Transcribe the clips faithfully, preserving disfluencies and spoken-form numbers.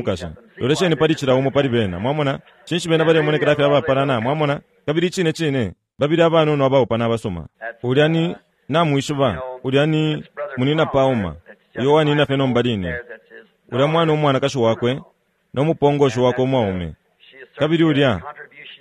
mukashi. Lolesheni pali cila umo pali bena, mwamona. Cinshi bena balemonekela fye abapalana, mwamona? Kabili icine cine, babili abanono abaupana abasuma. Ulya ni, namwishiba, ulya ni Munina Pauma, uyo wanina fye nomba line. Ulya mwana umwanakashi wakwe, no mupongoshi wakwe umwaume. Kabili ulya,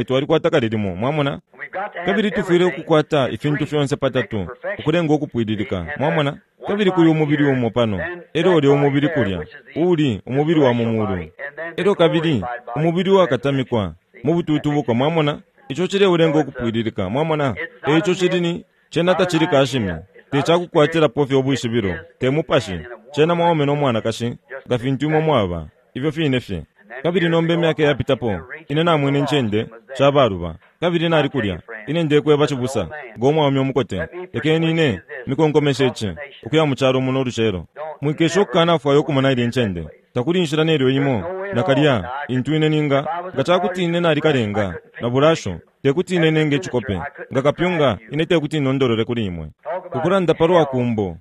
Ifwe twalikwata kale limo, mwamona. And we've got to have Kabili tufwile everything ukukwata in ifintu three fyonse to make patatu, perfection. ukulenga ukupwililika, And mwamona. there's one Kabili kuli body umubili here, umo pano, then elyo that ulya body umubili there, kulya, which is the uli umubili wa mu celestial mulu, body, and then the elyo kabili glorified body umubili of the uwakatamikwa resurrection. Mubututubuko, mwamona? Ico cileulenga ukupwililika, mwamona? Eico cili ni cena tacili kashimi, tecakukwatilapo fye ubwishibilo, te mupashi. Cena mwaume no mwanakashi, nga fintu imwe mwaba, ifyo fine fye. Kabili nomba imyaka yapitapo, ine namwene incende shabaluba, kabili nali kulya. Ine ndekweba cibusa, ngo mwaume umukote, lekeni ine mikonkomeshe ici, ukuya mu calo muno ulucelo. Mwikesha ukukanafwaya ukumona ilya incende. Takuli inshila nelyo imo, nakalya, intu ine ninga, nga cakuti ine nalikalenga, na bulasho, tekuti ine nenge icikope, nga kapyunga, ine tekuti nondolole kuli imwe. Ukulanda palwa kumbo,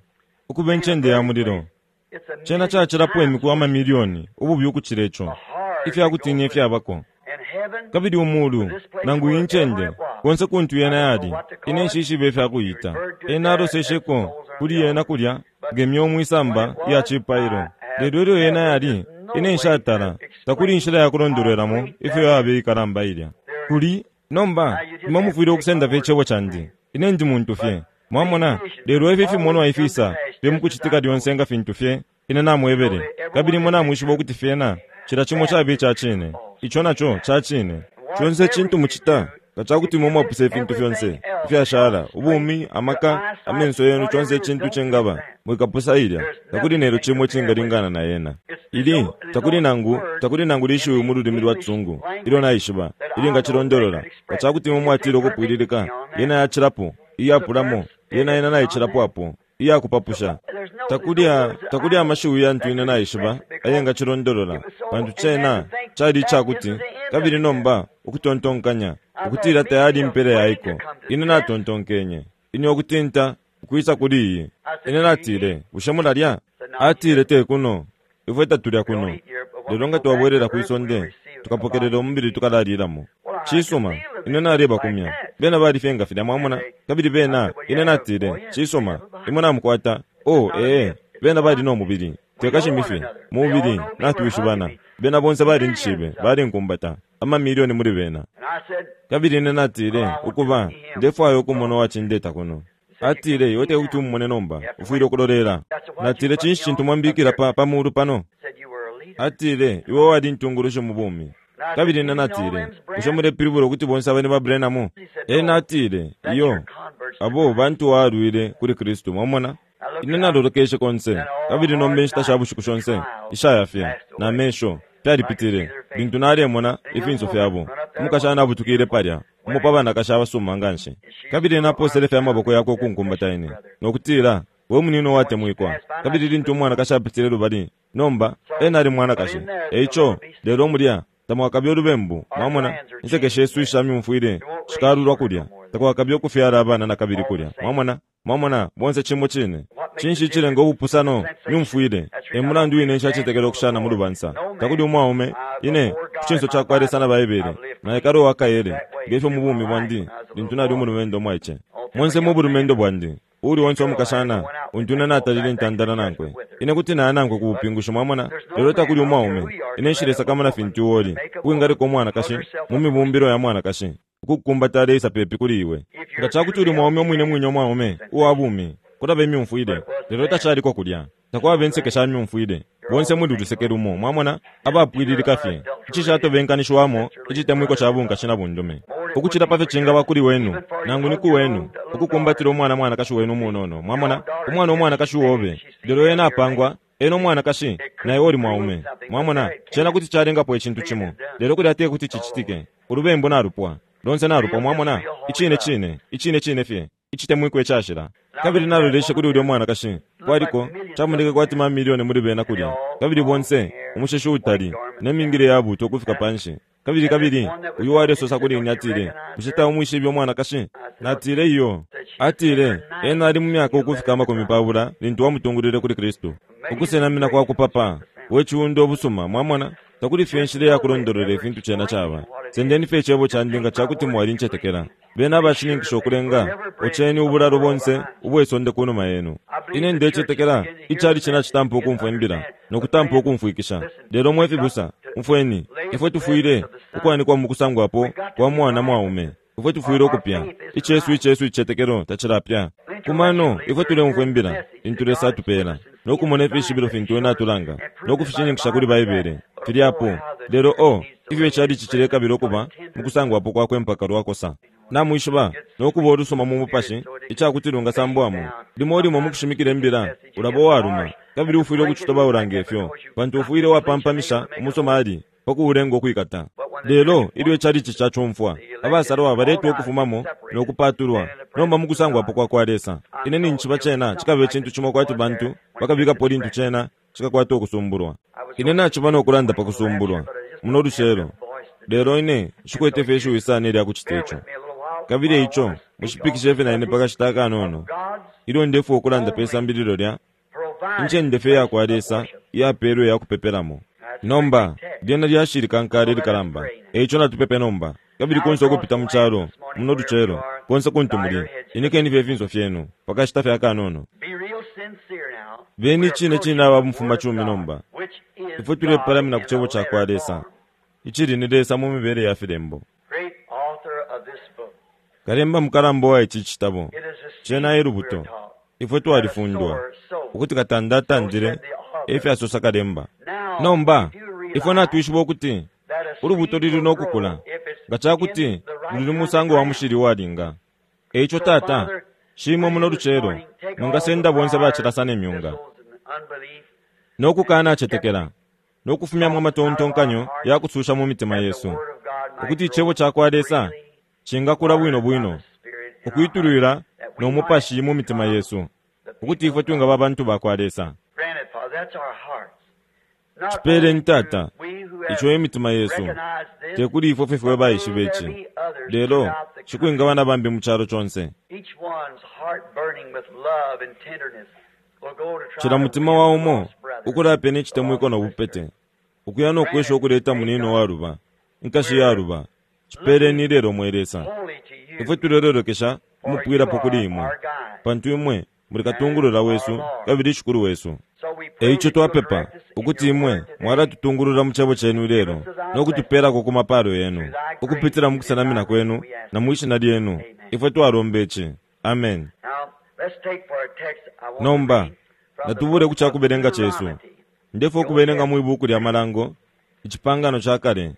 ukuba incende ya mulilo, cena cacilapo imiku amamilioni, ububi ukucila ico, ifyakutinya ifyabako. Kabili umulu, nangu incende, konse kuntu yena yali, ine nshishibe ifyakuyita. Ena alosesheko kuli yena kulya, ngemyo mwisamba iya cipailo. Lelo ilyo yena yali, ine nshatala, takuli inshila yakulondolwelamo ifyo yabe ikalamba ilya. Kuli, nomba, imwe mufwile ukusenda fye icebo candi. Ine ndi muntu fye. Mwamona, lelo ifi fimonwa ifisa, fye mukucitika lyonse nga fintu fye, ine namwebele. Kabili imwe namwishiba ukuti fyena, cila cimo cabe ica cine. Ico naco ca cine. Conse cintu mucita, nga cakuti imwe mwapuse ifintu fyonse, ifyashala, ubumi, amaka, amenso yenu, conse icintu cingaba, mwikapusa ilya, takuli nelyo cimo cingalingana na yena. Ili, takuli nangu, takuli nangu lishiwi mu lulimi lwa Tsungu, ilyo naishiba, ili ngacilondolola, nga cakuti imwe mwatile ukupwililika, yena yacilapo, iyapulamo, yena yena naicilapo apo, iyakupapusha. Takuli, takuli amashiwi yantu ine naishiba, ayengacilondolola, pantu cena cali icakuti, kabili nomba ukutontonkanya, ukutila tayali impela yaiko. Ine natontonkenye, ine ukutinta, ukwisa kuli iyi. Ine natile, bushe mulalya? Atile te kuno, ifwe tatulya kuno. Lelo nga twabwelela kwisonde, tukapokelela umubili tukalalilamo. Cisuma, ine naleba kumya. Bena balifye nga filya, mwamona? Kabili bena, ine natile, cisuma, imwe namukwata. Oh, ee, bena bali no mubili. Tekashimifye, mubili, natwishibana. Bena bonse balinjishibe, balinkumbata, amamilioni muli bena. Kabili ine natile, ukuba, ndefwaya ukumona uwacindeta kuno. Atile, iwe tekuti umumone nomba, ufwile ukulolela. Natile, cinshi cintu mwambikila pa, pa mulu pano? Atile, iwe wali ntungulushi mu bumi. Kabili ine natile, bushe mulepilibula ukuti bonse abene ba Branham? Ena atile, iyo, abo bantu walwile kuli Kristu, mwamona? Ine nalolekeshe konse, kabili nomba inshita sha bushiku shonse, ishayafye, na mesho, fyalipitile, lintu nalemona ifinso fyabo. Umukashana abutukile palya, umo pa banakashi abasuma nganshi. Kabili naposele fye amaboko yakwe ukunkumbata ine, nokutila, we munino watemwikwa. Kabili lintu umwanakashi apitile lubali, nomba, ena ali mwanakashi. Eico, lelo mulya, tamwakabye ulubembu, mwamona? Inseke shesu isha myumfwile, shikalulwa kulya, takwakabye ukufyala abana nakabili kulya, mwamona? Mwamona, bonse cimo cine. Cinshi cilenga ubupusano, myumfwile, e mulandu wine nshacetekela ukushana mu lubansa. Takuli umwaume, ine, ku cinso cakwa Lesa na Baibele, naikala uwakaele, ngefyo mu bumi bwandi, lintu nali umulumendo mwaice. Monse mu bulumendo bwandi, uli onse umukashana, untu ine natalile ntandala nankwe. Ine kuti naya nankwe ku bupingushi, mwamona? Lelo takuli umwaume, ine nshilesakamana fintu uoli, uwingaleka umwanakashi, mu mibumbilo ya mwanakashi, ukukumbata aleisa pepi kuli iwe. Nga cakuti uli mwaume umwine mwine umwaume, uwa bumi, kulaba imyumfwile, lelo tacaliko kulya. Takwaba inseke sha myumfwile, bonse muli luseke lumo, mwamona? Abapwililika fye, icishatobenkanishiwamo, icitemwiko ca bunkashi na bundume. Ukucila pa fyo cingaba kuli wenu, nangu ni ku wenu, ukukumbatila umwana mwanakashi wenu umunono, mwamona? Umwana umwanakashi uobe, lelo ena apangwa, ena umwanakashi, na iwe uli mwaume. Mwamona, cena kuti calengapo icintu cimo, lelo kulya te kuti cicitike. Ulubembu nalupwa, lonse nalupwa, mwamona? Icine cine, icine cine fye, icitemwiko icashila. Kabili naloleshe kuli ulya mwanakashi, kwaliko, camoneke kwati mamilioni muli bena kulya. Kabili bonse, umusheshi utali, ne mingile yabuta ukufika panshi. Kabili kabili, uyu walesosa kuli ine atile, bushe taumwishibe umwanakashi? Natile iyo. Atile, ena ali mu myaka ukufika amakumi pabula, lintu wamutungulile kuli Kristu. Ukusenamina kwa kupapa, we ciundo obusuma, mwamona? Takuli fye inshila yakulondolola ifintu cena caba. Sendeni fye icebo candi nga cakuti mwalincetekela. Bena abashininkisha ukulenga, oceni ubulalo bonse ubwesonde kunuma yenu. Ine ndecetekela, icali cena citampa ukumfwa imbila, nokutampa ukumfwikisha. Lelo mwe fibusa, umfweni, ifwe tufwile ukwanikwa mu kusangwapo kwa mwana mwaume. Ifwe tufwile ukupya, icesu icesu icetekelo tacilapya. Kumano, ifwe tuleumfwa imbila, lintu Lesa atupela, nokumona ifishibilo fintu ena atulanga, nokufishininkisha kuli Baibele, filyapo. Lelo o, Ifyo icalici cilekabila ukuba mukusangwapo kwakwe mpaka lwakosa. Namwishiba, nokuba ulusuma mu mupashi, icakuti lungasambwamo. Limo limo mukushimikila imbila, ulaba uwaluma, kabili ufwile ukucitobaula ngefyo, pantu ufwile wapampamisha umusomali pakuulenga ukwikata. Lelo ilyo icalici cacumfwa, abasalwa baletwa ukufumamo nokupatulwa nomba mukusangwapo kwa kwa Lesa. Ine ninjiba cena cikaba icintu cimo kwati bantu bakabikapo lintu cena cikakwata ukusumbulwa. Ine naciba nokulanda pa kusumbulwa muno lucelo, lelo ine nshikwete fye ishiwi sana ilya kucita ico. Kabili ico mushipikishe fye na ine pakashita akanono, ilyo ndefwa ukulanda pe sambililo lya incende fye yakwa Lesa iyapelwe yakupepelamo. Nomba lyena lyashi likankala ilikalamba, eico natupepe nomba. Kabili konse ukupita mu calo muno lucelo, konse kuntu muli, inekeni fye ifinso fyenu pakashita fye akanono. Beni cine cine aba mufumacumi nomba. Ifwe tulepalamina ku cebo cakwa Lesa, icili ni Lesa mu mibele ya filembo. Kalemba mukalamba wa ici citabo, cena elubuto. Ifwe twalifundwa ukuti katandatandile, efyasosa kalemba. Nomba ifwe natwishiba ukuti ulubuto luli nokukula nga cakuti luli musango wa mushili uwalinga. Eico Tata, shimwe muno lucelo mwingasenda bonse bacilasa ne myunga nokukanacetekela nokufumyamo amatontonkanyo yakususha mu mitima yesu, ukuti icebo cakwa Lesa cingakula bwino bwino ukwitulwila no mupashi mu mitima yesu, ukuti ifwe twingaba abantu bakwa Lesa. Cipeleni Tata, ico imitima yesu, tekuli ifwe fwe baishiba ici, lelo cikwingaba na bambi mu calo conse. Cila mutima wa umo ukulapena icitemwiko no bupete, ukuya no kwesha ukuleta munino waluba, inkashi yaluba. Cipeleni lelo mwe Lesa. Ifwe tulelolekesha umupwilapo kuli imwe, pantu imwe muli katungulula wesu kabili shikulu wesu. Eico twapepa ukuti imwe mwalatutungulula mu cebo cenu lelo no kutupelako ku mapalo yenu, ukupitila mu kusenamina kwenu na mwi shina lyenu. Ifwe twalomba ici. Amen. Nomba natubule ku cakubelenga cesu. Ndefwa ukubelenga mwi buku lya Malango, icipangano ca kale,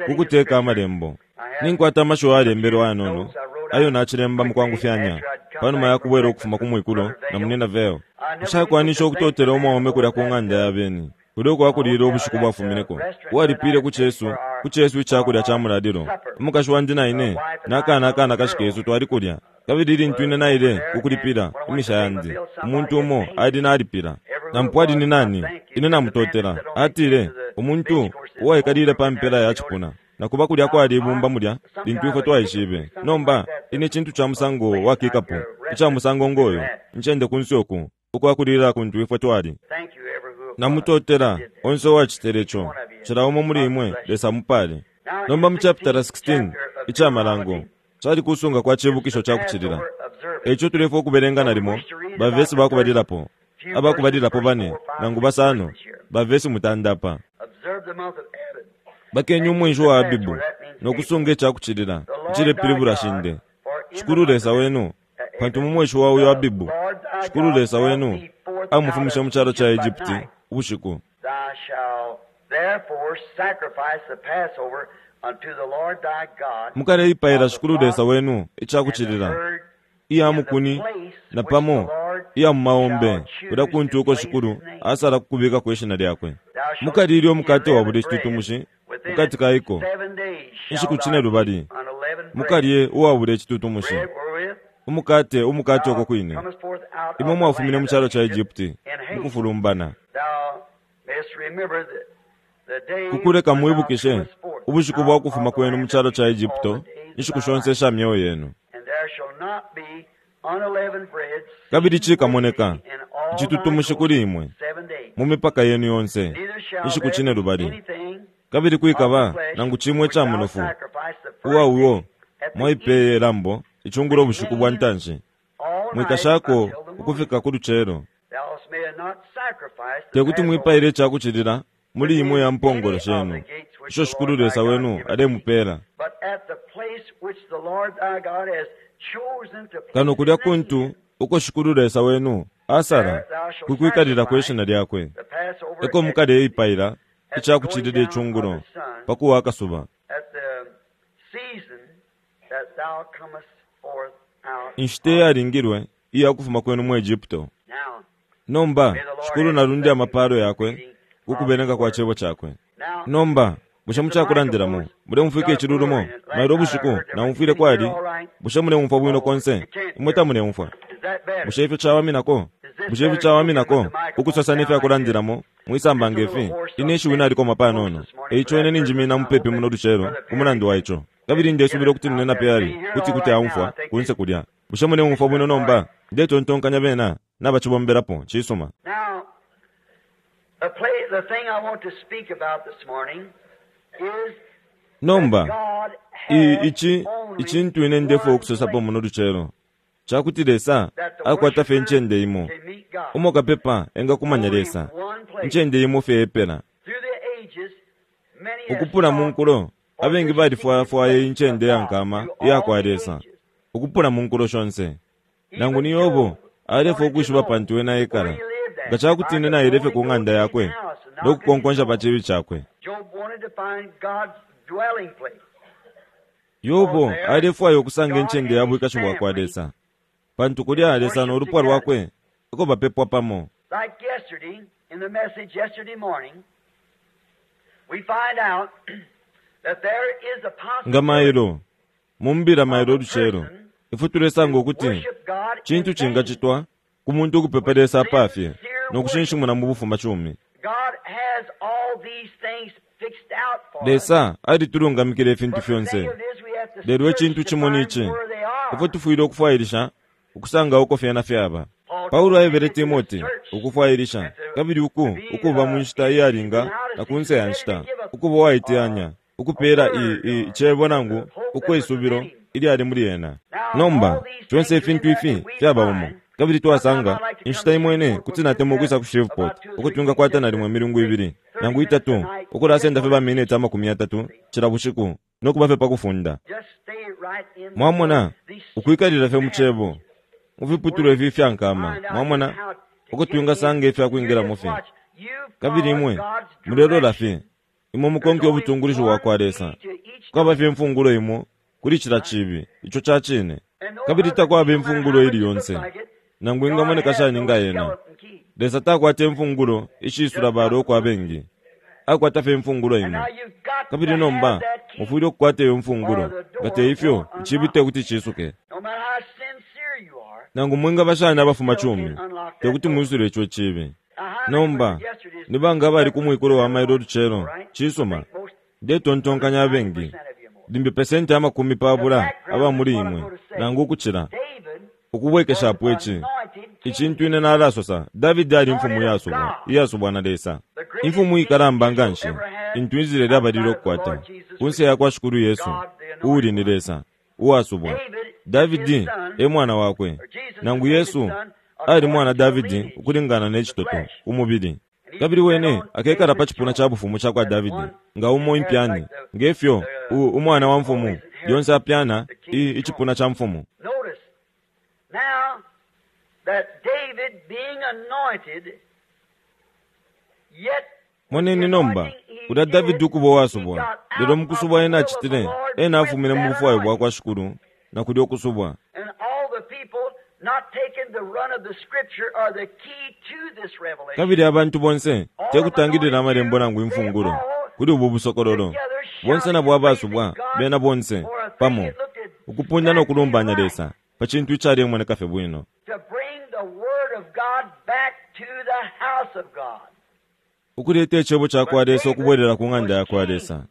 kukuteka amalembo. Ninkwata amashiwi ayalembelwe ayanono ayo nacilemba mukwangufyanya panuma yakubwela ukufuma ku mwikulo na munina Veo. Nshakwanisha ukutotela umwaume kulya ku ng'anda ya beni, kulya ukwakulila ubushiku bwafumineko, uwalipile ku cesu ku cesu icakulya ca mulalilo. Umukashi wandi na ine nakana akana kashi kesu twali kulya, kabili lintu ine naile kukulipila imisha yandi, umuntu umo ali nalipila. Nampo ali ni nani, ine namutotela. Atile umuntu uwaikalile pa mpela ya cipuna. Nakuba kulya kwali ibumba mulya lintu ifwe twaishibe. Nomba ine cintu ca musango wakikapo, ica musango ngoyo, ncende kunsi oku ukwakulila kuntu ifwe twali. Namutotela onse uwacitele ico, cila umo muli imwe Lesa mupale. Nomba mu chapitala sixteen ica Malango cali kusunga kwa cibukisho ca kucilila. Eico tulefwa ukubelenga nalimo bavesi bakubalilapo, abakubalilapo bane nangu basano, bavesi mutandapa. Bakenye umwenshi wa Abibu nokusunga icakucilila icilepilibula shinde. Shikulu Lesa wenu, pantu mu mwenshi wa uyo Abibu, Shikulu Lesa wenu amufumishe mu calo ca Egypti ubushiku. Mukaleipaila Shikulu Lesa wenu icakucilila iya mukuni na pamo iya mumaombe, kulya kuntu uko Shikulu asala kukubikako ishina lyakwe. Mukalilya umukate wa buli citutumushi mukati kaiko inshiku cine lubali, mukalye uwabula icitutumushi umukate umukate uko kwine imwe mwafumine mu calo ca Egypti mukufulumbana. Kukuleka mwibukishe ubushiku bwa kufuma kwenu mu calo ca Egypto inshiku shonse isha myeo yenu. Kabili cikamoneka icitutumushi kuli imwe mu mipaka yenu yonse inshiku cine lubali. Kabili kwikaba nangu cimwe ica munofu uwa uyo mwaipeye lambo icungulo ubushiku bwa ntanshi, mwikashako ukufika ku lucelo. Tekuti mwipaile icakucilila muli imwe ya mpongolo shenu isho Shikulu Lesa wenu alemupela. Kano kulya kuntu uko Shikulu Lesa wenu asala kukwikalila kwe shina lyakwe, eko mukaleipaila ica kucilila icungulo pa kuwa akasuba inshita iyalingilwe iya kufuma kwenu mu Egypto. Nomba Shikulu nalunde amapalo yakwe kukubelenga kwa cebo cakwe. Nomba bushe mucakulandilamo mulemumfwika icilulumo mailo ubushiku naumfwile kwali? Bushe mulemumfwa bwino konse? Imwe tamulemumfwa? Bushe ifyo cawaminako? Bushe ifyo cawaminako ukusosa nefyakulandilamo mwisamba ngefi? Ine ishiwi nalikoma panono, eico ine ninjimina mupepi muno lucelo ku mulandu wa ico, kabili ndesubila ukuti nine napyali kuti kuti aumfwa kunse kulya. Bushe mulemumfwa bwino nomba? Ndetontonkanya bena nabacibombelapo. Cisuma. Nomba ici icintu ine ndefwaya ukusosapo muno lucelo cakuti Lesa akwata fye incende imo umo kapepa engakumanya Lesa, incende imo fye epela. Ukupula mu nkulo abengi balifwayafwaya incende ya nkama iya kwa Lesa ukupula mu nkulo shonse. Nangu ni Yobo alefwaya ukwishiba pantu ena ekala, nga cakuti ine naile fye ku ng'anda yakwe no kukonkonsha pa cibi cakwe. Yobo alefwaya ukusanga incende ya bwikashi bwa kwa Lesa, pantu kulya Lesa no lupwa lwakwe eko bapepwa pamo. Nga mailo mumbila mailo lucelo ifwe tulesanga ukuti cintu cingacitwa ku muntu ukupepa Lesa apafye no kushinshimuna mu bufuma cumi. Lesa alitulungamikile ifintu fyonse, lelo icintu cimo ni ici: ifwe tufwile ukufwailisha ukusanga uko fyena fyaba. Paulo aebele Timoti ukufwailisha kabili uku ukuba mu nshita iyalinga na kunse ya nshita, ukuba uwaiteyanya ukupeela icebo nangu ukwisubilo ilyali muli ena. Nomba fyonse ifintu ifi fyaba umo, kabili twasanga inshita imo ine kuti natemwa ukwisa ku Shreveport uko twingakwata nalimo imilungu ibili nangu itatu ukulasenda fye baminiti amakumi yatatu cila bushiku no kuba fye pa kufunda. Mwamona, ukwikalila fye mu cebo mufiputulwa ifi ifya nkama, mwamona uko twingasanga ifyakwingilamo fye. Kabili imwe mulelola fye, imwe mukonke ubutungulishi bwa kwa Lesa. Kwaba fye imfungulo imo kuli cila cibi, ico ca cine, kabili takwaba imfungulo ili yonse nangu ingamoneka shani nga yena. Lesa takwata imfungulo ishisula balo kwa bengi, akwata fye imfungulo imo. Kabili nomba mufwile ukukwata iyo mfungulo, nga te ifyo icibi te kuti cisuke. Nangu mwingaba shani abafuma cumi, te kuti mwisule ico cibi. Nomba ni banga abali ku mwikulo wa mailo lucelo? Cisuma, ndetontonkanya abengi, limbi pesenti amakumi pabula aba muli imwe nangu ukucila. Ukubwekeshapo ici icintu ine nalasosa, Davidi ali imfumu iyasubwa iyasubwa na Lesa, imfumu ikalamba nganshi intu Israeli abalile ukukwata kunse ya kwa Shikulu Yesu uuli ni Lesa uwasubwa. Davidi e mwana wakwe, nangu Yesu ali mwana Davidi ukulingana ne citoto umubili, kabili wene akekala pa cipuna ca bufumu ca kwa Davidi nga umo impyani, ngefyo umwana wa mfumu lyonse apyana icipuna ca mfumu. Now that David being anointed, yet Moneni nomba ulya Davidi ukuba uwasubwa, lelo mukusubwa ena acitile, ena afumine mu bufwayo bwa kwa Shikulu na kulya ukusubwa. And all the people not taking the run of the scripture or the key to this revelation. Kabili abantu bonse tekutangilila amalembo nangu imfungulo kuli ubu busokololo, bonse nabo abasubwa bena bonse pamo ukupunda no kulumbanya Lesa pa cintu icalemoneka fye bwino, To bring the word of God back to the house of God. ukuleta icebo ca kwa Lesa ukubwelela ku ng'anda ya kwa Lesa.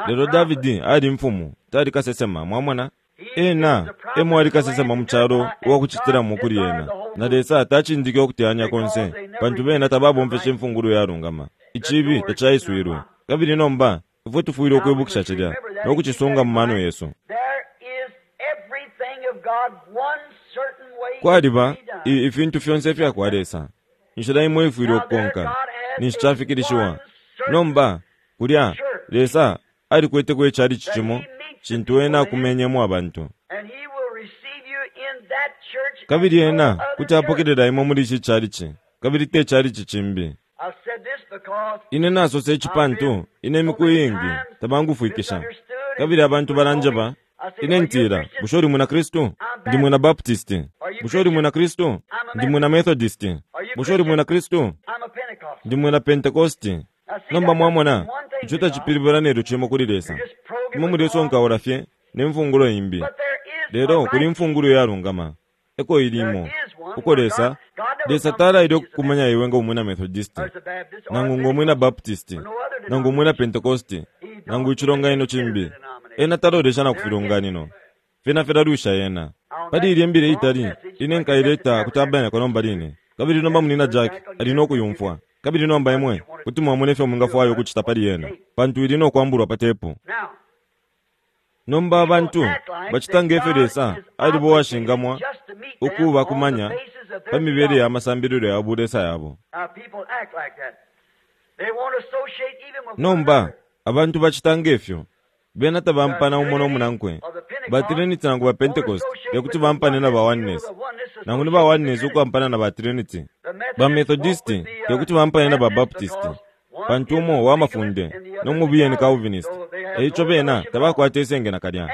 Lelo Davidi ali mfumu, tali kasesema, mwamona? Ena emo ali kasesema mu calo uwakucitilamo kuli ena, na Lesa tacindike ukuteyanya konse, pantu bena tababomfeshe imfungulo yalungama. Icibi tacaiswilwe. Kabili nomba ifwe tufwile ukwibukisha cilya no kucisunga mu mano yesu. There is everything of God one certain way Kwaliba to be done. ifintu fyonse ifya kwa Lesa, inshila imo ifwile ukukonka ninshi cafikilishiwa. Nomba kulya Lesa alikweteko icalici cimo cintu ena akumenyemo abantu, And he will receive you in that church and kabili no ena other kuti church. apokelela imwe muli ici calici kabili te calici cimbi. I've said this because Ine nasosa ici pantu ine imiku iingi tabangufwikisha kabili abantu balanjeba ine ntila bushe uli mwina Kristu? Ndi mwina Baptisti. Bushe uli mwina Kristu? Ndi mwina Methodisti. Bushe uli mwina Kristu? I'm a Pentecostal. Ndi mwina Pentecosti. Nomba mwamona ico tacipilibula nelyo cimo kuli Lesa. Just program Imwe mulesonkaula fye ne mfungulo imbi. But there is Lelo a kuli right mfungulo yalungama eko ilimo uko Lesa Lesa talaile okukumanya iwe nga umwina Methodisti or the Baptist or nangu nga umwina Baptisti nangu umwina Pentecosti nangu icilonganino cimbi. Ena talolesha na ku filonganino fyena filalwisha yena. Pali ilya imbila itali ine nkaileta ku tabernacle nomba line kabili nomba munina Jack ali nokuyumfwa kabili nomba imwe kuti mwamona ifyo mwingafwaya ukucita pali yena pantu ili nokwambulwa pa tepu. Now, Nomba abantu bacita ngefyo Lesa alibo washingamwa ukuba kumanya pa mibele ya masambililo ya bulesa yabo. Now, people act like that. They won't associate even with one Nomba another. abantu bacita ngefyo bena tabampana umo nomunankwe. Ba Trinity nangu ba Pentecost tekuti bampane na ba Oneness nangu ni ba Oneness ukwampana na ba Trinity. Ba Methodisti tekuti bampane na ba Baptist pantu umo wa mafunde nomubiye ni Calvinist. Eico bena tabakwata isenge nakalya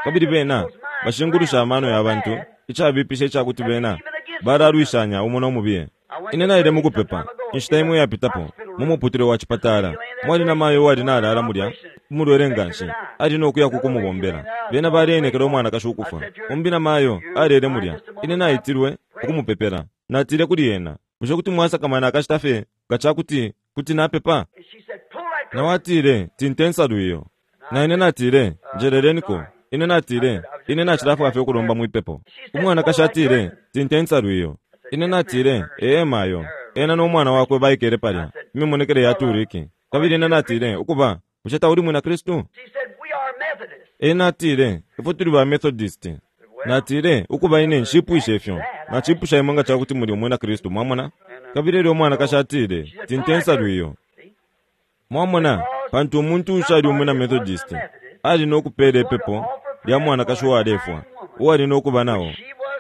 kabili bena bashingulusha amano ya bantu icabipisha icakuti bena balalwishanya umo nomubiye. Ine naile mukupepa inshita imwe yapitapo mu muputule wa chipatala mwali na mayo uwali nalala mulya umulwele nganshi ali nokuya kukumubombela. Bena balenekela umwanakashi ukufwa umbi na mayo alele mulya. Ine naitilwe ukumupepela. Natile kuli yena bushe kuti mwasakamana akashita fye nga cakuti kuti napepa? And she said, pull that Nawe atile tinte nsalu iyo. Na ine natile njeleleniko. Ine natile ine nacilafwaya fye ukulomba mwipepo. Umwanakashi atile tinte nsalu iyo. Ine natile ee mayo. Ena n'omwana wakwe baikele palya imimonekele ya turiki. Kabili ine natile ukuba bushe tauli mwina Kristu? She said, we are Methodists. Ena atile ifwe tuli ba Methodist. Natile ukuba ine nshipwishe ifyo nacipusha imwe nga cakuti muli umwina Kristu mwamona. Kabili elyo umwanakashi atile tinte nsalu iyo. Mwamona pantu umuntu ushali umwina Methodist ali nokupela ipepo lya mwanakashi uwalefwa uwali nokuba nawo.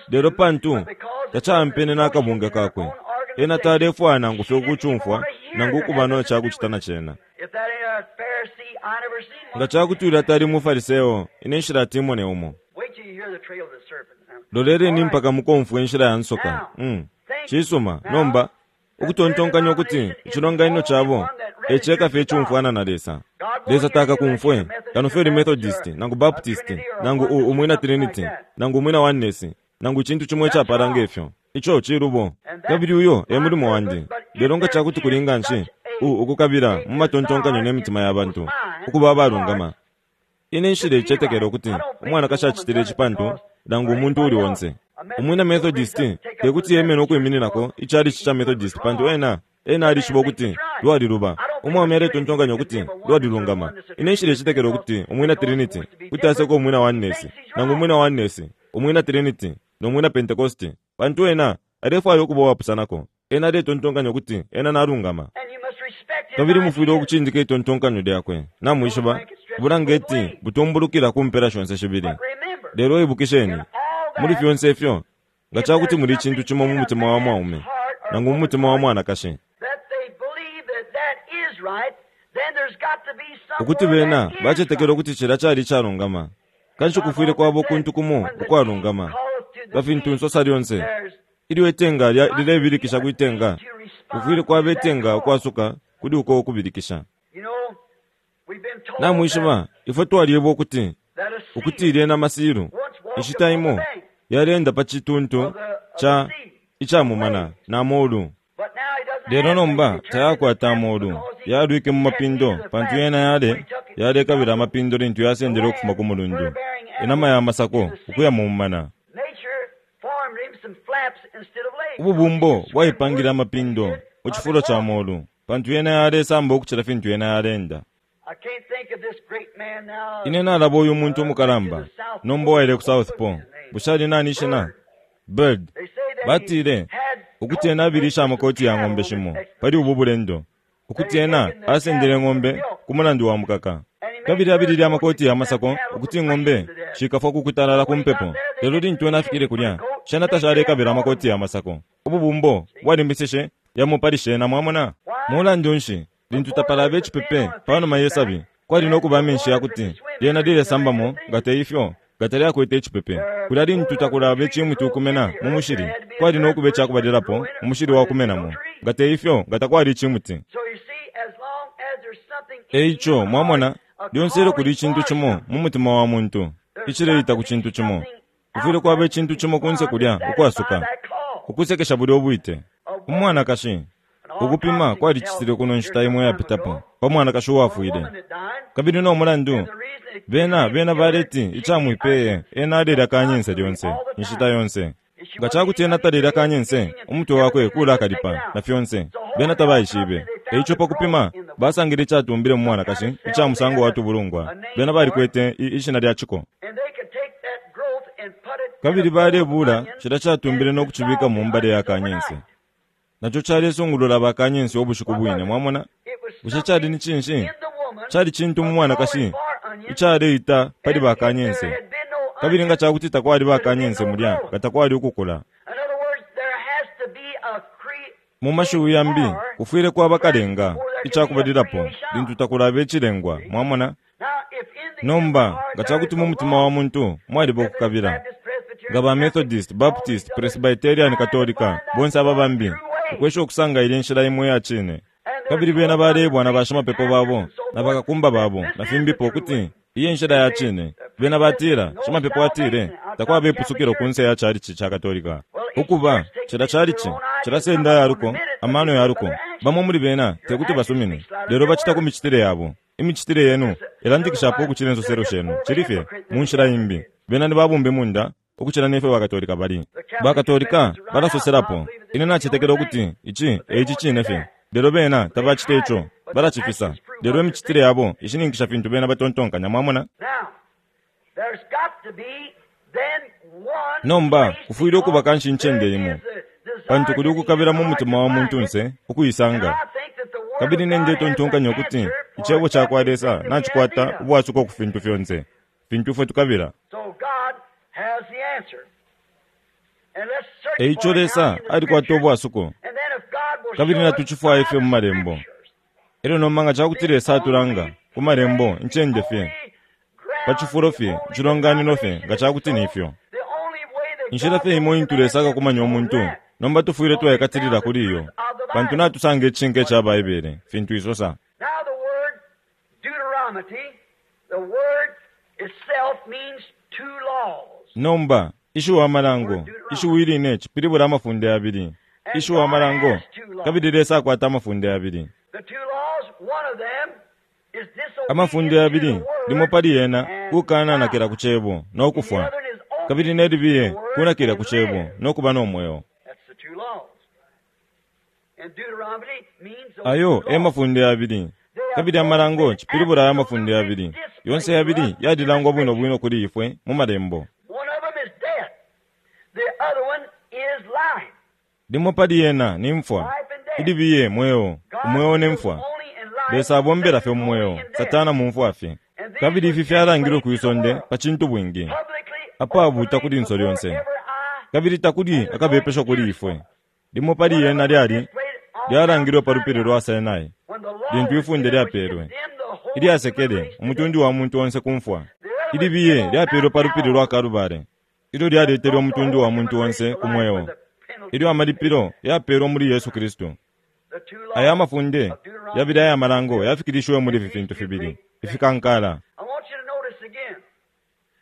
Lelo pantu tacampene n'akabunga kakwe ena talefwaya nangu fye ukucumfwa nangu ukuba no cakucita na cena. If that ain't a Pharisee, I never seen one. Nga cakuti ulya tali mu Fariseo ine nshilatimone umo. Wait till you hear the trail of the serpent. Now, Loleleni mpaka mukomfwe inshila ya nsoka. Mm. Cisuma nomba ukutontonkanya ukuti icilonganino cabo eceka fye icumfwana na Lesa. Lesa takakumfwe kano fye uli Methodist nangu Baptist nangu u umwina Trinity nangu umwina Oneness nangu icintu cimo icapala ngefyo. Ico cilubo kabili uyo e mulimo wandi. Lelo nga cakuti kuli nganshi u ukukabila mu matontonkanyo ne mitima ya bantu ukuba abalungama. Ine nshile icetekela ukuti umwanakashi acitile ici pantu nangu umuntu uli onse. Umwina Methodist tekuti yemene ukwimininako icalici ca Methodist pantu ena ena alishiba ukuti lwaliluba. Umwaume aletontonkanya ukuti lwalilungama. Ine nshile icetekela ukuti umwina Trinity kuti aseka umwina Oneness nangu umwina Oneness umwina Trinity no mwina Pentecost pantu ena alefwaya ukuba uwapusanako. Ena aletontonkanya ukuti ena nalungama. And you must respect his Kabili mufwile ideas. ukucindika itontonkanyo lyakwe. Namwishiba bulangeti butumbulukila ku mpela shonse shibili. But remember, Lelo ibukisheni in all muli that, fyonse ifyo nga if cakuti there's muli icintu something cimo mu in a mutima wa man's mwaume heart or nangu mu woman's mutima wa heart mwanakashi that they believe that that is right, then there's got to be ukuti somewhere bena that is bacetekela right. ukuti cilya cali icalungama kanshi I've kufwile often kwaba said, ukuntu kumo when the deep ukwalungama calleth to the nga fintu deep, nsosa lyonse there's ilyo itenga lya- got to be lilebilikisha a kwitenga need to kufwile respond kwaba to that itenga call. ukwasuka kuli uko ukubilikisha. You know, we've been told that, Namwishiba ifwe twaliebwa ukuti that a ukuti seal ilye namasilu once walked inshita upon the imo bank yalenda pa cituntu of the, of the ca sea, icamumana waves. na molu. But now he doesn't Lelo have legs. nomba He turned into tayakwata flaps amolu because he yalwike mu stepped mapindo into the pantu flaps yena when yale he took it yalekabila from the amapindo lintu yasendele ukufuma land, ku mulundu fur-bearing inama animals ya in masako the ukuya sea. mu mumana. Nature formed him some flaps instead of legs because he Ububumbo could swim bwaipangile worse than he amapindo did mu of cifulo his ca walking. molu pantu yena yalesamba ukucila fintu yena yalenda. I can't think of this great man now. Ine nalaba uyu muntu Uh, went to umukalamba the South nomba Pole. uwaile ku What South was Pole his name? bushe ali nani ishina? Bird. Bird. They say that he Batile had ukuti ena coats abilisha made with some amakoti ya cattle ng'ombe on this shimo expedition. pali ubu bulendo That ukuti he ena taken the asendele cattle for ng'ombe milk. ku mulandu wa mukaka And he made kabili fur abilile coats to amakoti ya keep that masako cattle from ukuti ng'ombe freezing to death. shikafwa kukutalala But ku when he got mpepo. there, they Lelo didn't lintu ena need afikile any fur kulya coat. shena Nature had tashalekabila formed amakoti them. ya masako. Ububumbo See? bwalimbisishe yamo pali shena mwamona. Why, Mulandu nshi, lintu tapalaba icipepe panuma yesabi, kwali nokuba amenshi yakuti lyena lilesambamo, nga teifyo nga talyakwete icipepe. Kulya lintu takulaba icimuti ukumena mu mushili, kwali nokuba icakubalilapo umushili wakumenamo, nga teifyo nga takwali icimuti. So you see, as long as there's something in Eico the human mwamona, heart, a lyonse ilyo kuli calling icintu for cimo something, mu mutima wa muntu icileita ku cintu cimo, kufwile kwaba icintu cimo kunse kulya ukwasuka ukusekesha bulya ubwite. Umwanakashi ukupima kwalicitilwe kuno nshita imo yapitapo pa mwanakashi uwafwile, kabili no mulandu bena bena baleti icamwipeye ena alelya kanyense lyonse inshita yonse. Nga cakuti ena talelya kanyense, umutwe wakwe kulakalipa na fyonse, bena tabaishibe. Eico pa kupima basangile icatumbile mu mwanakashi ica musango wa tubulungwa, bena balikwete i- ishina lya ciko. And they could take that growth and put it in Kabili a bowl of balebula onion cila catumbile no kucibika mu mbale ya kanyense, naco calesungulula bakanyense ubushiku bwine. Mwamona, It was bushe cali ni something cinshi? in the woman Cali cintu mu a mwanakashi calling for onion, icaleita pali and if there bakanyense. had been no Kabili nga onion, cakuti takwali there would have been bakanyense no mulya, growth. nga takwali ukukula. In other words, there has to be a cre- Mu mashiwi yambi, kufwile kwaba kalenga before there can be a icakubalilapo creation. lintu takulaba icilengwa. Mwamona, Now, if in the human nomba heart nga there cakuti is mu a mutima wa longing, muntu mwaliba Methodist, ukukabila, Baptist, Presbyterian, nga ba Catholic, Methodist, all these Baptist, others, Presbyterian, trying to Katolika, find that bonse aba one bambi, true way. ukwesha ukusanga ilya nshila imo iya cine. And they're Kabili bena told by the balebwa na priests and bashimapepo pastors babo and so na forth bakakumba that babo this na is fimbipo the true ukuti way. iyi nshila They ya say cine. the Bena priest says batila, no shimapepo atile, salvation outside takwaba the Catholic ipusukilo Church. kunse ya chalichi cha Katolika. Well, each Ukuba church takes cila it into their chalichi own eyes and cilasenda some of them yaluko, admit it, but amano they do yaluko. other actions. Bamo muli bena Your tekuti actions basumine, speak louder lelo than your bacita ku words. micitile yabo. Imicitile yenu Just a little ilandikishapo while, ukucila they're insoselo just shenu. more of a Cili fye hypocrite mu than the nshila Catholic imbi. is. Bena ni babumbe munda ukucila nefyo bakatolika bali. The Catholic Bakatolika confesses right out, I balasoselapo, believe that this ine is the only nacetekela thing. ukuti ici But they e ici won't do cine fye. that. Lelo bena They tabacita hide ico, it, but their balacifisa. actions prove Lelo what they're imicitile thinking. yabo ishininkisha fintu bena batontonkanya. Mwamona? Now, there's got to be then one Nomba place kufwile ukuba because kanshi incende there imo, is a pantu desire kuli in the ukukabila human mu heart mutima to wa find it. muntunse And ukuisanga. I think that the Word Kabili of ne God has an ndetontonkanya ukuti answer for icebo ca kwa Lesa everything that we have need nacikwata of. ubwasuko ku fintu fyonse, fintu ifwe tukabila. So God has the answer. And let's search Eico for it now Lesa in the alikwata Scriptures. ubwasuko, And then if God will kabili show us natucifwaye by fye the mu malembo. Scriptures, Elyo nomba nga cakuti the Lesa atulanga only ku malembo place, the incende fye, only pa ground, cifulo the fye, only icilonganino fye, denomination nga that is cakuti ni so, ifyo. the only way that Inshila God fye will imo intu command Lesa them akakumanya is umuntu, that. nomba tufwile Because they twaikatilila found the kuli truth iyo, of the pantu Bible. natusanga icishinka What ica is it? Baibele, fintu isosa. Now the word Deuteronomy, the word itself means two laws. Nomba ishiwi The amalango, word Deuteronomy. ishiwi line cipilibula amafunde yabili. And Ishiwi God amalango, has two laws. kabili Lesa akwata amafunde yabili. The two laws, one of them is Amafunde disobedience to yabili, the limo word pali yena and kukananakila die. ku cebo no And the kufwa, other is kabili obedience ne to the libiye word kunakila ku and cebo live. no kuba no mweo. That's the two laws. And Deuteronomy means those Ayo two e laws. mafunde yabili. They have Kabili both amalango been cipilibula aya mafunde absolutely yabili. Yonse displayed to yabili us in the yalilangwa bwino Scripture. bwino kuli ifwe mu malembo. One of them is death. The other one is life. Limo pali yena ni mfwa, Life and death. ilibiye mweo, God umweo ne deals mfwa. only in life, Lesa abombela fye Satan mu only mweo, in death. Satana mu mfwa fye. And these Kabili were ifi fyalangilwe displayed kwi to the sonde world pa cintu bwingi, publicly, apabuuta openly, kuli nso before lyonse. every eye, Kabili and takuli there's no akabepesho kuli excuse for ifwe. us. Limo pali One of yena them was lyali displayed on Mount lyalangilwe pa lupili Sinai lwa Sinai, when the law lintu was ifunde given, which lyapelwe, condemned the whole human ilyasekele race to umutundu death. wa muntu onse ku mfwa. The other was Ilibiye given on lyapelwe Mount pa lupili lwa Calvary Kalubale, ilyo that lyaletelwe brought the umutundu whole wa human muntu race onse to ku life when mweo, the penalty ilyo was paid. amalipilo yapelwe muli Yesu Kristu. The two Aya laws amafunde of Deuteronomy yabili aya malango fulfilled yafikilishiwe muli in ifi these fintu two fibili great things. ifikankala. I want you to notice again.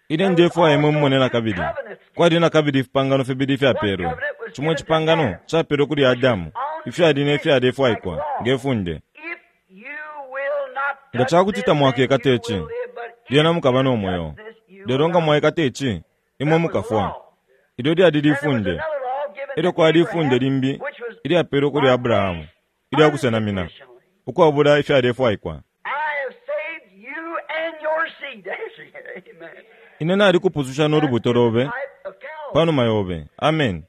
Ine There was ndefwaya imwe also mumone na two kabili covenants kwali given. na kabili ifipangano fibili One ifyapelwe. covenant was Cimo given to icipangano Adam, capelwe kuli which was Adamu, on ifyali ne condition, like fyalefwaikwa law. nge funde. If you will not Nga touch cakuti this, then tamwakekata you ici, will live, but if lyena mukaba no you mweo. touch this, you will Lelo nga die. mwaikata ici, imwe That was mukafwa. law. Ilyo lyali Then there was lifunde. another law given Elyo to kwali ifunde Abraham, limbi which was ilyapelwe kuli by Abrahamu, faith ilyakusenamina, unconditionally. ukwabula ifyalefwaikwa. I have saved you and your seed. Amen. Ine nalikupususha no That lubuto is the lobe type of Calvary, panuma yobe. Amen.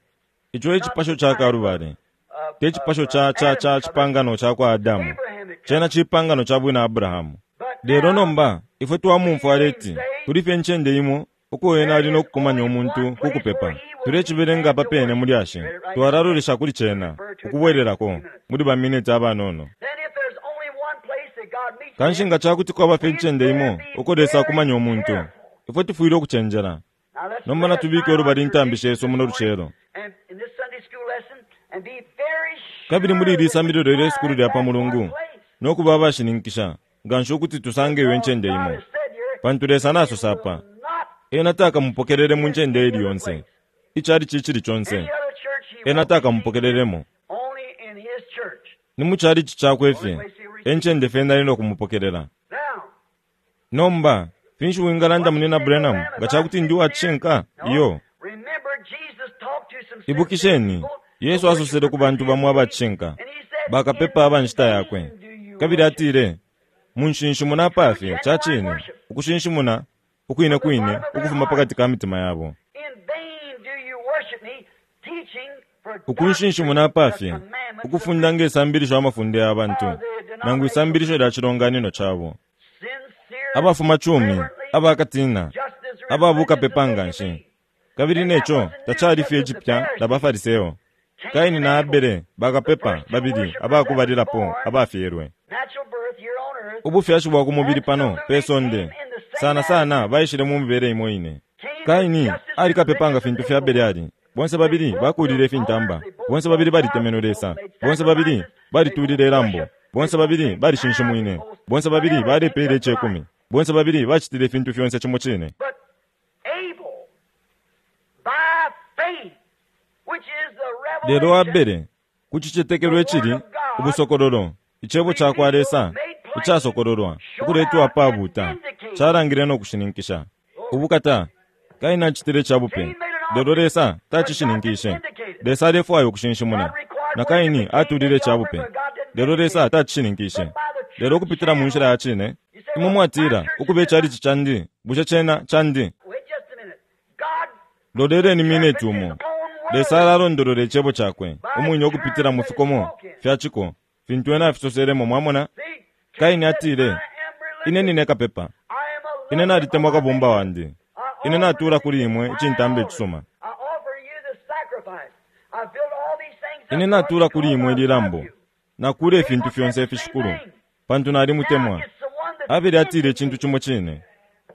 Ico e not cipasho the ca type of, Kalubale, of, te of cipasho uh, ca ca Adam's ca covenant, cipangano ca kwa Adamu, Abrahamic cena covenant. cipangano ca bwina Abrahamu. But Lelo now nomba ifwe we twamumfwa hear him aleti say, kuli fye ncende imo uko ena there ali no is kukumanya only umuntu one ku place where kupepa, he Tulecibelenga pa pene mu lyashi. Twalalolesha kuli cena, ukubwelelako, muli ba mineti abanono. Then if there's only one place that God meets Kanshi man, nga cakuti kwaba fye incende imo uko Lesa akumanya umuntu, ifwe tufwile ukucenjela. Now let's Nomba lay natubike aside ulubali our intambi traditions shesu muno this morning lucelo. and in this Sunday school lesson, and be very Kabili muri sure ili that we sambililo lye sukulu find lya pa that one mulungu, place. no kuba abashininkisha nganshi ukuti tusange iyo incende God imo. has said here, Pantu Lesa he nasosa will apa, not ena takamupokelele mu ncende ili yonse, icali cicili conse, any other church he ena won't receive takamupokelelemo. only in his church. Ni mu calici cakwe fye, encende fye nali no kumupokelela. Now, Nomba, finshi wingalanda what you munina say, Branham, Branham, nga if I'm cakuti ndi sincere? wacishinka? No. Iyo. Remember, Jesus talked to some sincere Ibukisheni, people, the Yesu asosele ku worshipers bantu of his bamo day, abacishinka, and he said, In bakapepa aba nshita yakwe. vain do you Kabili worship. atile, munshinshimuna True, apafye, ca genuine cine, worship ukushinshimuna ukwine from the kwine bottom of their ukufuma heart. pakati ka mitima yabo. In vain do you worship me, teaching for doctrine Ukunshinshimuna the apafye, commandments of ukufunda men. nge sambilisho amafunde ya bantu, Or the nangu denominational isambilisho lya cilonganino cabo. sincere, Abafuma cumi, reverently, abakatina, just as religious ababukapepa as they nga can nshi. be. Kabili And that neco wasn't new tacali just fye with the cipya na Pharisees. baFariseo. Cain Kaini and na Abel, Abele the bakapepa first two babili worshipers that was abakubalilapo born, abafyelwe. natural birth here on earth, Ubufyashi bwa ku mubili pano pe absolutely came sonde in the same sana sana attitude. baishile mu mibele imo ine. Cain was Kaini just as ali kapepa nga religious as fintu fya Abel Abele was. ali. Bonse They babili both bakulile built altars, ifintamba. they both Bonse built babili gods, balitemenwe they both Lesa. made Bonse babili sacrifices, they both balitulile ilambo. worshiped, they Bonse both babili made tithes, they balishinshimwine. both Bonse done babili everything balepeele just right. icekumi. Bonse babili bacitile ifintu fyonse cimo cine. But Abel, by faith, which is the Lelo revelation, Abele, ku cicetekelo the Word icili of God, ubusokololo, icebo ca kwa revealed, Lesa made plain, icasokololwa, showed ukuletwa out, and apabuuta, vindicated. calangile no kushininkisha. Ubukata, Kaini acitile ca bupe, Cain made an lelo offering, Lesa but God didn't tacishininkishe. vindicate it. Lesa alefwaya God ukushinshimuna, required na worship, Kaini and Cain made atulile the ca offering, bupe, but God didn't lelo vindicate Lesa it. tacishininkishe. But by the Lelo true ukupitila mu nshila channel, ya cine, you say, imwe well, my mwatila, church is ukuba just icalici candi, bushe cena candi. Wait just a minute. God Loleleni mineti interprets his umo. own Lesa word alalondolola icebo cakwe, by umwine ukupitila terms mu that is fikomo spoken. fya ciko, fintu ena afisoselemo mwamona. See, Cain Kaini said, I atile, am ine religious. nine kapepa, I am a ine lover of nalitemwa my kabumba neighbor. wandi, I ine offer natula to kuli you imwe my icintamba altar. icisuma, I offer you the sacrifice. I built all these things ine up, Lord, natula kuli because imwe I love ililambo, you. nakula They ifintu both said fyonse the same ifishikulu, thing. pantu Now nalimutemwa. it's the one that's Abele atile icintu vindicated, cimo cine.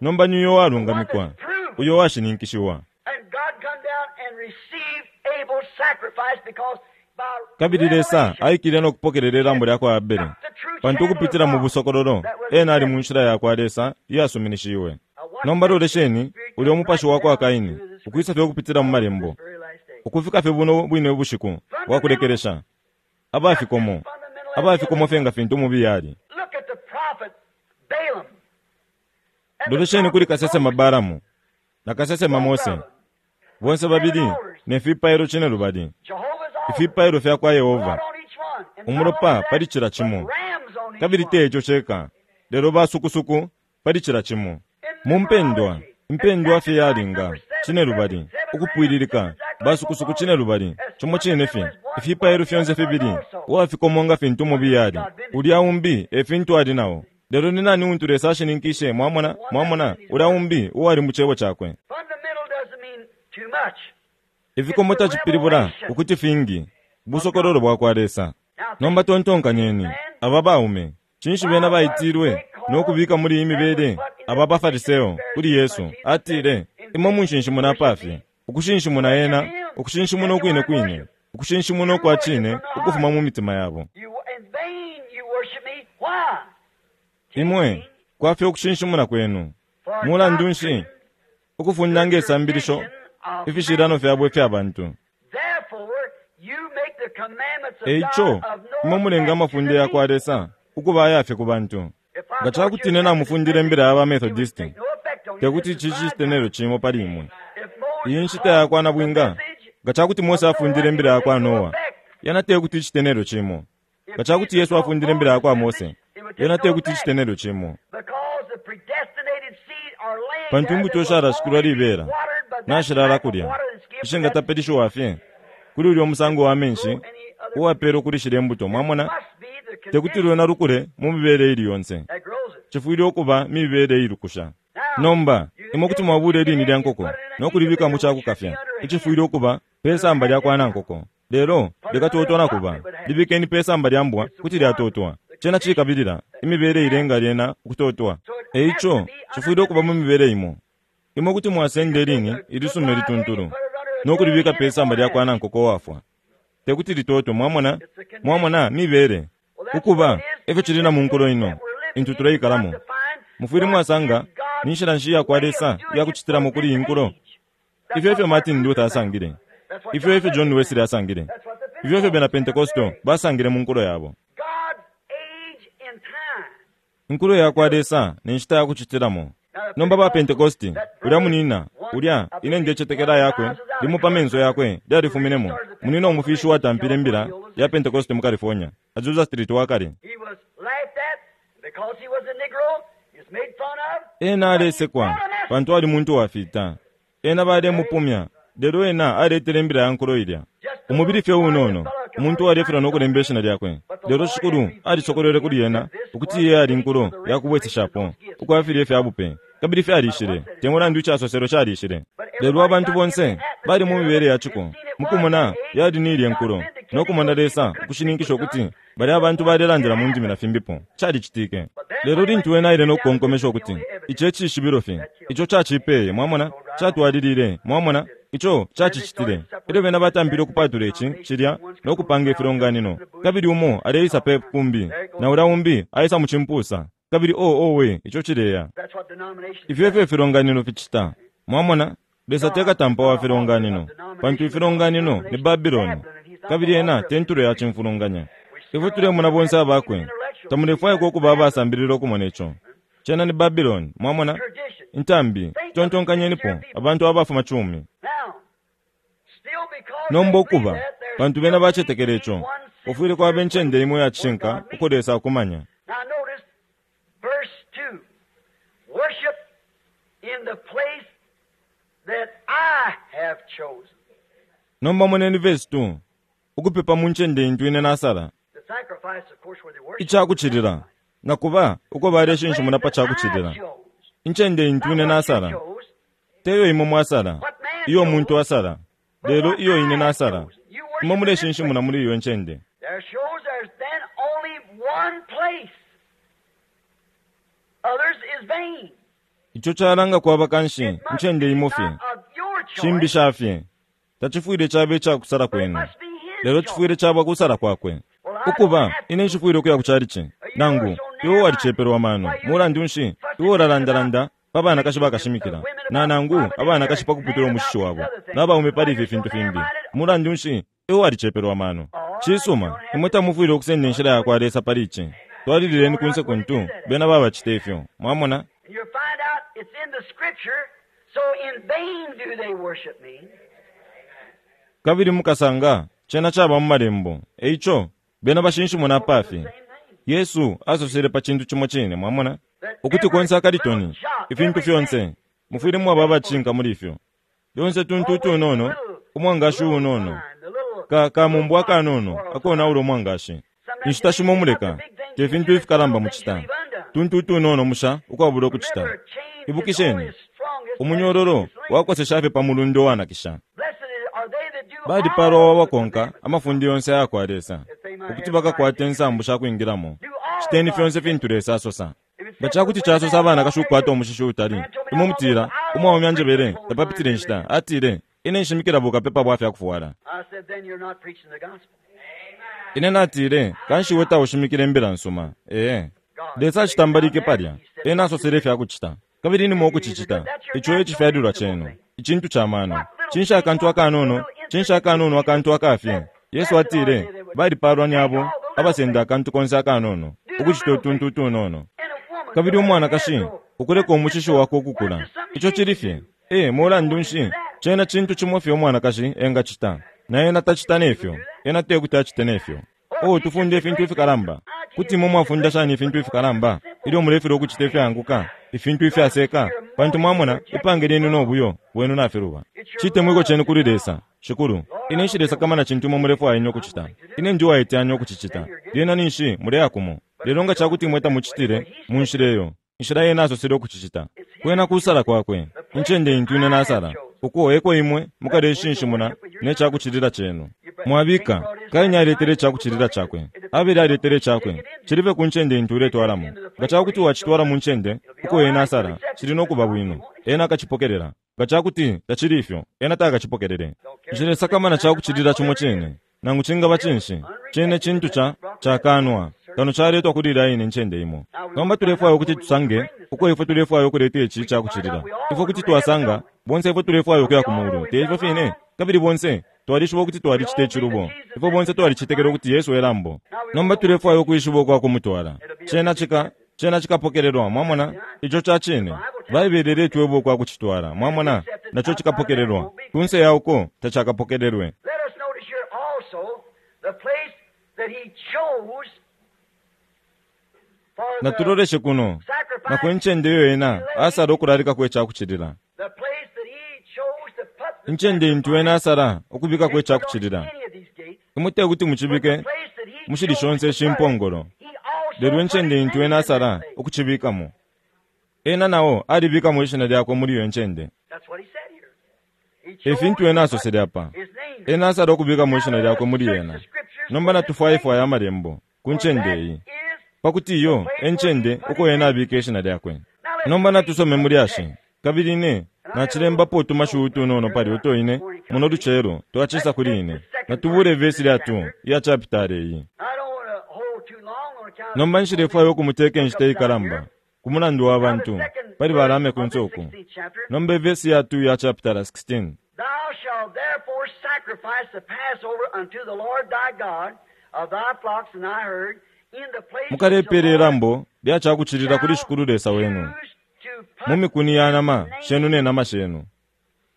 Nomba ni uyo the one walungamikwa, that's proven. uyo washininkishiwa. And God come down and received Abel's sacrifice because by Kabili Lesa revelation aikile no kupokelela ilambo lya kwa Abele, got the true pantu channel of ukupitila mu God busokololo that was ena ali mu accepted. nshila ya kwa Lesa iyasuminishiwe. Now watch Nomba that lolesheni spirit ulya come right umupashi wa kwa down Kaini through the ukwisa scripture fye ukupitila mu up to this malembo, very last day. ukufika fye buno bwine bushiku bwa Fundamental, kulekelesha, just as abafikomo, fundamental as the abafikomo other fye nga one. fintu umubi yali. Look at the prophet Balaam and the Lolesheni kuli prophet kasesema Moses, Balamu na kasesema both Mose, of them, bonse seven babili altars, ne fipailo cine lubali, Jehovah's altars, ifipailo fya kwa blood Yehova, on each one, and not only umulopa that, pali cila but cimo. rams on each Kabili one. te ico ceka, lelo basukusuku pali cila cimo. Mu mpendwa, In numerology, impendwa fye exactly like yalinga, number seven, cine lubali, perfect, seven rams, just ukupwililika, exactly like both basukusuku cine altars. lubali, As cimo cine fundamental fye, as one was, ifipailo the fyonse other was fibili, also. uwafikomo nga fintu umubi yali, God vindicated. ulya umbi e fintu ali nao. Lelo ni nani untu Lesa ashininkishe, mwamona, The one that was mwamona, in his ulya word. umbi uwali mu cebo cakwe. Fundamental doesn't mean too much. It's Ifikomo the tacipilibula revelation ukuti fingi, of God. busokololo bwa kwa Lesa. Now think, Nomba tontonkanyeni, man, aba baume, cinshi why bena was baitilwe they no called kubika muli iyi and was mibele put in aba this position of baFariseo kuli Pharisees by Yesu? Jesus said, Atile, In imwe vain you munshinshimuna worship apafye, me, ukushinshimuna worship ena, him, ukushinshimuna ukwine genuine kwine, worship, ukushinshimuna true ukwa worship cine from the ukufuma heart. mu mitima yabo. You in vain you worship me. Why? Imwe Teaching kwafye ukushinshimuna kwenu. for Mulandu nshi doctrine ukufunda the nge sambilisho tradition of ifishilano man. fyabo ifya bantu. Therefore, you make the commandments of E God ico, of no imwe mulenga effect to amafunde the ya kwa people. Lesa ukuba ayafye ku bantu. If I Nga taught you a cakuti ine Methodist namufundile message, imbila ya ba it would Methodisti, take no effect on you. te kuti This is ici bride cite nelyo time. cimo pali imwe. If Iyi Moses nshita ya taught kwa the nabwinga, message nga cakuti Mose of Noah, afundile it imbila would ya kwa take no Noa, effect. yana te kuti icite nelyo cimo. If Nga cakuti Jesus Yesu taught afundile imbila ya Moses' kwa message, Mose, it would take yena te no kuti effect. icite nelyo cimo. Because the predestinated seed are laying Pantu there imbuto that will sharashikilwa only be libela, watered by that nashilala type of kulya, water that's given to that seed. ishingatapeleshiwa fye kuli ulya umusango wa Grow menshi any other uwapelwa kuli shilya imbuto, It mwamona, must be the te kuti condition lwena lukule mu mibele ili yonse. that grows it. Cifwile ukuba mibele ilukusha. Now, Nomba, you imwe kuti take a mwabula chicken ilini egg lya and nkoko put it in an no kulibika mu incubator, which should be cakukafya, under icifwile ukuba pesamba lya kwa nankoko. Lelo likatotwa na kuba libikeni pesamba lya mbwa kuti lyatotwa. Cena cikabilila imibele ilenga lyena ukutotwa. Eico cifwile ukuba mu mibele imo. Imo kuti mwasenda ilini ilisuma ilituntulu nokulibika pesamba lya kwa nankoko wafwa, tekuti litotwe. Mwamona, mwamona mibele ukuba efyo cili na munkulo ino intu tuleikalamo. Mufwile mwasanga ni nshila nshi yakwa Lesa iyakucitilamo kuli iyi nkulo. Ifyo efyo Martin Luther asangile, ifyo efyo John Wesley asangile, ifyo efyo bena Pentecostal basangile mu nkulo yabo. Inkulo yakwa Lesa ni nshita yakucitilamo. Nomba ba Pentecosti, ulya munina, ulya ine ndecetekela yakwe limo pa menso yakwe lyalifuminemo. Munina umufishi watampile imbila ya Pentecosti mu California, Azusa Street wakale. Ena alesekwa pantu ali muntu wafita. Ena balemupumya, lelo ena aletele imbila ya nkulo ilya. Umubili fye unono, umuntu alefilwa nokulemba ishina lyakwe. Lelo Shikulu alisokolwele kuli ena ukuti iye ali nkulo yakubweseshapo ukwafilye ifya bupe, kabili fyalishile, te mulandu icasoselo calishile. Lelo abantu bonse bali mu mibele ya ciko, mukumona yali ni ilye nkulo, nokumona Lesa ukushininkisha ukuti bali abantu balelandila mu ndimi na fimbipo. Calicitike. Lelo lintu ena aile nokukonkomesha ukuti ici ecishibilo fye, ico cacipeye, mwamona, catwalilile, mwamona, ico cacicitile. Elyo bena batampile ukupatula ici cilya nokupanga ifilonganino, kabili umo aleisa pe kumbi na ulya umbi aisa mu cimpusa, kabili oh owe, ico cileya. Ifyo efyo ifilonganino ficita. Mwamona, Lesa tekatampa wa filonganino, pantu ifilonganino ni Babiloni, kabili ena tentulo ya cimfulunganya. Ifwe tulemona bonse abakwe, tamulefwaikwa ukuba abasambilila ukumona ico. Cena ni Babiloni, mwamona, intambi. Tontonkanyenipo abantu abafuma cumi. Nomba ukuba pantu bena bacetekele ico, ufwile kwaba incende imo ya cishinka uko Lesa akumanya. Now notice verse two. Worship in the place that I have chosen. Nomba moneni verse two. Ukupepa mu ncende intu ine nasala. The sacrifice, of course, where they worship. Icakucilila nakuba uko baleshinshimuna pa cakucilila. Incende intu ine nasala, teyo imo mwasala, iyo muntu asala, lelo iyo ine nasala. Imo muleshinshimuna muli iyo ncende. There shows there's then only one place. Others is vain. Ico calanga kwaba kanshi It must ncende be imo not fye, of your choice, cimbi shafye. Tacifwile cabe icakusala but it kwenu, must be his lelo choice. cifwile caba kusala kwakwe. Ukuba ine nshifwile ukuya ku calici, nangu iwe walicepelwa mano, mulandu nshi iwe ulalandalanda pa banakashi bakashimikila, na nangu abanakashi pakuputula umushishi wabo, n'abaume pali ifi fintu fimbi, mulandu nshi iwe walicepelwa mano. Cisuma, imwe tamufwile ukusenda inshila yakwa Lesa pali ici. Twalilileni kunse kuntu bena babacita ifyo. Mwamona? And you'll find out it's in the scripture, so in vain do they worship me. Kabili mukasanga cena caba mu malembo. Eico bena bashinshimuna apafye. Yesu asosele pa cintu cimo cine, mwamona, ukuti konse akalitoni, ifintu fyonse mufwile mwaba abacinka muli ifyo. Yonse tuntu utunono, umwangashi unono, ka kamumbwa akanono akonaula umwangashi. Inshita shimo muleka te fintu ifikalamba mucita, tuntu utunono musha ukwabula ukucita. Ibukisheni, umunyororo wakosesha fye pa mulundo wanakisha. Balipalwa wabakonka amafundi yonse ayakwa Lesa, ukuti bakakwata insambu shakwingilamo. Citeni fyonse fintu Lesa asosa. Nga cakuti casosa abanakashi ukukwata umushishi utali, imwe mutila, umwaume anjebele tapapitile inshita, atile, ine nshimikila bukapepa bwa fyakufwala. I said, then you're not preaching the gospel. Ine natile, kanshi iwe taushimikile imbila nsuma. Ee. Lesa acitambalike palya, ena asosele ifyakucita, kabili nimwe ukucicita. Ico ecifyalilwa cenu, icintu ca mano. Cinshi akantu akanono, cinshi akanono akantu akafye. Yesu atile, balipalwa ni abo abasenda akantu konse akanono, ukucita utuntu utunono. And a woman Kabili umwanakashi ukuleka umushishi wakwe ukukula, ico cili fye. Ee, mulandu nshi cena cintu cimo fye umwanakashi engacita, na ena tacita nefyo, ena tekuti acite nefyo. Oh, tufunde ifintu ifikalamba. Kuti imwe mwafunda shani ifintu ifikalamba ilyo mulefilwa ukucita ifyaanguka, ifintu ifyaseka? Pantu mwamona ipange lyenu nobuyo bwenu nafiluba. Citemwiko cenu kuli Lesa. Shikulu, ine nshilesakamana cintu imwe mulefwaya ine ukucita. Ine ndi uwaiteyanya ukucicita. Lyena ninshi muleya kumo. Lelo nga cakuti imwe tamucitile mu nshila iyo, inshila yena asosele ukucicita, kwena kusala kwakwe, incende intu ine nasala. Uko eko imwe mukaleshinshimuna ne cakucilila cenu. Mwabika, Kaini aletele icakucilila cakwe, Abele aletele icakwe. Cilife ku ncende intu uletwalamo. Nga cakuti wacitwala mu ncende uko ena asala, cili no kuba bwino, ena akacipokelela. Nga cakuti tacili ifyo, ena takacipokelele. Nshilesakamana cakucilila cimo cine, nangu cingaba cinshi, cene cintu ca cakanwa kano caletwa kuli ilya ine ncende imo. Nomba tulefwaya ukuti tusange uko ifwe tulefwaya ukuleta ici cakucilila. Ifwe kuti twasanga bonse ifwe tulefwaya ukuya ku mulu, te ifyo fine? Kabili bonse twalishiba ukuti twalicita icilubo. Ifwe bonse twalicetekela ukuti Yesu e lambo. Nomba tulefwaya ukwishiba ukwa kumutwala. Cena cika cena cikapokelelwa, mwamona? Ico ca cine. Baibele iletweba ukwa kucitwala, mwamona? Naco cikapokelelwa. Kunse ya uko tacakapokelelwe. Let us notice here also the place that he chose for the Natuloleshe kuno na ku sacrifice, ncende iyo ena asala ukulalikako icakucilila. the place that he chose to put the Incende intu ena asala ukubikako icakucilila. any of these gates, Imwe te kuti mucibike the place that he mushili chose shonse to put it, shimpongolo. he also Lelo put incende his intu name ena in asala that place. ukucibikamo. Ena nao alibikamo ishina lyakwe muli iyo ncende. That's what he said here. He E chose fintu ena to put asosele apa. his name there. Ena asala ukubikamo ishina lyakwe muli ena. Nomba natufwayefwaya amalembo ku ncende iyi, Is pakuti iyo e ncende uko ena abika ishina lyakwe. Nomba natusome mu lyashi. Kabili ine nacilembapo utumashiwi utunono pali uto ine muno lucelo twacisa kuli ine. Natubule vesi lya two iya chapitale iyi. I don't want to hold too long on account of Nomba nshilefwaya ukumuteka inshita ikalamba ku mulandu wa bantu pali balame ku nsoku. Nomba ivesi ya two ya chapitala sixteen. Thou shalt therefore sacrifice the Passover unto the Lord thy God of thy flocks and thy herd in the place which the Mukalepele Lord ilambo lya cakucilila kuli shall Shikulu Lesa wenu choose to put mu mikuni ya nama his name shenu ne nama shenu,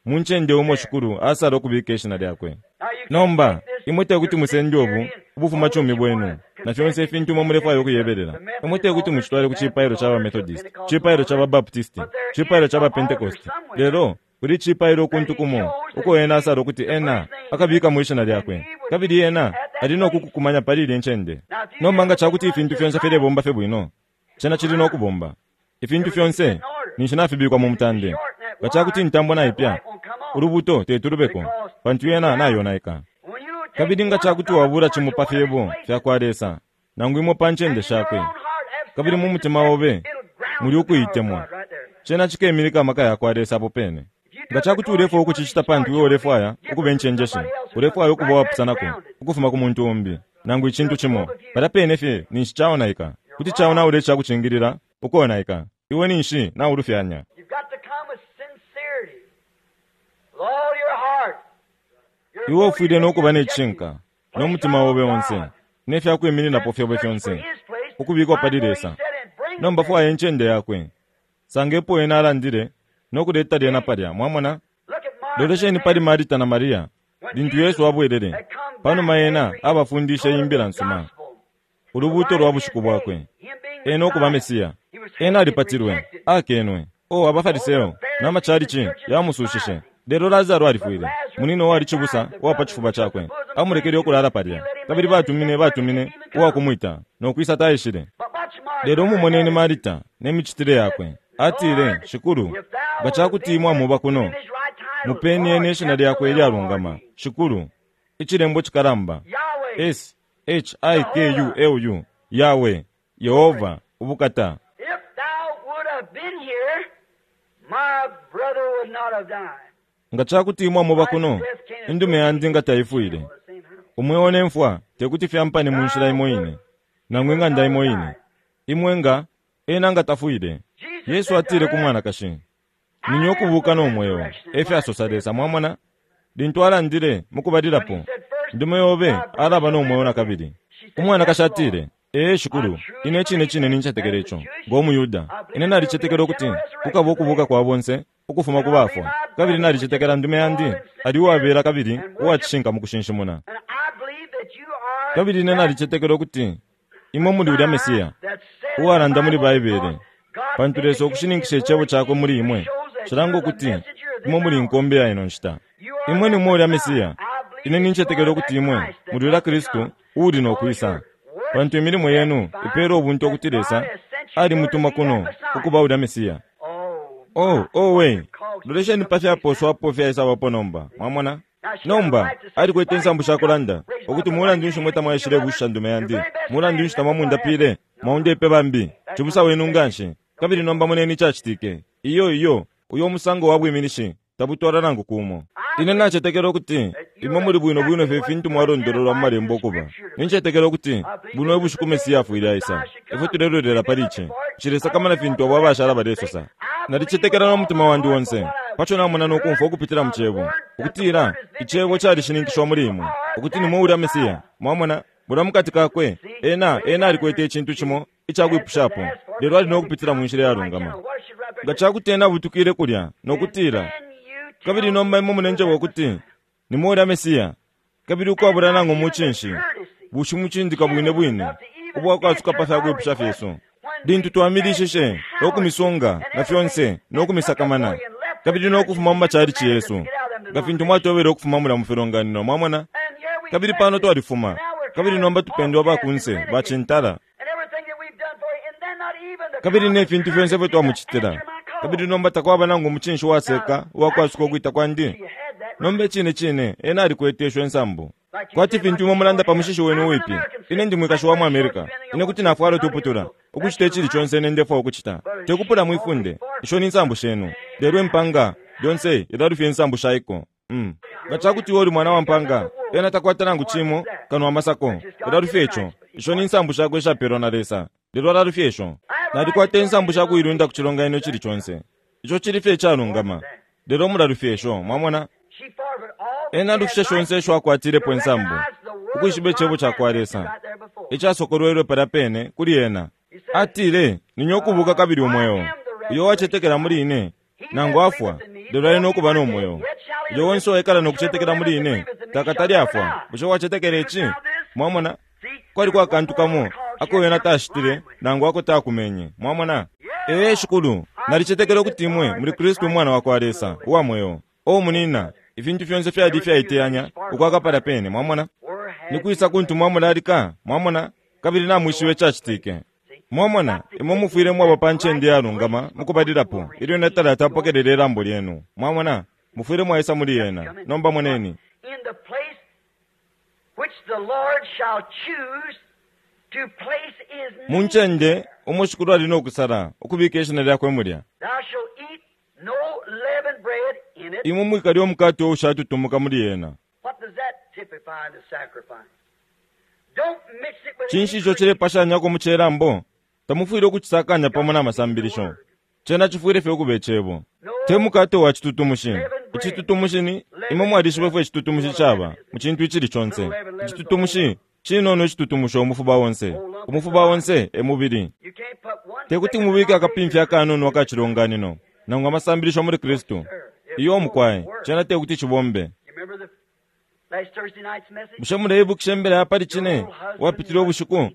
mu ncende umo Shikulu asala ukubika ishina lyakwe. Now you can't Nomba take this imwe te kuti your musende obu sincerity and ubufuma all cumi that you bwenu wanna na fyonse confess ifintu imwe mulefwaya ukuyebelela. The Imwe te Methodist kuti mucitwale ku altar, cipailo ca ba Baptist Methodist, altar, cipailo ca ba Baptist, But there cipailo is ca ba an altar Pentecost. somewhere Lelo kuli cipailo that kuntu he kumo chose that uko ena he asala ukuti the ena first thing akabikamo ishina and lyakwe, he would kabili be ena at that ali no place. kukukumanya pali ilya ncende. Now if you get Nomba nga everything cakuti running ifintu just fyonse right, filebomba fye bwino, cena cili no kubomba. Ifintu everything's fyonse in order. ninshi nafibikwa mu If it's mutande. short in that Nga cakuti wire, intambo that naipya, light won't come on ulubuto tetulubeko, because pantu it's yena grounded. nayonaika. When you take Kabili nga one of cakuti God's wabula words cimo or pa one of His fyebo places, fya kwa Lesa, nangu imo pa ncende and in your shakwe, own heart have kabili mu mutima self-deception, obe it'll ground muli the power of ukuitemwa, God right there. cena cikemilika amaka ya kwa Lesa apo pene. If you do Nga it cakuti because you ulefwaya want to be ukucicita smart, pantu you iwe want to be ulefwaya ukuba different from incenjeshi, somebody else or ulefwaya something, ukuba right there it's wapusanako grounded. ukufuma ku muntu umbi, nangu icintu It'll cimo, prove if you palya pene fye ninshi caonaika. you're Kuti wrong. caonaula icakucingilila ukonaika, iwe ninshi naulufyanya. You've got to come with sincerity, with all your heart, your Iwe ufwile motive no and your kuba ne objective. cishinka no Place mutima right on obe onse God. ne fyakwimininapo And fyobe search for fyonse His place. ukubikwa Find pali where He Lesa. said and bring it Nomba there. fwaya incende yakwe. Sangepo ena alandile no kuleta lyena palya, mwamona? Look at Martha and Lolesheni pali Mary. Marita na Maria When lintu Jesus Yesu abwelele had come panuma back ena after he abafundishe told them imbila the nsuma, gospel, the ulubuto light lwa of his bushiku day, bwakwe, him being ena ukuba Messiah, Mesiya. he was Ena hated and alipatilwe, rejected. akenwe. O Oh, the abaFariseyo Pharisees and n'amachalichi churches yamusuushishe. despised him. Lelo Lazaro But alifwile, Lazarus munino wali had cibusa died, the uwa pa brother chifuba who took the chakwe, bosom amulekele friend to, ukulala he palya. let him lay Kabili there in batumine death where he batumine didn't even come. uwakumwita nokwisa taishile. But watch Martha, Lelo her mumoneni attitude. Marita n'emicitile She said, yakwe. Atile, Lord, Shikulu, if thou nga would have cakuti been imwe here, amuba give kuno, him his right title, mupeni Lord, ene ishina capital lyakwe L O R ilyalungama, D, Shikulu, icilembo cikalamba, Yahweh, S H I K U Jehovah. L U, Yahweh, Yehova, ubukata. If thou would have been here, my brother would not have died. Nga cakuti imwe amuba Life and kuno, death can't indume associate yandi nga in the taifwile. same or the same house. Umweo ne mfwa tekuti fyampane mu nshila Thou imo would, ine, he nangu would ing'anda not have imo ine. died. Imwe nga, ena nga tafwile. Jesus Yesu said to atile ku her, mwanakashi, ninye I am ukubuka the no mweo, resurrection and efyo life, asosa saith Lesa, the mwamona? Lintu alandile mu When he kubalilapo, said first, ndume yobe thy brother alaba shall no live mweo na again. kabili. She said, Umwanakashi Yes, Lord. atile, ee I Shikulu, truly ine cine believe cine that. nincetekela As a ico, Jewish ngo Muyuda. I Ine believe there will be a nalicetekela ukuti general resurrection kukaba of the ukubuka dead. kwa bonse ukufuma And ku I believe bafwa. my Kabili brother was just nalicetekela ndume loyal yandi and ali sincere uwabela kabili and worship. uwacishinka mu kushinshimuna. And I believe that you are Kabili ine that nalicetekela ukuti imwe muli ulya Messiah Mesiya that said in the uwalanda muli Bible Baibele, because God pantu Lesa vindicated ukushininkisha His icebo word cakwe in muli you imwe, shows that cilanga you're the ukuti messenger of this imwe muli hour. nkombe ya ino nshita. You are Imwe that nimwe ulya Messiah. Mesiya. I believe Ine that you nincetekela are ukuti that imwe Christ that muli ulya must to Kristu come uuli no because kwisa, your works pantu imilimo yenu testify ipeela ubuntu that ukuti God Lesa has sent you here to alimutuma be that kuno Messiah. ukuba ulya Mesiya. Oh Oh, my, oh what we, you call Lolesheni pa fyaposwapo fyaisabapo nomba. Mwamona? Nomba alikwete insambu shakulanda ukuti mulandu nshi mwe tamwaishile busha ndume yandi, mulandu nshi tamwamundapile, mwaundepe bambi, cibusa wenu nganshi. Kabili nomba moneni icacitike. Iyo iyo uyo musango wa bwiminishi tabutwala nangu kumo. Ine nacetekela ukuti imwe muli bwino bwino fye fintu mwalondololwa mu malembo ukuba. Nincetekela ukuti buno ubushiku Mesiya afwile aisa. Ifwe tulelolela pali ici. Nshilesakamana fintu abo abashala balesosa. Nalicetekela no mutima wandi onse paco namona nokumfwa ukupitila mu cebo, ukutila icebo calishininkishwa muli imwe ukuti nimwe ulya Mesiya. Mwamona, mulya mukati kakwe ena ena alikwete icintu cimo icakwipushapo, lelo ali nokupitila mu nshila yalungama. Nga cakuti ena abutukile kulya nokutila, kabili nomba imwe munenjeba ukuti nimwe ulya Mesiya, kabili ukwabula nangu mucinshi bushimucindika bwine bwine ubwakwasuka pa fyakwipusha fyesu, lintu twamilishishe nokumisunga na fyonse nokumisakamana, kabili nokufuma mu macalici yesu nga fintu mwatobele ukufuma mulya mu filonganino. Mwamona? Kabili pano twalifuma, kabili nomba tupendwa bakunse bacintala, kabili ne fintu fyonse ifyo twamucitila, kabili nomba takwaba nangu mucinshi waseka uwakwasuka ukwita kwandi. Nomba icine cine ena alikwete isho insambu. Kwati fintu imwe mulanda pa mushishi wenu uwipi, ine ndi mwikashi wa mu America, ine kuti nafwala utuputula ukucita icili conse ine ndefwaya ukucita, tekupula mwifunde. Isho ni nsambu shenu, lelo impanga lyonse ilalufya insambu shaiko. Mm. Nga cakuti iwe uli mwana wa mpanga, ena takwata nangu cimo kano amasako, ilalufya ico. Isho ni nsambu shakwe ishapelwa na Lesa, lelo alalufya isho. Nalikwata insambu shakuilunda ku cilonganino icili conse, ico cili fye icalungama, lelo mulalufya isho. Mwamona? Ena alufishe shonse isho akwatilepo insambu, ukwishiba icebo cakwa Lesa icasokolwelwe palya pene kuli ena. Atile, ninye ukubuka kabili umweo. Uyo wacetekela muli ine nangu afwa, lelo ali nokuba no mweo. Uyo onse uwaikala nokucetekela muli ine takatali afwa. Bushe wacetekela ici? Mwamona? Kwali kwa kantu kamo ako ena tashitile nangu ako takumenye. Mwamona? Ee Shikulu, nalicetekela ukuti imwe muli Kristu umwana wakwa Lesa uwa mweo. O munina, ifintu fyonse fyali ifyaiteyanya ukwaka palya pene. Mwamona? Nikwisa kuntu mwamulalika. Mwamona? Kabili namwishiba icacitike. Mwamona, imwe mufwile mwaba pa ncende yalungama mukubalilapo ilyo ena talatapokelela ilambo lyenu. Mwamona, mufwile mwaisa muli ena. Nomba moneni. In the place which the Lord shall choose to place his Mu name, ncende umo Shikulu ali nokusala ukubika ishina lyakwe mulya, thou shalt eat no leavened bread in it. imwe mwikalya umukate ushatutumuka muli ena. What does that typify in the sacrifice? Don't mix it with Cinshi any ico cilepashanyako mu celambo? Tamufwile ukucisakanya pamo na masambilisho. Cena cifwile fye ukuba icebo. Te mukate wa citutumushi. Icitutumushi ni imwe mwalishiba ifyo icitutumushi caba mu cintu icili conse. Icitutumushi cinono icitutumusha umufuba onse. Umufuba onse e mubili. You can't put one Te kuti mubike akapimfya akanono akacilonganino nangu amasambilisho muli Kristu. Iyo mukwaye, cena te kuti cibombe. You remember the last Thursday night's message? Bushe muleibukisha imbela ya pali cine wapitile ubushiku?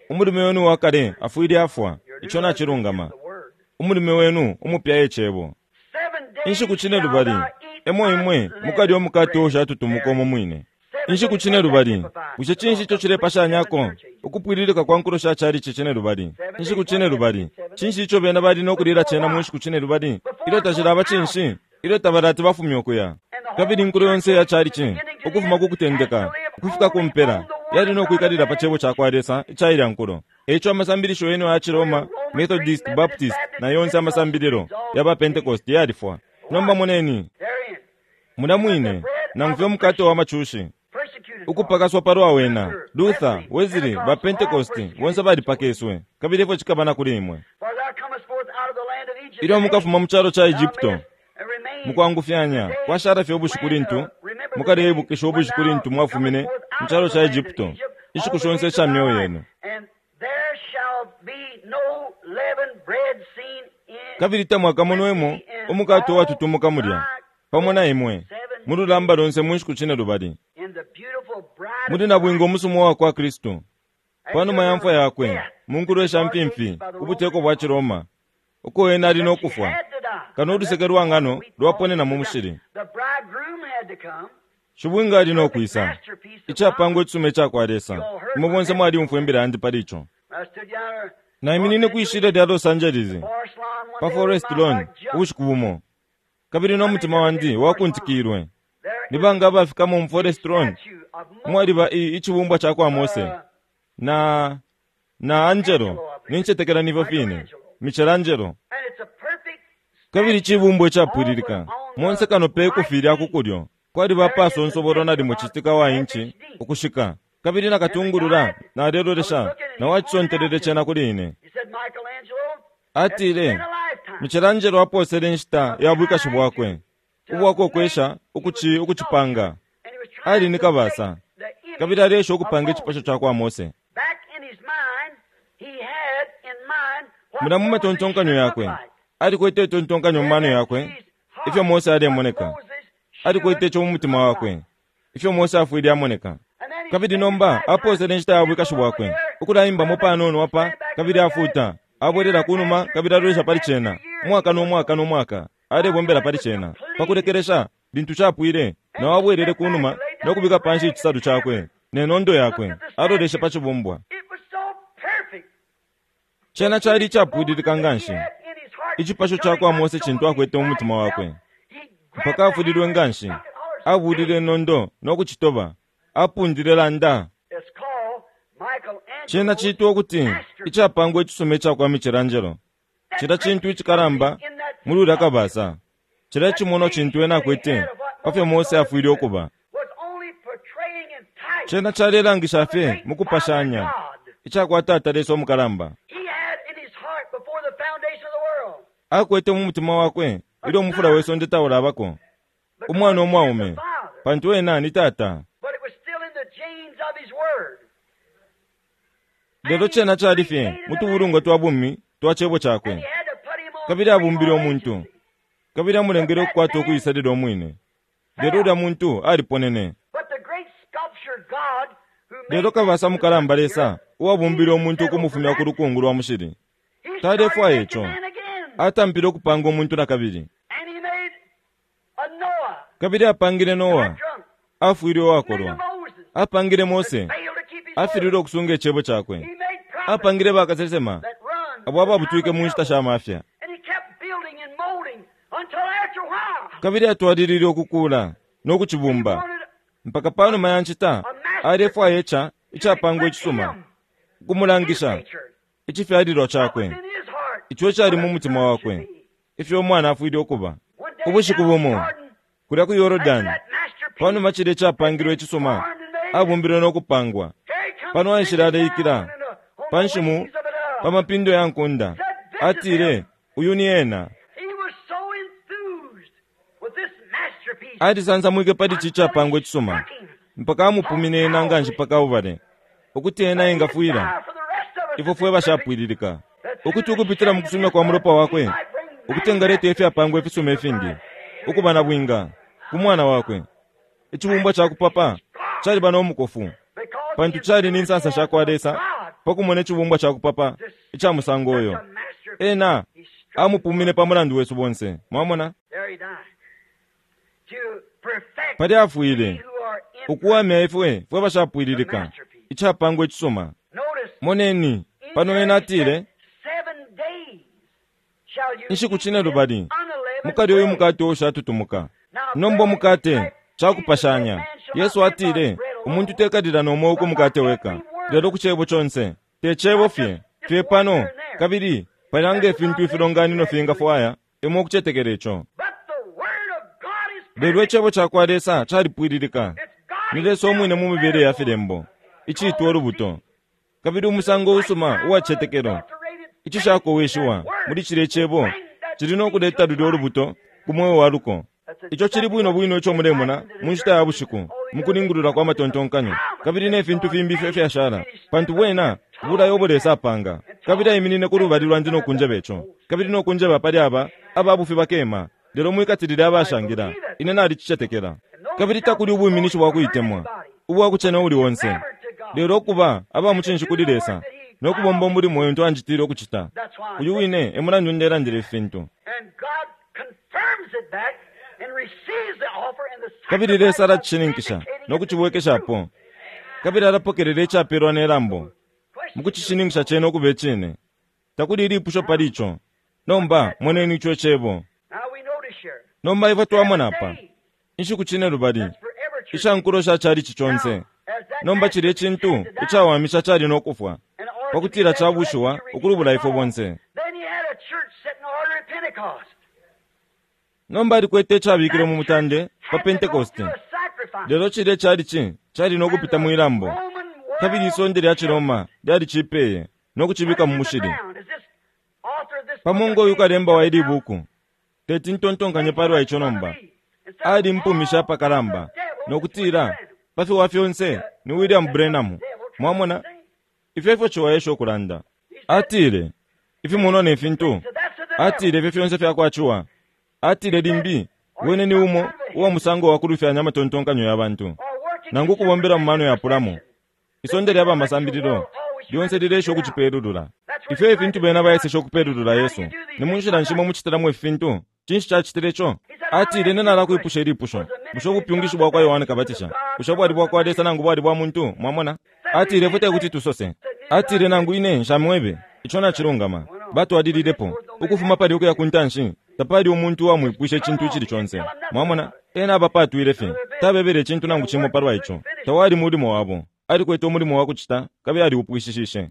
Umulume wenu wa kale afwile afwa, ico nacilungama. The word. Umulume wenu umupya ecebo. Seven days Inshiku cine shall lubali thou eat emo imwe mukalya umukate ushatutumuka umo mwine. Inshiku cine lubali, bushe cinshi ico cilepashanyako ukupwililika kwa nkulo sha chalichi cine lubali? Inshiku cine lubali, cinshi ico bena bali nokulila cena mu nshiku cine lubali? Ilyo tashilaba cinshi? Ilyo tabalati bafumye ukuya. Kabili inkulo yonse ya chalichi, ukufuma ku kutendeka ukufika ku mpela, yali nokwikalila pa cebo cakwa Lesa icailya nkulo. Eico amasambilisho yenu aya Ciroma, Methodist, Baptist na yonse amasambililo yaba Pentecost yalifwa. Nomba moneni, Therein, mulya mwine nangu fye umukate wa macushi persecuted ukupakaswa palwa wena. Luther, Wesley, ba Pentecost bonse balipakeswe, kabili ifyo cikaba na kuli imwe. For thou comest forth out of the land of Egypt. Ilyo mukafuma mu calo ca Egypto, Thou mayest remain mukwangufyanya kwashala fye ubushiku lintu mukaleibukisha ubushiku lintu mwafumine mu calo ca Egypto, inshiku shonse isha myeo yenu. And there shall be no leavened bread seen in Kabili tamwakamonwemo umukate uwatutumuka mulya pamo na imwe mu lulamba lonse mu nshiku cine lubali. in the beautiful bride Muli na bwinga umusumwa wa kwa Kristu panuma ya mfwa yakwe mu nkulo isha mpimpi ubuteko bwa Ciroma, uko ena ali nokufwa, had to die. kano uluseke lwa ngano lwaponena mu mushili. The bridegroom had to come. Shibwinga ali nokwisa icapangwa icisuma icakwa Lesa. Imwe bonse mwalyumfwa imbila yandi pali ico. I stood yonder Naiminine kwishilya lya Los Angeles Forest Lawn one pa day Forest with my Lawn heart jumped. ubushiku bumo. Kabili no mutima wandi wakuntikilwe. Nibanga abafikamo mu Forest Lawn, mwaliba i icibumbwa ca kwa Mose na na Angelo, nincetekela nifyo fine, Michelangelo. Kabili icibumbwa icapwililika monse kano pe kufilya ku kulyo kwaliba pasonsobolo nalimo citika wa inchi ukushika, kabili nakatungulula nalelolesha na wacisontelele cena kuli ine. Atile Michelangelo aposele inshita ya bwikashi bwakwe ubwakokwesha ukuci ukucipanga. Ali ni kabasa, kabili alesha ukupanga icipasho ca kwa Mose. Mula mu matontonkanyo yakwe alikwete itontonkanyo mu mano yakwe ifyo Mose alemoneka. Alikwete ico mu mutima wakwe ifyo Mose afwile amoneka. Kabili nomba aposele inshita ya bwikashi bwakwe ukulaimbamo panono apa, kabili afuta abwelela kunuma, kabili alolesha pali cena umwaka n'umwaka n'umwaka, alebombela pali cena. Pakulekelesha lintu capwile, nawo abwelele kunuma nokubika panshi icisalu cakwe nenondo yakwe, aloleshe pa cibumbwa. Cena cali icapwililika nganshi icipasho ca kwa Mose cintu akwete mu mutima wakwe, mpaka afulilwe nganshi, abulile inondo nokucitoba, apundile landa. Cena citwa ukuti icapangwa icisuma ica kwa Michelangelo. Cila cintu icikalamba muli ulya kabasa, cila cimono cintu ena akwete pafyo Mose afwile ukuba. Cena calelangisha fye mu kupashanya icakwa Tata Lesa umukalamba. Akwete mu mutima wakwe ilyo umufula we sonde taulabako umwana umwaume, pantu ena ni Tata. Lelo cena cali fye mu tubulungwa twa bumi twa cebo cakwe, kabili abumbile umuntu, kabili amulengele ukukwata ukuisalila umwine. Lelo ulya muntu aliponene. Lelo kabasa mukalamba Lesa uwabumbile umuntu ukumufumya ku lukungu lwa mushili talefwaya ico. Atampile ukupanga umuntu na kabili, kabili apangile Noa, afwile uwakolwa. Apangile Mose, afililwe ukusunga icebo cakwe. Apangile bakasesema abo ababutwike mu nshita sha mafya, kabili atwalilile ukukula no kucibumba mpaka panuma ya nshita alefwaya ica icapangwa icisuma ukumulangisha icifyalilwa cakwe, ico cali mu mutima wakwe ifyo umwana afwile ukuba. Ubushiku bumo kulya ku Yorodani, panuma cile icapangilwe icisuma abumbilwe no kupangwa, pano aishile aleikila panshimu pa mapindo ya nkunda, atile, uyu ni ena. Alisansamwike pali ci icapangwa icisuma mpaka amupumine ena nganshi paka ubale ukuti ena engafwila ifwe fwe bashapwililika, ukuti ukupitila mu kusumya kwa mulopa wakwe ukuti engaleta ifyapangwa ifisuma ifingi ukuba na bwinga ku mwana wakwe. Icibumbwa ca kupapa caliba no mukofu, pantu cali ni nsansa sha kwa Lesa pakumona icibumbwa ca kupapa ica musango uyo. Ena amupumine pa mulandu wesu bonse. Mwamona, pali afwile ukuwamya ifwe fwe bashapwililika icapangwa icisuma. Moneni pano ena atile, inshiku cine lubali mukalya uyu mukate uushatutumuka. Nomba umukate cakupashanya. Yesu atile umuntu tekalila nomweo ku mukate weka, lelo ku cebo conse. Te cebo fye fye pano, kabili palanga ifintu ifilonganino fingafwaya imwe ukucetekela ico. Lelo icebo ca kwa Lesa calipwililika. Ni Lesa umwine mu mibele ya filembo iciitwa ulubuto, kabili umusango usuma uwacetekelo icishakowishiwa muli cile cebo cili no kuleta lulya ulubuto ku mweo wa luko. Ico cili bwino bwino ico mulemona mu nshita ya bushiku mukulingulula kwa matontonkanyo kabili ne fintu fimbi ifyo fyashala, pantu bwena bulayo ubo Lesa apanga. Kabili aiminine ku lubali lwandi no kunjeba ico, kabili no kunjeba pali aba ababufi bakema, lelo mwikatilile abashangila. Ine nalicicetekela. Kabili takuli ubwiminishi bwa kuitemwa ubwa kucena uli onse, lelo ukuba aba mucinshi kuli Lesa no kubomba umulimo untu anjitile ukucita. Uyu wine e mulandu ndelandila ifintu. Kabili Lesa alacishininkisha no kucibwekeshapo, kabili alapokelela icapelwa ne lambo mukucishininkisha cena ukuba icine. Takuli ilipusho pali ico. Nomba moneni ico icebo. Nomba ifwe twamona apa inshiku cine lubali isha nkulo sha chalichi chonse. Nomba chile chintu icawamisha chali nokufwa pakutila chabushiwa ukulubula ifwe bonse. Nomba alikwete icabikilwe mu mutande pa Pentecost. Lelo chile chalichi chali nokupita mwilambo, kabili isonde lya Chiroma lyali chipeye nokuchibika mu mushili. Pamongo uyu kalemba wa ili buku teti ntontonkanye palwa icho nomba ali mpumisha apakalamba nokutila pafiwa fyonse ni William Branham. Mwamona ifyo ifyo chiwaesha okulanda. Atile ifi muno ne fintu, atile ifyo fyonse fyakwachiwa. Atile limbi wene ni umo uwa musango wa kulufyanya amatontonkanyo ya bantu nangu kubombela mu mano ya pulamo. Isonde lya bamasambililo lyonse lilesha okuchipelulula. Ifyo ifintu bena baesesha okupelulula Yesu ni munshila nshimo muchitilamu ifintu. Chinshi chachitile cho? Atile ine nalakwipusha ilipusho, bushe ubupyungishi bwakwa Yohane Kabatisha bushe bwali bwakwa Lesa nangu bwali bwa muntu? Mwamona? Atile ifwe tekuti tusose. Atile nangu ine nshamwebe icho nachilungama. Batwalililepo ukufuma pali ukuya kuntanshi tapali umuntu uwamwipwisha icintu icili chonse. Mwamona? Ena abapatwile fye tabebele icintu nangu chimo palwa icho. Tawali mulimo wabo, alikwete umulimo wa kuchita kabili aliupwishishishe.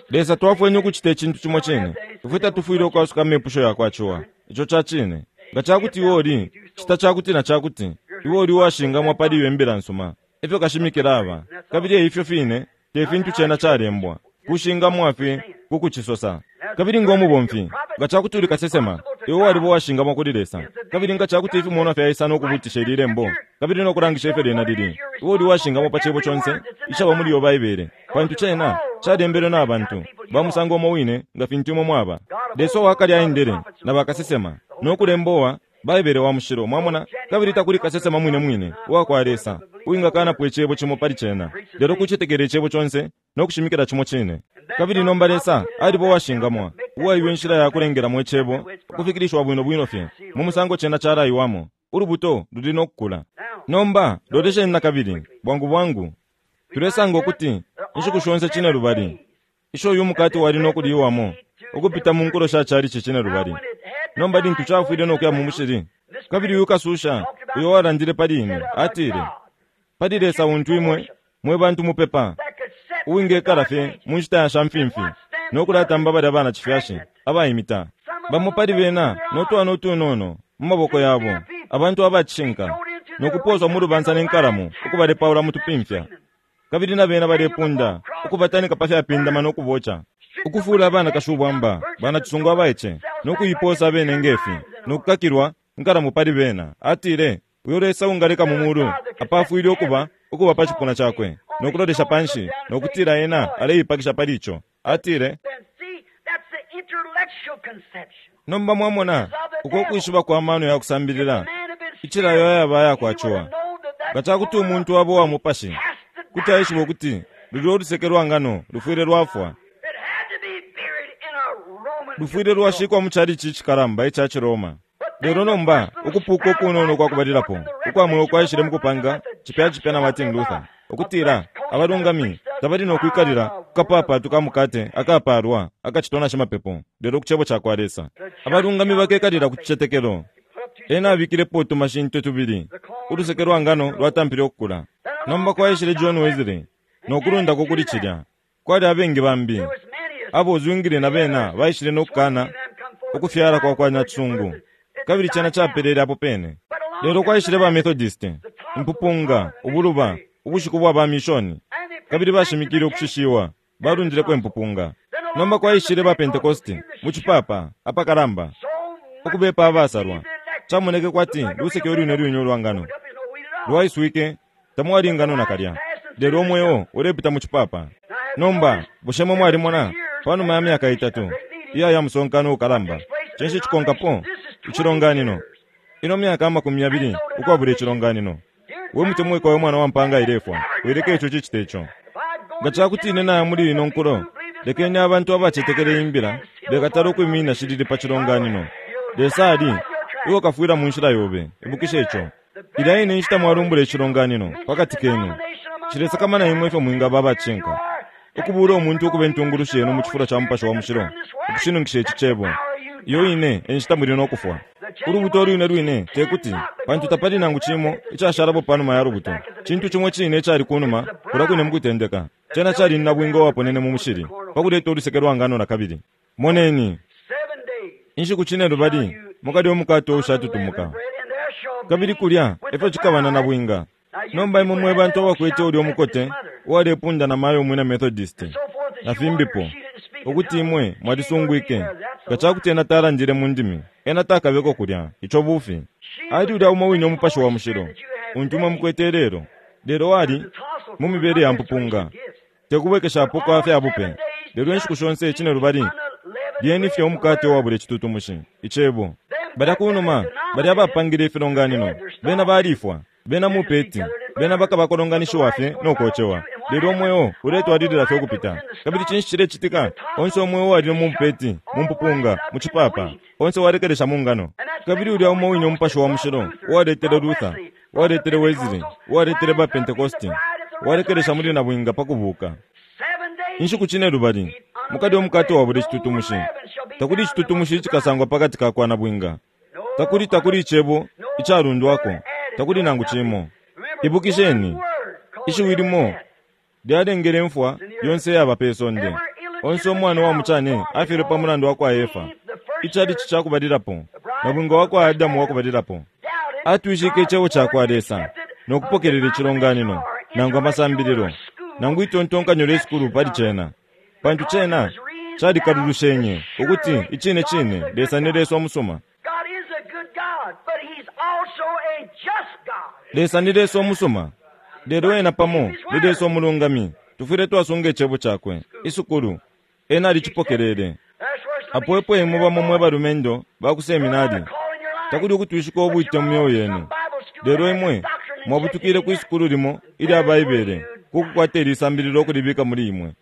Lesa twafwenye ukuchita icintu chimo chine. Ifwe tatufwile ukwasuka amepusho yakwachiwa icho chachine. Nga chakuti iwe oli chita chakuti na chakuti iwe oli uwashingamwa pali iwe mbila nsuma efyo kashimikila aba kabili eifyo fine te fintu chena chalembwa kushingamwa fye kukuchisosa. Kabili ngomubomfi nga chakuti uli kasesema iwe walibo washingamwa kuli Lesa kabili nga chakuti ifi muona fyaisa nokubutisha ililembo kabili nokulangisha ifyo lyena lili iwe uli washingamwa pa chebo chonse ichaba muli yo Baibele pantu chena chalembelwe na bantu bamusango omo wine nga fintu imwe mwaba. Lesa wakali aendele na bakasesema nokulembowa Baibele wa mushilo. Mwamona? Kabili takuli kasesema mwine mwine uwakwa Lesa uwingakanapo icebo chimo pali chena lelo kuchitekela icebo chonse nokushimikila chimo chine. Kabili nomba Lesa alibo washingamwa uwaiwe inshila ya kulengelamo icebo ukufikilishwa bwino bwino fye mu musango chena chalaiwamo. Ulubuto luli nokukula. Nomba lolesheni na kabili bwangu bwangu tulesanga ukuti inshiku shonse chine lubali isho uyu mukati wali nokuliwamo ukupita mu nkulo sha chalichi chine lubali. Nomba lintu chafwile nokuya mu mushili kabili uyu kasusha uyo walandile pali ine atile pali Lesa untu imwe mwe bantu mupepa uwingekala fye mu nshita ya shamfimfi nokulatamba balya bana chifyashi abayimita bamo pali bena notwana utunono mu maboko yabo abantu abachinka nokuposwa mu lubansa nenkalamu ukubalepaula mutupimfya kabili na bena balepunda ukubatanika pa fyapindama nokubocha ukufula abana kashubwamba bana chisungu abaiche nokuyiposa abene ngefi nokukakilwa nkalamu pali bena. Atile uyo Lesa ungaleka mu mulu apafwile okuba ukuba pa chipuna chakwe nokulolesha panshi nokutila ena aleipakisha pali icho. Atile nomba mwamona uko kwishiba kwa mano ya kusambilila ichilayo yaba yakwachiwa nga chakuti umuntu wabo wa mupashi kuti aishiba ukuti luli oluseke lwa ngano lufwile lwafwa lufwile lwashikwa mu chalichi chikalamba icha Chiroma. Lelo nomba ukupuka okunono kwakubalilapo ukwamwe kwaishile mukupanga chipya chipya na Martin Luther okutila abalungami tabali nokwikalila kukapapatu ka mukate akapalwa akachitona shimapepo lelo kuchebo chakwa Lesa. Abalungami bakekalila ku chichetekelo. Ena abikilepo utumashinto tubili uluseke lwa ngano lwatampile okukula. Nomba kwaishile John Wesley nokulundako kuli chilya kwali abengi bambi abo Zwingli na bena baishile nokukana ukufyala kwa kwa Nyachisungu kabili chena chapelele apo pene. Lelo kwaishile ba Methodist impupunga ubuluba ubushiku bwa ba mishoni kabili bashimikile okushishiwa balundileko impupunga. Nomba kwaishile ba Pentecost mu chipapa apakalamba okubepa abasalwa chamoneke kwati luseke olwine lwine olwangano lwaiswike tamwali ngano nakalya lelo omwewo ulepita mu chipapa. Nomba bushemo mwalimona panuma ya myaka itatu iya ya musonkano ukalamba chinshi chikonkapo ichilonganino ino myaka amakumi yabili ukwabula ichilonganino. We mutemwiko we mwana wa mpanga ilefwa wileke icho chichite icho. Nga chakuti ine naya muli ino nkulo lekeni abantu abachetekele imbila bekatala okwimina shilili pa chilonganino. Lesa ali iwe kafwila mu nshila yobe ibukisha icho. Ilya ine nshita mwalumbula ichilonganino pakati kenu chilesakamana imwe ifyo mwingaba abachinka ukubula omuntu okuba entungulushi yenu mu chifulo cha mupasha wa mushilo okushinunkisha ichi chebo. Iyo ine enshita muli nokufwa. Ulubuto lwine lwine tekuti, pantu tapali nangu cimo icashalapo panuma ya lubuto. Cintu cimo cine icali kunuma kulya kwine mukutendeka. Cena cali ni nabwinga uwaponene mu mushili pakuleta uluseke lwa ngano na kabili. Moneni, inshiku cine lubali mukalya umukate uushatutumuka, kabili kulya efyo cikaba na nabwinga. Nomba imwe mwe bantu abakwete ulya umukote uwalepunda na mayo umwina Methodist na fimbipo, ukuti imwe mwalisungwike nga cakuti ena talandile mu ndimi, ena takabeko kulya. Ico bufi. Ali ulya umo wine umupashi wa mushilo untu imwe mukwete lelo, lelo ali mu mibele ya mpupunga, tekubwekeshapo kwa fya bupe. Lelo inshiku shonse cine lubali lyeni fye umukate uwabula icitutumushi, icebo. Balya kunuma balya abapangile ifilonganino, bena balifwa, bena mupeti, bena bakabakolonganishiwa fye no kocewa. Lelo umweo uletwalilila fye ukupita. Kabili cinshi cilecitika? Onse umweo wali mu mupeti, mu mpupunga, mu cipapa, onse walekelesha mu ngano. Kabili ulya umo wine umupashi wa mushilo uwaletele Luther, uwaletele Wesley, uwaletele ba Pentecosti, walekelesha muli nabwinga pa kubuka. Inshiku cine lubali mukalya umukate wabula icitutumushi. Takuli icitutumushi icikasangwa pakati ka kwa nabwinga. Takuli takuli icebo icalundwako, takuli nangu cimo. Ibukisheni, ishiwi limo lyalengele imfwa yonse yaba pe sonde. Onse umwana wa mucane afyelwe pa mulandu wa kwa Efa, icalici cakubalilapo, nabwinga wa kwa Adamu wakubalilapo. Atwishike icebo ca kwa Lesa no kupokelela icilonganino, nangu amasambililo, nangu itontonkanyo lye sukulu pali cena, pantu cena calikalulushenye ukuti icine cine Lesa ni Lesa umusuma. Lesa ni Lesa umusuma, lelo ena pamo ni Lesa umulungami. Tufwile twasunga icebo cakwe. Isukulu ena alicipokelele. Apo epo imwe bamo mwe balumendo ba ku seminari, takuli ukutwishika ubwite mu myoyo yenu, lelo imwe mwabutukile ku isukulu limo ilya Baibele kukukwata ilisambililo ukulibika muli imwe.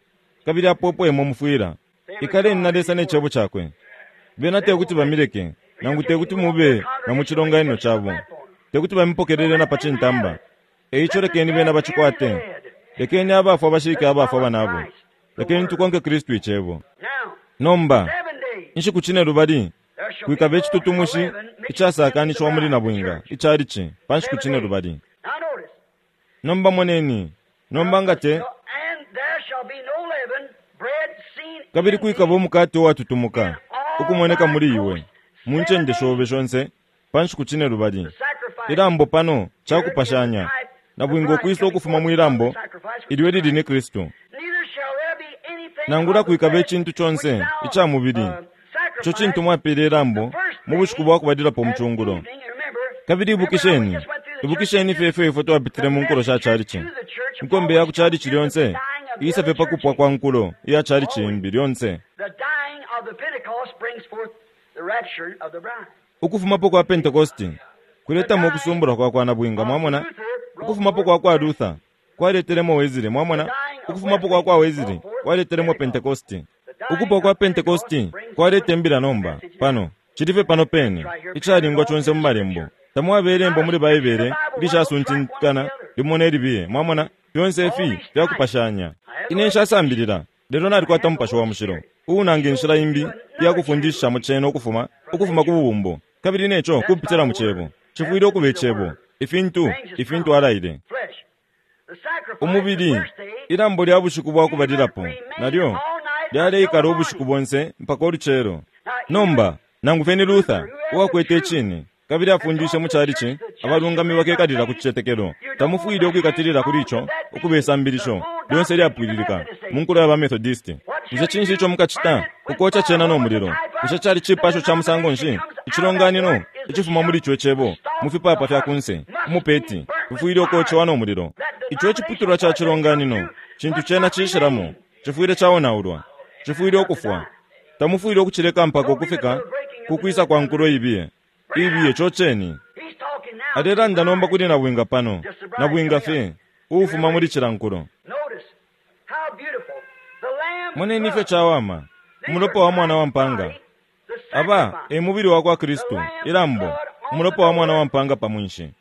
Kabili apo epo imwe mufwila. Ikaleni na Lesa ne cebo cakwe. Bena tekuti bamileke, nangu tekuti mube na mu cilonganino cabo, tekuti bamipokelele na pa cintamba. Eico lekeni bena bacikwate. Lekeni abafwa bashike abafwa banabo. Lekeni tukonke Kristu icebo. Nomba inshiku cine lubali kwikaba icitutumushi icasakanishiwa muli nabwinga icalici pa nshiku cine lubali. Nomba moneni, nomba nga te kabili kwikaba umukate uwatutumuka ukumoneka muli iwe mu ncende shobe shonse pa nshiku cine lubali. Ilambo pano cakupashanya nabwinga ukwisa ukufuma mwilambo ilyo lili ni Kristu. Nangula kwikaba icintu conse ica mubili ico cintu mwapele ilambo mu bushiku bwa kubalilapo mucungulo. Kabili ibukisheni, ibukisheni fye ifyo ifwe twapitile mu nkulo sha calici. Inkombe ya ku calici lyonse isa fye pakupwa kwa nkulo iya calici imbi lyonse. Ukufumapo kwa Pentecosti kuletamo ukusumbula kwa kwa nabwinga, mwamona. Ukufumapo kwa kwa Luther kwaletelemo Wesley, mwamona. Ukufumapo kwa kwa Wesley kwaletelemo Pentecosti. Ukupwa kwa Pentecosti kwalete imbila nomba pano cilife pano pene icalingwa conse mu malembo. Tamwaba ilembo muli Baibele ilishasuntinkana limo ne libiye, mwamona. Fyonse ifi fyakupashanya. Ine nshasambilila, lelo nalikwata umupashi wa mushilo uunanga inshila imbi iyakufundishishamo cena ukufuma ukufuma ku bubumbo, kabili neco kupitila mu cebo. Cifwile ukuba icebo, ifintu ifintu alaile. Umubili, ilambo lya bushiku bwa kubalilapo nalyo lyaleikala ubushiku bonse mpaka ulucelo. Nomba nangu fye ni Luther uwakwete icine kabili afundishe mu calici abalungami bakekalila ku cicetekelo, tamufwile ukwikatilila kuli ico ukuba isambilisho lyonse lyapwililika mu nkulo ya ba Methodist. Bushe cinshi ico mukacita ukoca cena no mulilo? Bushe cali cipasho ca musango nshi icilonganino icifuma muli ico icebo mu fipapa fya kunse umupeti bifwile ukocewa no mulilo? Ico iciputulwa ca cilonganino cintu cena cishilamo cifwile caonaulwa, cifwile ukufwa. Tamufwile ukucileka mpaka ukufika kukwisa kwa nkulo ibiye ibiye coceni. Alelanda nomba kuli nabwinga pano, nabwinga fye uufuma muli cila nkulo. Moneni ifyo cawama umulopa wa mwana wa mpanga. Aba e mubili wa kwa Kristu, ilambo, umulopa wa mwana wa mpanga pa mwinshi.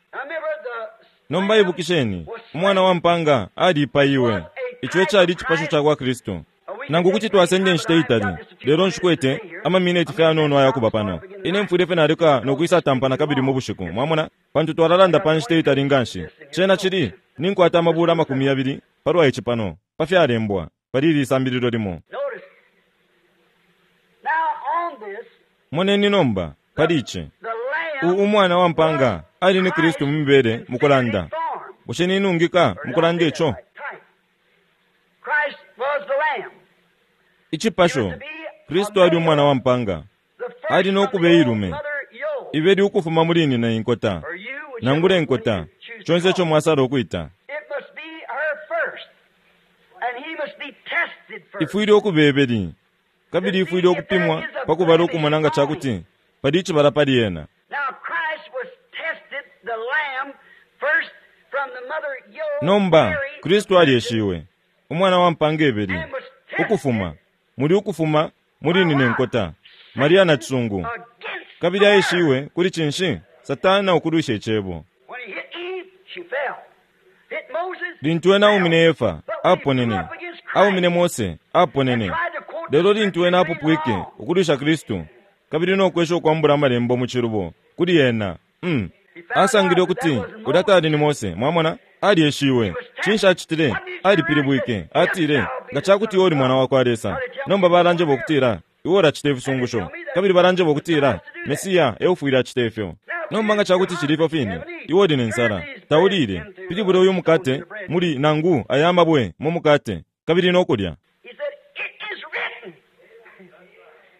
Nomba ibukisheni, umwana wa mpanga alipaiwe. Ico ecali icipasho ca kwa Kristu. Nangu kuti twasenda inshita itali, lelo nshikwete amamineti fye anono ayakuba pano. Ine mfwile fye naleka nokwisa tampana kabili mu bushiku, mwamona, pantu twalalanda pa nshita itali nganshi. Cena cili ninkwata amabula amakumi yabili palwa ici pano, pa fyalembwa pali ili sambililo limo. Notice. Now on this, Moneni nomba pali ici. the lamb U umwana wa mpanga ali ni Kristu mu mibele mukulanda. form. Bushe ninungika mukulanda ico? Type. Christ was the lamb. Icipasho, Kristu ali umwana wa mpanga. The first Ali no of the kuba old ilume. mother Yo. Ibeli ukufuma muli nina inkota. Or you, whichever Nangula one inkota, you choose to chonse ico call. mwasala ukuita. It must be her first. And he must be tested first. Ifwile ukuba ebeli. Kabili ifwile ukupimwa pakubala ukumona nga cakuti pali icibala pali ena. Now Christ was tested, the lamb, first from the mother Yo. Nomba, Mary, Kristu alyeshiwe, umwana wa mpanga ebeli, and was tested ukufuma, muli ukufuma, muli nina inkota, Maria na cisungu. against Kabili the word. aishiwe kuli cinshi? Satana ukulwisha icebo. When he hit Eve, she fell. Hit Moses, Lintu ena fell. aumine Efa, But when he aponene. grew up against Christ Aumine Mose, aponene. and tried to quote the Lelo lintu ena scriptures apupwike wrong, ukulwisha Kristu, kabili nokwesha ukwambula amalembo mu cilubo, kuli ena, mm. Asangile ukuti ulya tali ni Mose, mwamona, alyeshiwe. Cinshi acitile? Alipilibwike. Atile, nga cakuti iwe uli mwana wa kwa Lesa. Nomba balanjeba ukutila, iwe ulacita ifisungusho. Kabili balanjeba ukutila, Mesiya eufwile acita ifyo. Nomba nga cakuti cili ifyo fine, iwe uli ne nsala, taulile. Pilibula uyu mukate muli nangu aya amabwe mu mukate, kabili nokulya. he said, It is written.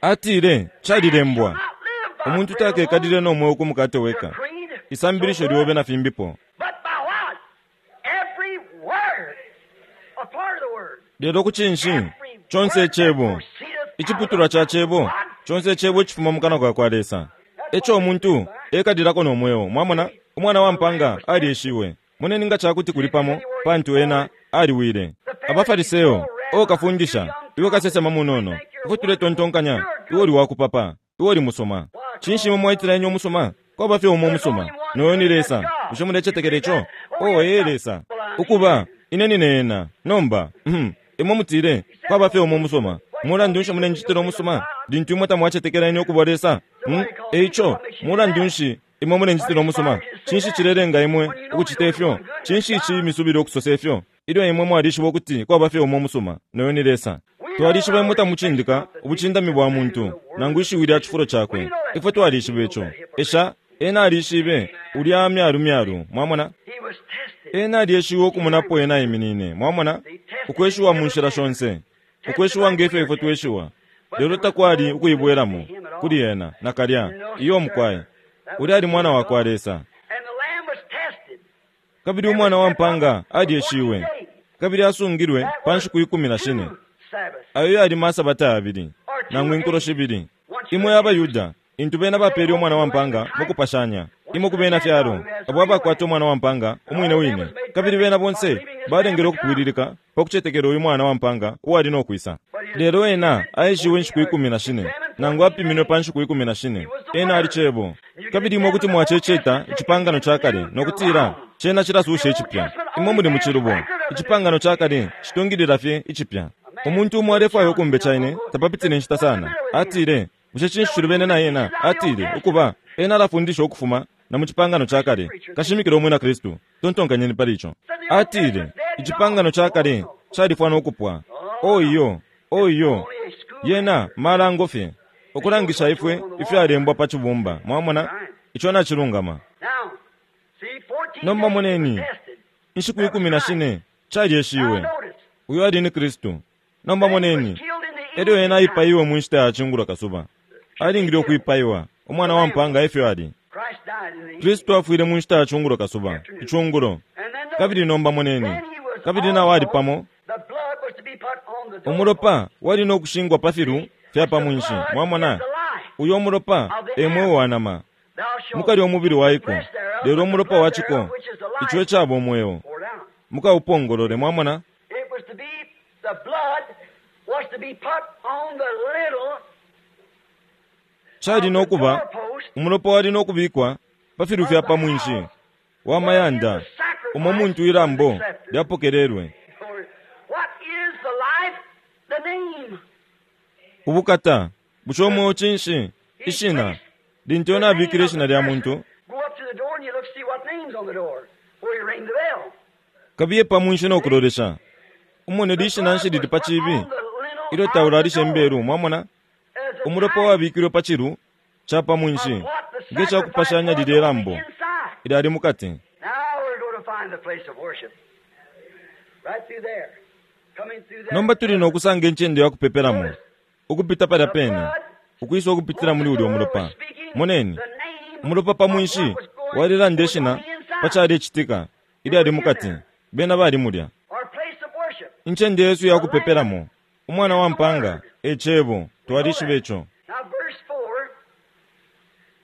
Atile, calilembwa. Not live by Umuntu bread takekalile alone, no mweo ku mukate your weka. creed, Isambilisho so lyobe what? na fimbipo. But by what? Every word. A part of the word. Lelo ku cinshi, Every chonse word that icebo, proceedeth out iciputulwa of the ca mouth of cebo, God. chonse icebo icifuma mu kanwa ka kwa Lesa. Eco umuntu ekalilako no mweo, mwamona, umwana wa mpanga alyeshiwe. Moneni nga cakuti kuli pamo, pantu ena aliwile. Abafariseo, o kafundisha, iwe kasesema munono, ifwe tuletontonkanya, iwe uli wakupapa, iwe uli musoma. Cinshi imwe mwaitila inye umusoma? Kwaba fye umo umusoma, noyo ni Lesa. Bushe mulecetekela ico? O ee Lesa. Ukuba, ine nine ena. Nomba, mhm, imwe mutile, kwaba fye umo umusoma. Mulandu nshi mulenjitila umusoma? Lintu imwe tamwacetekela ine ukuba Lesa. Hmm? Eico, mulandu nshi imwe mulenjitila umusoma? Cinshi cilelenga imwe ukucita ifyo? Cinshi ici misubile ukusosa ifyo? Ilyo imwe mwalishiba ukuti kwaba fye umo umusoma, noyo ni Lesa. Twalishiba imwe tamucindika ubucindami bwa muntu, nangu ishiwi lya cifulo cakwe. Ifwe twalishiba ico. Esha, ena alishibe, ulya myalu myalu, mwamona? He was tested. Ena alyeshiwe ukumunapo ena aiminine, mwamona? Ukweshiwa mu nshila shonse. Ukweshiwa ngefyo ifwe tweshiwa. Lelo takwali ukuibwelamo kuli ena, nakalya, iyo mukwaye. Ulya ali mwana wa kwa Lesa. And the lamb was tested. Kabili umwana wa mpanga alyeshiwe. Kabili asungilwe That pa was nshiku ikumi na shine. two Sabbaths. Ayo yali masabata abili, nangu inkulo shibili. Imwe abayuda, intu bena bapele umwana wa mpanga mukupashanya. Imwe ku bena fyalo, abo abakwata umwana wa mpanga umwine wine. Kabili bena bonse balengele ukupwililika pa kucetekela uyu mwana wa mpanga uwali no kwisa. Lelo ena aeshiwe inshiku ikumi na shine, nangu apiminwe pa nshiku ikumi na shine. Ena ali cebo. Kabili imwe kuti mwaceceta icipangano ca kale no kutila cena cilasusha icipya. Imwe muli mu cilubo. Icipangano ca kale citungilila fye icipya. Umuntu umo alefwaya ukumbeca ine, tapapitile inshita sana. Atile, bushe cinshi cilubene na ena? Atile, ukuba, ena alafundisha ukufuma na mu cipangano ca kale. Kashimikila umwina Kristu. Tontonkanyeni pali ico. Atile, icipangano ca kale califwa no kupwa. O iyo, o iyo. Only a school Yena malango fye. Ukulangisha ifwe ifyalembwa pa cibumba. Mwamona? Ico nacilungama. Now, see, fourteen Nomba days he was moneni, tested. inshiku ikumi na shine Now calyeshiwe. notice, Uyo ali ni Kristu. Nomba then he was moneni, killed in the elyo ena evening time. aipaiwe mu nshita ya cungulo kasuba. Alingile ukwipaiwa, umwana wa mpanga efyo ali. Christ died in the evening. Kristu afwile mu nshita ya cungulo kasuba, icungulo. And then notice, Kabili nomba moneni, then he was kabili nawo ali also, pamo, the blood was to be put on the umulopa doorpost. wali no kushingwa pa filu fya pa The mwinshi. blood is Mwamona, the life. uyo umulopa e mweo wa nama. Thou shalt Mukalya umubili eat the waiko, flesh thereof, lelo but the umulopa blood wa ciko, thereof, which is the ico life, ecaba umweo. pour down. Mukaupongolole, mwamona? It was to be, the blood was to be put on the little Cali of no the kuba, doorpost umulopa wali no kubikwa pa filu of fya the pa mwinshi house wa wherein mayanda, the umo sacrifice muntu was ilambo accepted. lyapokelelwe. What is the life? The name. Ubukata, bushe umweo cinshi? Ishina. Lintu ena abikile ishina lya muntu, Go up to the door and you look see what name's on the door before you ring the bell. kabiye pa mwinshi no kulolesha. Umone lishina nshi lili pa chibi, ilyo taulalishe imbelu, mwamona? Umulopa wabikilwe pa chilu cha pa mwinshi, nge chakupashanya lilye lambo ilyali mukati. Now we're going to find the place of worship. Right through there. Coming through there. Nomba tuli nokusanga incende yakupepelamo, ukupita palya pene, ukwisa ukupitila muli ulya umulopa. Moneni, umulopa pa mwinshi walilanda ishina pa chalecitika ilyali mukati, bena bali mulya. Our place of worship. Incende yesu yakupepelamo, umwana wa mpanga, e cebo, twalishiba ico. Now verse four.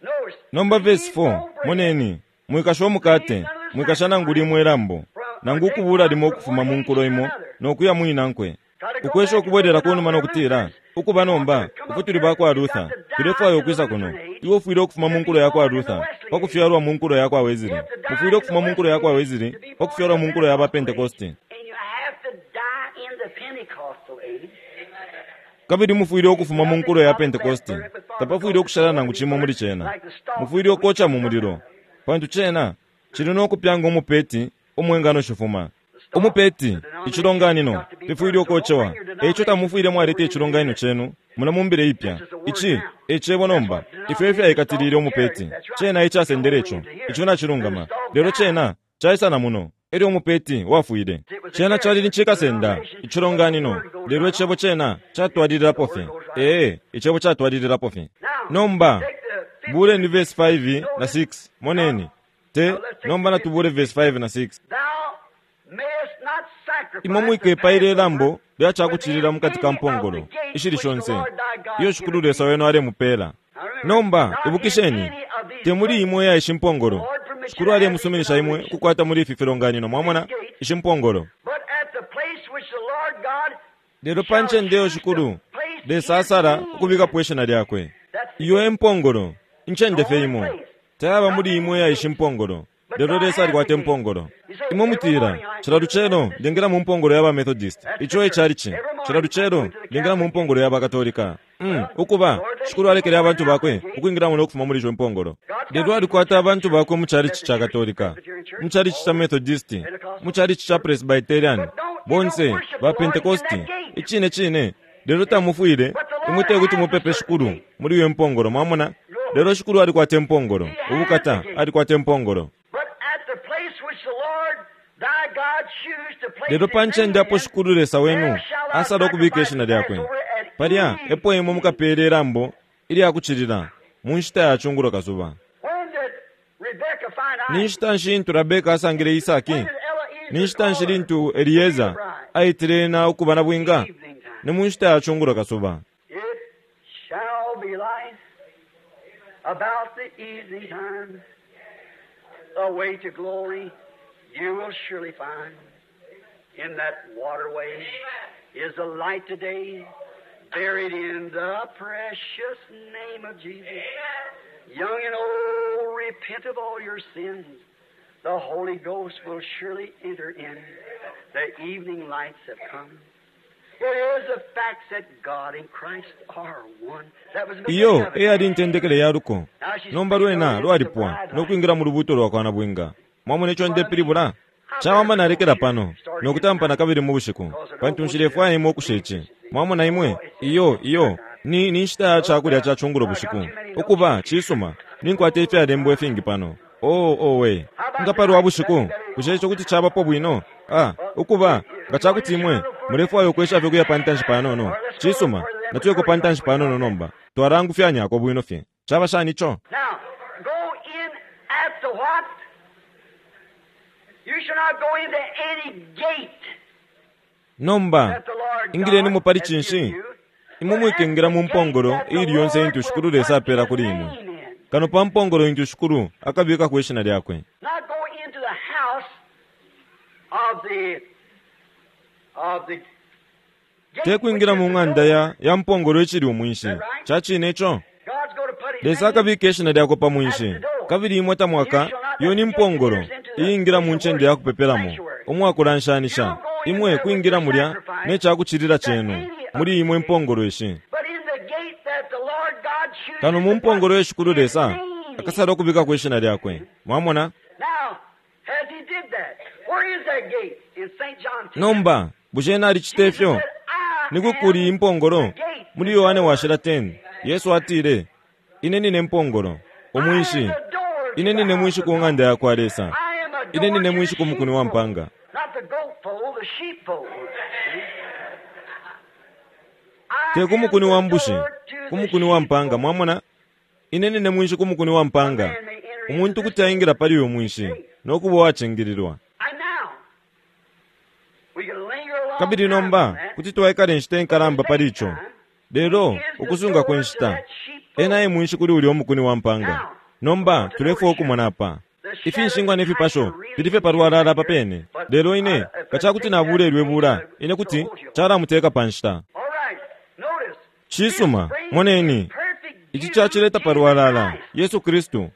Notice. Nomba verse four, moneni, mwikasha umukate, mwikasha nangu limwe lambo, nangu ukubula limo ukufuma mu nkulo imo, nokuya mwinankwe. Ukwesha ukubwerera kunuma nokutila, ukuba nomba, ifwe tuli bakwa Luther, tulefwaya ukwisa kuno. Iwe ufwile ukufuma mu nkulo yakwa Luther, pakufyalwa mu nkulo yakwa Wesley. Ufwile ukufuma mu nkulo yakwa Wesley, pakufyalwa mu nkulo ya Pentecost. And you have to die in the Pentecostal age. Kabili mufwile ukufuma mu nkulo ya Pentecost. Tapafwile ukushala nangu chimo muli chena. Mufwile ukocha mu mulilo. Pantu chena chili nokupyanga umupeti umwengano shifuma. Umupeti, ichilonganino, tifwile ukochewa. Eicho tamufwile mwaleta ichilonganino chenu, munamumbile ipya. Ichi, echebo nomba, ifyo ifyaikatilile umupeti. Chena ichasendele icho, icho nachilungama. Lelo chena, chaisana muno. Elyo umupeti wafwile. Chena chali nichikasenda, ichilonganino. Lelo echebo chena chatwalililapo fye. Ee, echebo chatwalililapo fye. Nomba, buleni verse five na six. Moneni. Te, nomba natubule verse five na six. Thou mayest not sacrifice Imwe mwikepaile ilambo lyachakuchilila mukati ka mpongolo ishili shonse iyo shikulu Lesa wenu alemupela. Nomba ibukisheni, temuli imwe ya ishi mpongolo. Shikulu alemusuminisha imwe ukukwata muli ifi filonganino, mwamona, ishi mpongolo. But at the place which the Lord God Lelo pa ncende iyo shikulu Lesa asala ukubikapo ishina lyakwe. Iyo e mpongolo, incende fye imo. Tayaba muli imwe ya ishi mpongolo. Lelo Lesa alikwata impongolo. Imwe mutila, cila lucelo ndengela mu mpongolo ya ba Methodist. Ico e chalichi. Cila lucelo ndengela mu mpongolo ya ba Katolika. Mm, ukuba, shikulu alekele abantu bakwe ukwingilamo nokufuma muli ico mpongolo. Lelo alikwata abantu bakwe mu chalichi cha Katolika, mu chalichi cha Methodist, mu chalichi cha Presbyterian, bonse ba Pentecosti. Icine cine, lelo tamufwile, imwe tekuti mupepe shikulu muli iyo mpongolo, mwamona? Lelo shikulu alikwata impongolo, ubukata alikwata impongolo. But at the place which the Lord thy God choose to place Lelo pa his ncende name apo in, shikulu Lesa wenu there shall thou asala ukubika sacrifice ishina lyakwe. Passover at Palya evening. epo imwe mukapele ilambo ilyakuchilila mu nshita ya chungulo kasuba. When did Rebekah find Ni Isaac? nshita nshi intu Rebeka asangile Isaki? When did Eliezer Ni nshita nshi call her? lintu Elieza aitile ena ukuba na bwinga? Evening time. Ni mu nshita ya chungulo kasuba. It shall be light about the evening time. The way to glory you will surely find. In that waterway is the light today, buried in the precious name of Jesus. Young and old, repent of all your sins. The Holy Ghost will surely enter in. The evening lights have come. It is a fact that God and Christ are one. That was the Iyo beginning of it. eyali intendekele ya luko. Now she's Nomba lwena lwalipwa nokwingira mu lubuto lwakwa na bwinga. Mwamona ico ndepilibula? Chawama nalekela pano nokutampa nakabili mu bushiku pantu nshilefwaya imwe ukusha ici. Mwamona imwe iyo iyo ni ni nshita ya chakulya cha chungulo bushiku. Ukuba chisuma ninkwata ifyalembwa ifingi pano. Oh owe nga palwa bushiku bushe ico kuti chabapo bwino? Ah, ukuba nga chakuti imwe mulefwaya ukwesha fye kuya pantanshi panono. Chisuma natuyeko pantanshi panono nomba twarangufyanyako bwino fye. Chaba shani ico? Now, go in at the what? You shall not go into any gate Nomba that the Lord ingileni God mupali has chinshi given you. imwe mwikengera mu mpongolo ili yonse intu shikulu Lesa apela kuli imwe. Kano pa mpongolo intu shikulu akabikako ishina lyakwe. Not go into the house of the of the gate Te kwingira mu ng'anda ya ya mpongolo ichili umwinshi. Chachine ico? God's going to put his Lesa name akabika ishina lyakwe pa mwinshi. Kabili imwe tamwaka iyo ni mpongolo iyingira mu ncende yakupepelamo umwakulanshanisha. Imwe kwingira mulya ne chakuchilila chenu. muli imwe impongolo ishi. But in the gate that the Lord God chooses Kano mu to mpongolo put ye Shikulu Lesa his name. akasala ukubikako ishina lyakwe. Mwamona? Now, as he did that, where is that gate? In Saint John ten. Nomba bushe ena alicita Jesus ifyo? said, I Ni kukuli am impongolo the gate. muli Yohane washila ten. Yesu atile, ine nine mpongolo, I am umwinshi. the door to Ine the nine house mwinshi of ku God. ng'anda yakwa Lesa. I am a Ine door nine to the mwinshi ku mukuni wa sheepfold. mpanga. Not the goat fold, the sheepfold. I Te ku am mukuni the wa mbushi, door to ku the mukuni wa mpanga. sheepfold. Mwamona? Ine nine mwinshi ku mukuni wa A mpanga. man may enter into Umuntu this kuti aingira pali uyu mwinshi no kuba uwacingililwa. And now, we can linger a long Kabili time on nomba that. kuti twaikala inshita But the inkalamba pali same ico. time, Lelo he is the ukusunga door to kwenshita that sheepfold. ena e mwinshi kuli ulya umukuni wa mpanga. Now, Nomba we want to tulefwaya notice here ukumona apa the shadows ifinshingwa and ne types fipasho are really fili fye palwalala here, papene. but Lelo I, ine if I kacakuti take that nabulelwe page, bula I ine will kuti hold you. calamuteka pa nshita. All right, notice this Cisuma, brings moneni perfect ici view cacileta Jesus palwalala Christ. Yesu Kristu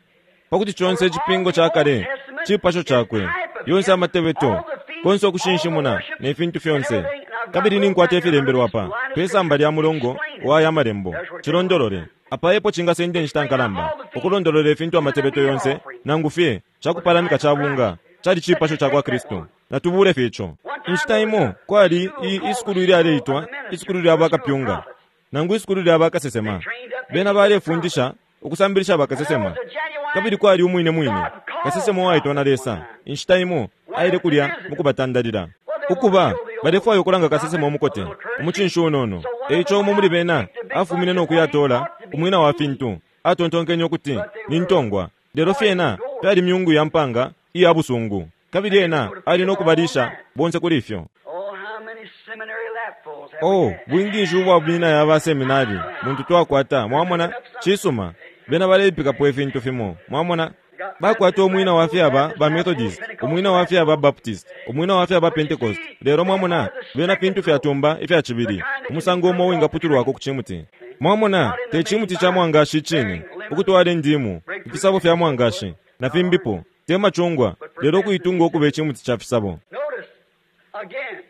pakuti conse For all icipingo the ca Old kale Testament cipasho is cakwe, type of yonse him, amatebeto, all the feasts, konse all the ukushinshimuna worship, ne fintu and fyonse. everything. And I've got Kabili wrote ninkwata down here under ifilembelwa this pa line of pe samba scripture lya mulongo explain it. wa aya malembo There's where it takes a long cilondolole. time. Apa epo cingasenda inshita Explain how nkalamba all the feasts, ukulondolola ifintu even the amatebeto meal yonse offering, nangu fye was a cakupalamika type of ca bunga Christ. cali Let's cipasho just ca kwa take that Kristu. one. Natubule fye ico. One time Inshita there was imo a kwali school i called the isukulu School of ilyaleitwa the Ministers, isukulu lya or the School of bakapyunga Prophets. nangu isukulu lya They bakasesema. trained up Bena eighty-eight prophets. balefundisha ukusambilisha And there bakasesema. was a genuine Kabili kwali umwine mwine God called kasesema uwaitwa na prophet one Lesa. time. Inshita imo Went aile up to kulya visit him. mukubatandalila. Well, they wanted to Ukuba show the old balefwaya ukulanga kasesema prophet a umukote little courtesy. umucinshi unono. So one of them Eico umo went muli out and bena picked a big afumine bunch no of what he kuyatola thought to be umwina wa weeds. fintu. Atontonkenye ukuti But they ni were ntongwa. Lelo fyena poison gourds. fyali myungu ya mpanga iya busungu. Kabili And he ena was going to ali feed no them all on kubalisha that. bonse kuli ifyo. Oh, how many seminary lapfuls have we Oh, had? bwingi ubwa bwina ya ba seminari muntu twakwata mwamona They're picking up something. cisuma bena baleipikapo ifintu fimo mwamona They got bakwata Baptist umwina wa lapfuls, fyaba Baptist ba lapfuls, Methodist, Pentecostal umwina wa fyaba lapfuls. Baptist, umwina wa fyaba But you Pentecost. see, Lelo they mwamona are the bena second fintu coat, fyatumba ifya the cibili kind that can be umusango umo broke off the wingaputulwako tree. ku cimuti. Mwamona Not in the te main cimuti ca vine, mwangashi cine bearing lemons, ukutwala indimu grapefruit, ifisabo and fya so forth. mwangashi na No, fimbipo te macungwa but lelo profess to kuitunga be ukuba icimuti ca fisabo. Notice again.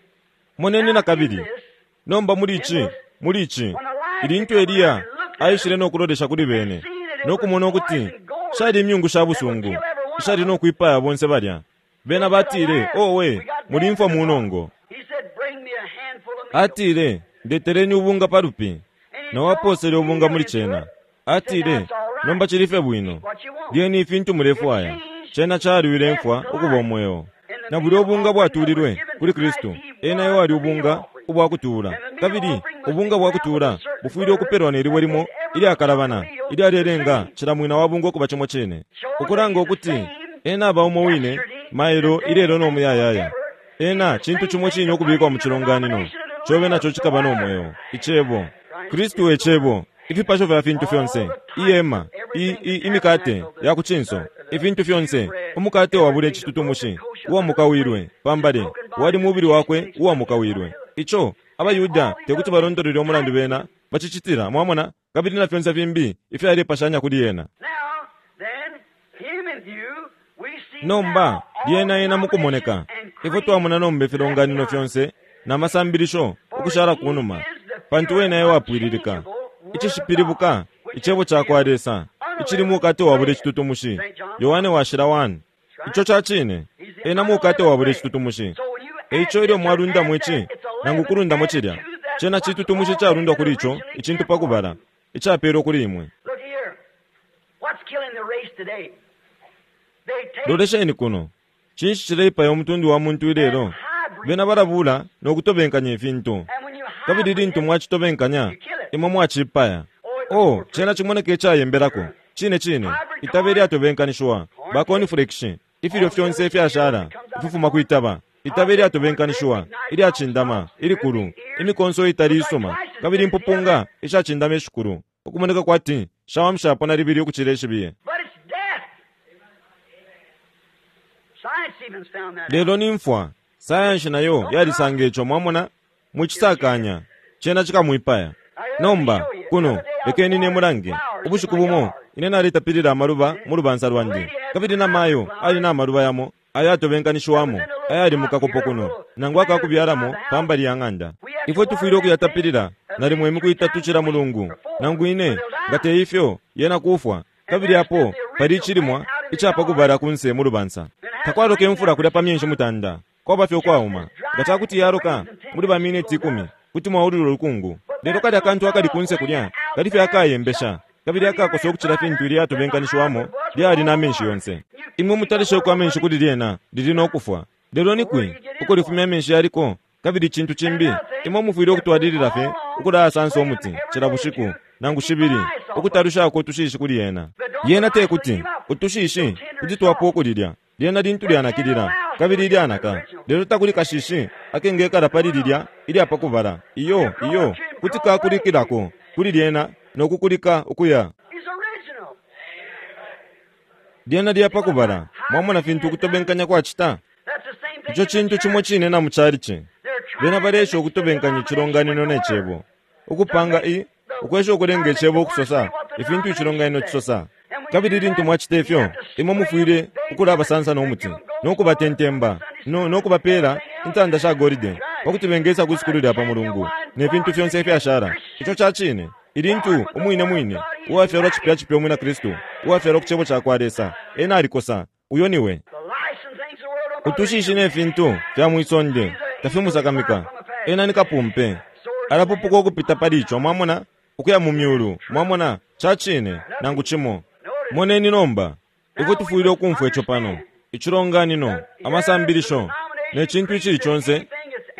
Moneni Now na in kabili this, nomba muli in ici this, muli ici when Elijah ilintu come around Eliya and looked at aishile them no kulolesha kuli and bene seen that it no was kumona ukuti poison gourds shali imyungu sha that would busungu kill every one of ishali them, no kwipaya bonse balya. Bena they said, batile, Alas, owe we got death mulimfwa in the pot. munongo. He said, Bring me a handful of meal. Atile, ndetereni ubunga palupi. And he Na tossed waposele ubunga meal muli into cena. it. He said, Now Atile, it's all right. nomba cili fye Eat bwino. what you want. Lyeni ifintu It mulefwaya. changed Cena caliwile death imfwa to ukuba life. umweo. And the Na bulya meal ubunga offering that was bwatulilwe given to kuli Christ, Kristu. he Ena was ewali the meal ubunga offering. ubwa kutuula. And the meal Kabili offering must be ubunga bwa ground with kutuula a certain bufwile butter ukupelwa ne libwe that limo made every ilyakalabana meal the ilyalelenga same. cila mwina wa bunga ukuba cimo cine. Showing that Ukulanga he's the ukuti same ena aba umo wine yesterday, mailo today, ilelo no and muyayaya. forever. He's Ena the cintu same cimo thing cine to put ukubikwa mu into the cilonganino denomination and cobe live naco the cikaba no Word. mweo. Icebo Christ Kristu is e the cebo Word. ifipasho fya fintu All fyonse the types of iyema i, everything, i, the imikate tabernacle, ya the, ku cinso the, the ifintu fyonse shewbread, umukate wabula everything, the broken icitutumushi kosher under the uwamukawilwe plate, his pambale broken body wali that mubili the wakwe explained it uwamukawilwe. unto it. Ico And abayuda all these te kuti other things balondolele umulandu types bena him. bacicitila mwamona kabili na fyonse fimbi ifyalepashanya kuli ena. Now, then, him in view, we see Nomba now all lyena ena denominations mukumoneka and ifwe creeds twamona nomba left ifilonganino behind. fyonse na masambilisho For ukushala he kunuma is the pantu pure, wena ewapwililika unchangeable Word of God, icishipilibuka which is icebo ca kwa still Lesa icili unleavened mukate wabula bread. icitutumushi. Saint John Yohane one. washila one. That's Ico right. ca cine He's the ena mukate unleavened wabula bread. icitutumushi. So when you add Eico ilyo this or mwalundamo add that, ici it's nangu eleven kulundamo added cilya to that cena what's citutumushi already calundwa been kuli ico originally icintu given pa for kubala you. icapelwa kuli imwe. Look here. What's killing the race today? They take Lolesheni kuno cinshi cileipaya umutundu wa muntu and ilelo? hybrid Bena balabula no kutobenkanya ifintu And when you kabili hybrid lintu it, mwacitobenkanya you kill it. imwe mwacipaya. Oh, it looks Oh, more cena pretty. cimoneka icayembelako Sure. cine cine Hybrid itabe corn, lyatobenkanishiwa corn ba cake, cornflakes ifilyo all the fyonse other cereals ifyashala that comes out of ififuma corn, kwitaba itabe hybrid corn crisp, lyatobenkanishiwa nice long ilyacindama stalks, great ilikulu big ears, imikonso itali look like isuma twice as kabili big as the impupunga other, ishacindama ishikulu ukumoneka kwati shawamshapo na libili ukucila ishibiye. but it's death. Science even found that out. Lelo ni mfwa sayansi nayo Don't yalisanga cross ico mwamona it. It'll kill you. mucisakanya cena cikamwipaya. Now, here, let me Nomba show you. The kuno other day I was lekeni watering nemulange flowers in ubushiku my bumo yard. ine nalitapilila amaluba mu lubansa The lwandi lady had kabili some namayo hybrid ali flowers na maluba yamo that was ayatobenkanishiwamo in a little ayali mu pot kakopo here, a kuno little nangu planter beside akakubyalamo the house. pambali ya ng'anda. We had to Ifwe water tufwile that thing. ukuyatapilila Nalimo imiku itatu cila mulungu nangu ine nga te ifyo yena kufwa. Kabili apo pali icilimwa icapakubala kunse mu lubansa. Takwaloka imfula kulya pa myenshi mutanda, kwaba fye ukwauma. Nga cakuti yaloka muli ba mineti ikumi kuti mwaulula ulukungu. Lelo kalya kantu akali kunse kulya kali fye akayembesha kabili akakosa ukucila fintu ilyatobenkanishiwamo lyali na menshi yonse. Imwe mutalisheko amenshi kuli lyena lili no kufwa. Lelo ni kwi uko lifumya amenshi yaliko? Kabili icintu cimbi, imwe mufwile ukutwalilila fye ukulasansa umuti cila bushiku nangu shibili ukutalushako utushishi kuli yena. Yena te kuti utushishi kuti twapwa ukulilya lyena lintu lyanakilila kabili ilyanaka. Lelo takuli kashishi akengekala pali lilya ilyapakubala. Iyo iyo kuti kakulikilako kuli lyena no kukulika ukuya. He's original. Lyena lyapakubala. Mwamona fintu ukutobenkanya kwacita? That's the same thing Ico in the cintu church. cimo cine na mu chalichi. They're trying Bena to balesha mix ukutobenkanya the icilonganino ne cebo, ukupanga i ukwesha ukulenga icebo ukusosa ifintu icilonganino cisosa. Kabili lintu mwacita ifyo, imwe mufwile ukulabasansa no muti no kubatentemba no, no kubapela intanda sha golide pakuti bengesa ku sukulu lya pa mulungu ne fintu fyonse ifyashala. Ico ca cine. Ilintu umwine mwine uwafyalwa cipya cipya umwina Kristu, uwafyalwa ku cebo ca kwa Lesa, ena alikosa. Uyo niwe. The lice and things of the world don't bother Utushishi him. ne fintu fya mwisonde tafimusakamika. Ena ni kapumpe, alapupuka ukupita pali ico, mwamona, ukuya mu myulu, mwamona, ca cine nangu cimo. Moneni nomba ifwe tufwile ukumfwa ico pano. Icilonganino, amasambilisho ne cintu icili conse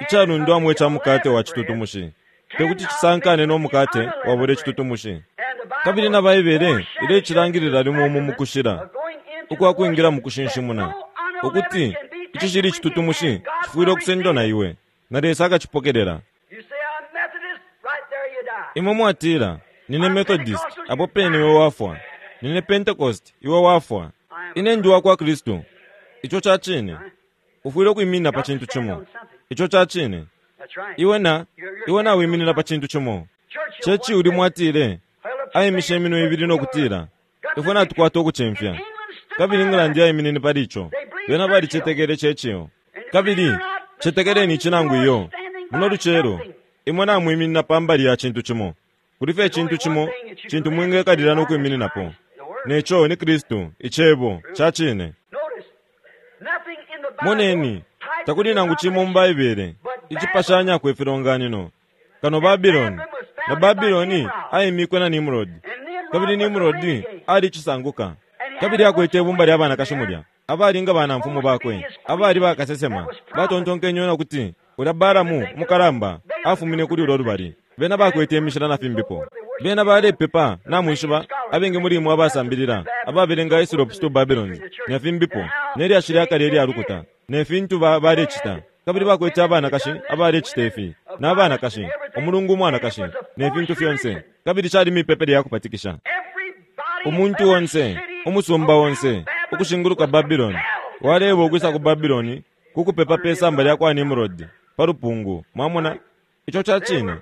icalundwamo ica mukate wa citutumushi tekuti cisankane no mukate wabula icitutumushi. And the Bible Kabili na Baibele ilecilangilila limo umu mu kushila ukwa kwingila mu kushinshimuna, ukuti icishili icitutumushi cifwile ukusendwa na iwe, na Lesa akacipokelela. You say, I'm Methodist, right there you die. Imwe mwatila, nine Methodist, apo pene iwe wafwa. Nine Pentecost, iwe wafwa. Ine ndi wa kwa Kristu. Ico ca cine. Ufwile ukwiminina pa cintu cimo. Ico ca cine. That's right. Iwe na iwe nawiminina pa cintu cimo. Churchill Churchill once uli mwatile, held up two ayimishe fingers iminwe ibili no kutila, ifwe natukwata ukucimfya. Kabili England yayiminine pali ico. Bena balicetekele Churchill. Kabili cetekeleni ici nangu iyo. Muno lucelo, imwe namwiminina pa mbali ya cintu cimo. Kuli fye icintu cimo cintu mwingekalila no kwimininapo. Neco ni Kristu, icebo ca cine. Notice, nothing in the Bible Moneni, types takuli nangu cimo mu Baibele icipashanyako ifilonganino kano Babiloni. Na Babiloni ayimikwe na Nimrod. And Nimrod Kabili was a Nimrod renegade. ali cisanguka. Kabili akwete ibumba lya banakashi mulya abali nga banamfumu bakwe, abali bakasesema. Batontonkenye na kuti ulya Balamu umukalamba afumine kuli ulo lubali. Bena bakwete imishila na fimbipo. Bena balepepa namwishiba abengi muli imwe abasambilila ababelenga Hislop's Two Babylons na fimbipo ne lyashi lya kale ilya lukuta ne fintu ba- balecita. Kabili bakwete abanakashi abalecita ifi na abanakashi umulungu umwanakashi ne fintu fyonse. Kabili cali mipepele ya kupatikisha. Everybody, Umuntu every onse, city umusumba onse around Babylon ukushinguluka was Babiloni compelled waleba ukwisa ku Babiloni kukupepa pe samba lya kwa Nimrod pa lupungu. Mwamona ico ca cine.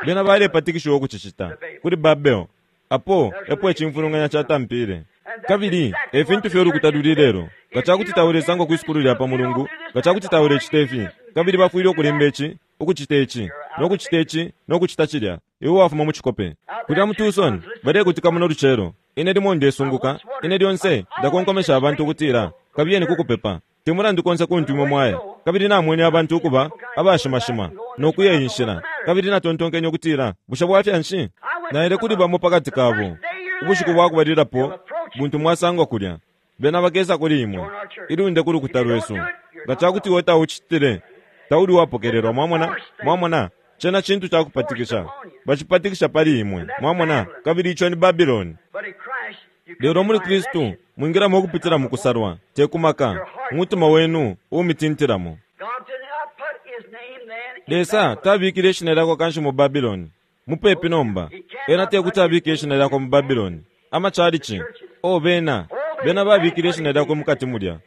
Bena balepatikishiwa ukucicita kuli Babel. Apo epo icimfulunganya catampile. Kabili e fintu fye ulukuta luli lelo. Nga cakuti taulesangwa kwi sukulu lya pa mulungu, nga cakuti taulecita ifi, kabili bafwile ukulemba ici, ukucita ici, no kucita ici, no kucita cilya, iwe wafuma mu cikope. Kulya mu Tucson balekutika muno lucelo. Ine limo ndesunguka, ine lyonse ndakonkomesha abantu ukutila kabiyeni kukupepa. Te mulandu konse kuntu imwe mwaya. Kabili namwene abantu ukuba abashimashima no kuya inshila. Kabili natontonkenye ukutila, bushe bwafya nshi? Naile kuli bamo pakati kabo. Ubushiku bwa kubalilapo buntu mwasangwa kulya. Bena bakesa kuli imwe. Ilunde ku lukuta lwesu. Nga cakuti iwe taucitile, tauli wapokelelwa, mwamona? Mwamona? Cena cintu ca kupatikisha. Bacipatikisha pali imwe, mwamona? Kabili ico ni Babiloni. But in Christ, you come Lelo muli by Kristu election. mwingilamo ukupitila mu kusalwa, te kumaka, umutima wenu uumitintilamo. God did not put his name then in Lesa Babylon. tabikile ishina lyakwe kanshi mu Babiloni. Mupepi nomba, ena tekuti abike ishina lyakwe mu Babiloni. Amachalichi, o bena, bena babikile ishina lyakwe mukati mulya.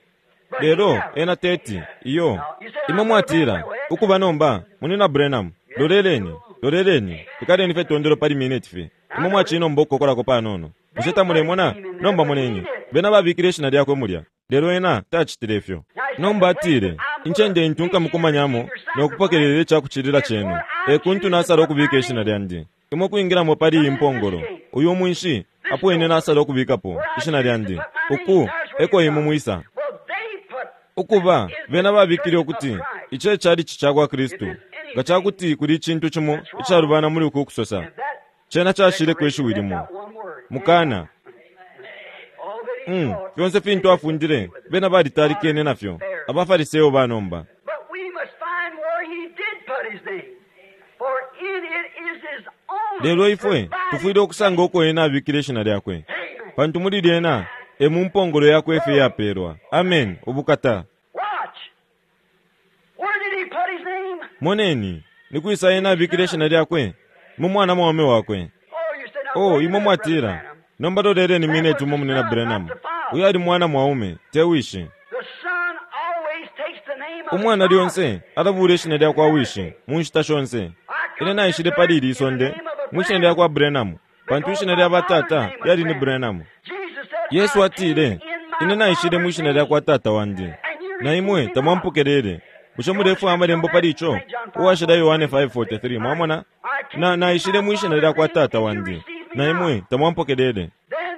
But he Lelo never. ena teti iyo. Imwe mwatila, ukuba nomba, munina Branham, loleleni, loleleni, ikaleni fye tondolo pali minute fye. Imwe mwacinomba ukukokolako panono. Bushe tamulemona? Nomba moneni. Bena babikile ishina lyakwe mulya. Lelo ena tacitile ifyo. Nomba atile, incende intu nkamukumanyamo no kupokelela icakucilila cenu. E kuntu nasala ukubika ishina lyandi. Imwe kwingilamo pali iyi mpongolo. Uyu mwinshi apo ine nasala ukubikapo ishina lyandi. Uku eko imwe mwisa. Well, they put Ukuba bena babikile ukuti ici e chalichi ca kwa Kristu. Nga cakuti kuli icintu cimo icalubana muli uku kusosa, that cena cashileko ishiwi limo. that one word. Mukana. All that he Mm, taught. fyonse fintu afundile bena balitalikene nafyo. Abafariseo banomba. But we must find where he did put his name. For in it is his own. Lelo ifwe tufwile ukusanga uko ena abikile ishina lyakwe. Amen. Pantu muli lyena e mu mpongolo yakwe ife yapelwa. Amen. Ubukata. Watch. Where did he put his name? Moneni, ni kwisa ena abikile ishina lyakwe mu mwana mwaume wakwe. Oh, you say now. Oh, wait a imwe minute, Brother mwatila. Branham. Nomba loleleni minute umo munena Branham. Uyu ali mwana mwaume, te wishi. The son always takes the name of Umwana his father. lyonse alabula ishina lya kwa wishi mu nshita shonse. Ine naishile pali ili isonde mu ishina lya kwa Branham, pantu ishina lya batata lyali ni Branham. Jesus said, Yesu I atile, came in my ine naishile mu ishina lya kwa tata wandi, na imwe tamwampokelele. Bushe mulefwaya amalembo pali ico? Uwashila Yohane five forty-three, mwamona? Na naishile mu ishina lya kwa tata wandi, na imwe tamwampokelele. Then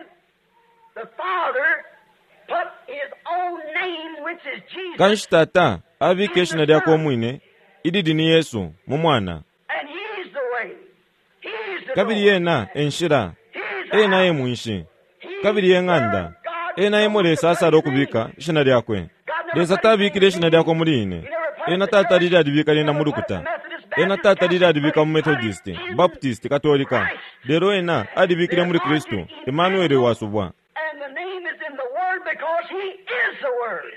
the Father put his own name, which is Jesus, Kanshi tata abika ishina lyakwe umwine, ilili ni Yesu, mu mwana. and he's the way. He's the Kabili door. ena e nshila, He's the ena e house. mwinshi, He's kabili e ng'anda. where God Ena emo Lesa asala ukubika ishina lyakwe. Lesa tabikile ishina lyakwe muli ine. Ena tatalile alibika lyena mu lukuta. Ena tatalile alibika mu Methodist, Baptist, Katolika. Lelo ena alibikile muli Kristu, Emmanuel wasubwa. And the name is in the Word because he is the Word.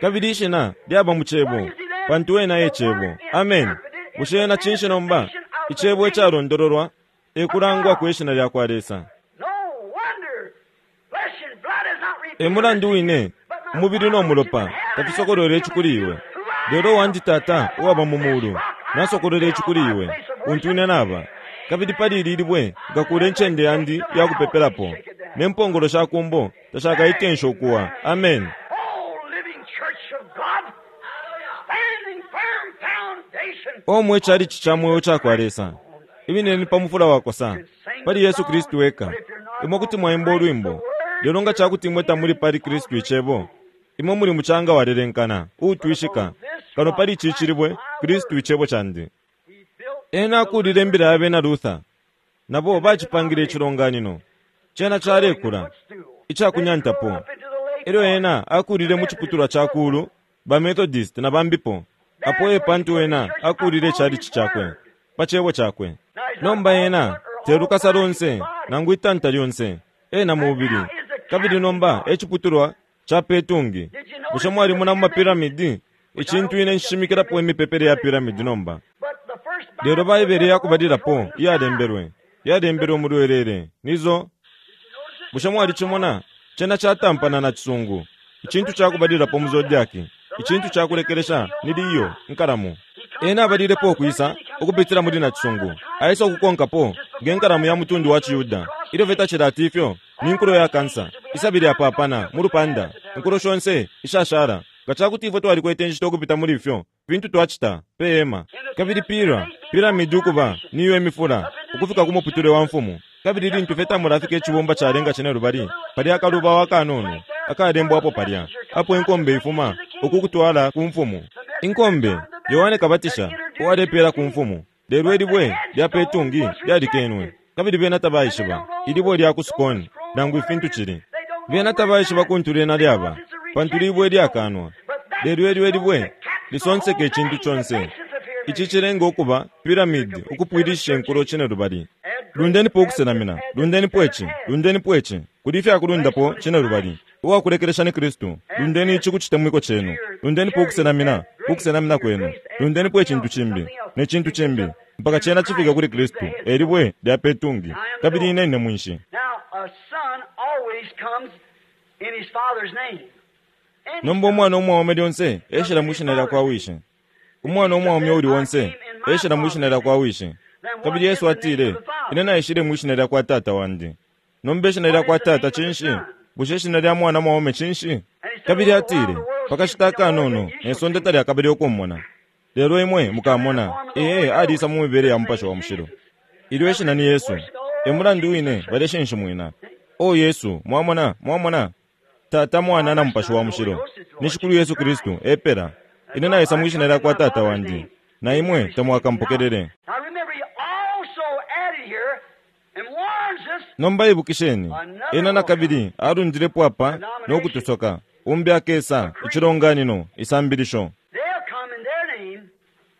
Kabili ishina lyaba mu cebo, pantu ena e cebo. Amen. Bushe ena cinshi nomba? Icebo icalondololwa e kulangwa kwe shina lya kwa Lesa. No wonder flesh and blood is not E revealed. mulandu wine, umubili no mulopa tafisokolwele ici kuli iwe. Lelo wandi tata uwaba mu mulu, nasokolwele ici kuli iwe, untu ine naba. Kabili pali ili libwe ngakula incende yandi ya kupepelapo, ne mpongolo sha kumbo tashakaitensha ukuwa. Amen. Oh, living church of God, standing firm foundation. Omwe chalichi cha mweo cha kwa Lesa. Ibineni pa mufula wakosa, pali Yesu Kristu weka. Imwe kuti mwaimba ulwimbo, lelo nga chakuti imwe tamuli pali Kristu icebo. Imwe muli muchanga walelenkana, uutwishika. Kano pali ici cilibwe, Kristu icebo chandi. He built Ena akulile imbila ya bena Luther. Nabo bacipangile icilonganino. Cena calekula, icakunyantapo. up into the lake. Elyo ena akulile mu ciputulwa ca kulu, ba Methodist na bambipo. Apo e pantu ena akulile chalichi chakwe, pa cebo chakwe. Nomba ena te lukasa lonse, nangu itanta lyonse, ena mubili. Kabili nomba e ciputulwa ca petungi. Bushe mwalimona mu mapiramidi? Icintu ine nshimikirapo imipepele ya piramidi nomba. But the first Lelo Baibele yakubalilapo iyalembelwe, yalembelwe mu lwelele. Nizo, bushe mwalicimona? Cena catampana na cisungu. Icintu cakubalilapo mu zodiaki. Icintu cakulekelesha ni liyo, nkalamu. Ena abalilepo ukwisa ukupitila muli na cisungu. Aisa ukukonkapo nge nkalamu ya mutundu wa Ciyuda. Ilyo fye tacilati ifyo, ni nkulo ya kansa. Isabili yapapana mu lupanda. Nkulo shonse ishashala. Nga cakuti ifwe twalikwete inshita ukupita muli ifyo, fintu twacita pe ema. Kabili pira, piramidi ukuba niyo emifula, ukufika ku muputule wa mfumu. Kabili lintu fye tamulafika icibumba calenga cine lubali, palya akaluba wakanono, akalembwapo palya. Apo inkombe ifuma, ukukutwala ku mfumu. Inkombe, Yohane Kabatisha, uwalepela ku mfumu. Lelo ilibwe lya petungi lyalikenwe. Kabili bena tabaishiba, ilibwe lya ku Sukoni, nangu ifintu cili. Bena tabaishiba kuntu lyena lyaba, pantu libwe lyakanwa. Lelo elyo ilibwe lisonseka icintu conse. Ici cilenga ukuba piramidi ukupwilishisha inkulo cine lubali. Lundenipo ukusenamina, lundenipo ici, lundenipo ici, kuli ifyakulundapo cine lubali. Uwakulekelesha ni Kristu, lundeni ici ku citemwiko cenu. Lundenipo ukusenamina, ukusenamina kwenu. Lundenipo icintu cimbi, ne cintu cimbi, mpaka cena cifika kuli Kristu, elibwe lya petungi, kabili ine ine mwinshi. Now, a son always comes in his father's name. Any Nomba umwana umwaume lyonse eshila mu shina lya kwa wishi. Umwana umwaume uli onse eshila mu shina lya kwa wishi. Kabili Yesu atile, ine naishile mu shina lya kwa tata wandi. Nomba ishina lya kwa tata cinshi? Bushe ishina lya mwana mwaume cinshi? Kabili atile, pakashita akanono ne sonde talyakabile ukummona. Lelo imwe mukamona, ee, aliisa mu mibele ya Mupashi wa Mushilo. Ilyo ishina ni Yesu. E mulandu wine baleshinshimwina. O Yesu, mwamona, mwamona. Tata, Mwana na Mupashi wa Mushilo. Ni Shikulu Yesu Kristu, epela. Ine naisa mwishina lya kwa Tata wandi. Na imwe tamwakampokelele. Now remember, he also added here and warns us Nomba ibukisheni, ena nakabili alundilepo apa no kutusoka. Umbi akesa, icilonganino, isambilisho. they'll come in their name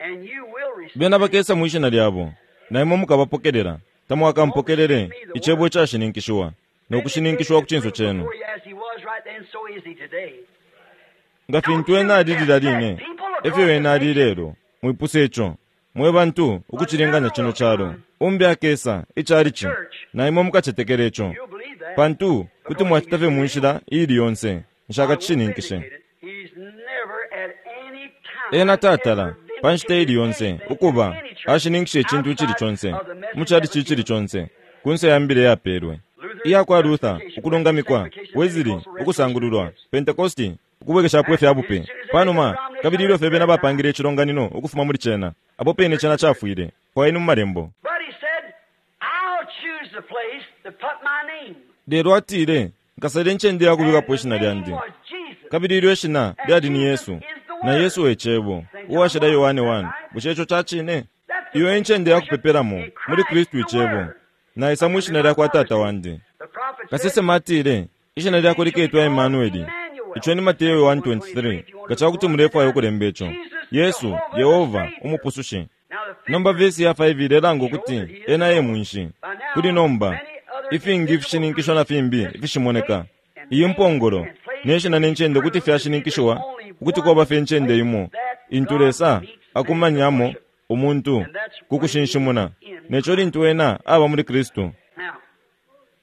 and you will receive. Bena bakesa mwishina lyabo, na imwe mukabapokelela. Tamwakampokelele, icebo icashininkishiwa, no kushininkishiwa ku cinso cenu. Before you, as he was right then, so is he today. Nga fintu ena ali lilya line, efyo ena ali lelo. Mwipuse ico, mwe bantu ukucilinganya cino calo. Umbi akesa, icalici, na imwe mukacetekela ico. You'll believe that. Pantu kuti mwacita fye mu nshila iili yonse, nshakacishininkishe. He's never at any time Ena tatala ever pa nshita iili yonse vindicated ukuba any church ashininkisha icintu icili conse outside of the message mu calici icili conse kunse ya mbila yapelwe iya kwa Luther ukulungamikwa, Wesley ukusangululwa, Pentecosti ukubwekeshapo ifya bupe panuma, kabili ilyo fye bena bapangile icilonganino ukufuma muli cena, apo pene cena cafwile fwayeni mu malembo. But he said, I'll choose the place to put my name. Lelo atile, nkasala incende ya kubikapo And ishina the name lyandi. was Jesus. Kabili ilyo ishina lyali ni Yesu, na Yesu e Cebo, uwashila Yohane one. Bushe ico ca cine? Iyo e ncende ya kupepelamo muli Kristu icebo. Naisa mwishina lya kwa Tata wandi. The prophet said, Kasesema atile, ishina lyakwe liketwa Emmanueli. Ico ni Mateo one twenty-three. Nga ca kuti mulefwaya ukulemba ico. Yesu, Yehova, Umupusushi. Now the fifth Nomba vesi ya five ilelanga ukuti ena e mwinshi. Kuli nomba, ifingi ifishininkisho na fimbi ifishimoneka. Iyi mpongolo, ne shina ne ncende kuti fyashininkishiwa ukuti kwaba fye ncende imo. Intu Lesa akumanyamo umuntu ku kushinshimuna. Neco lintu ena aba muli Kristu. Now,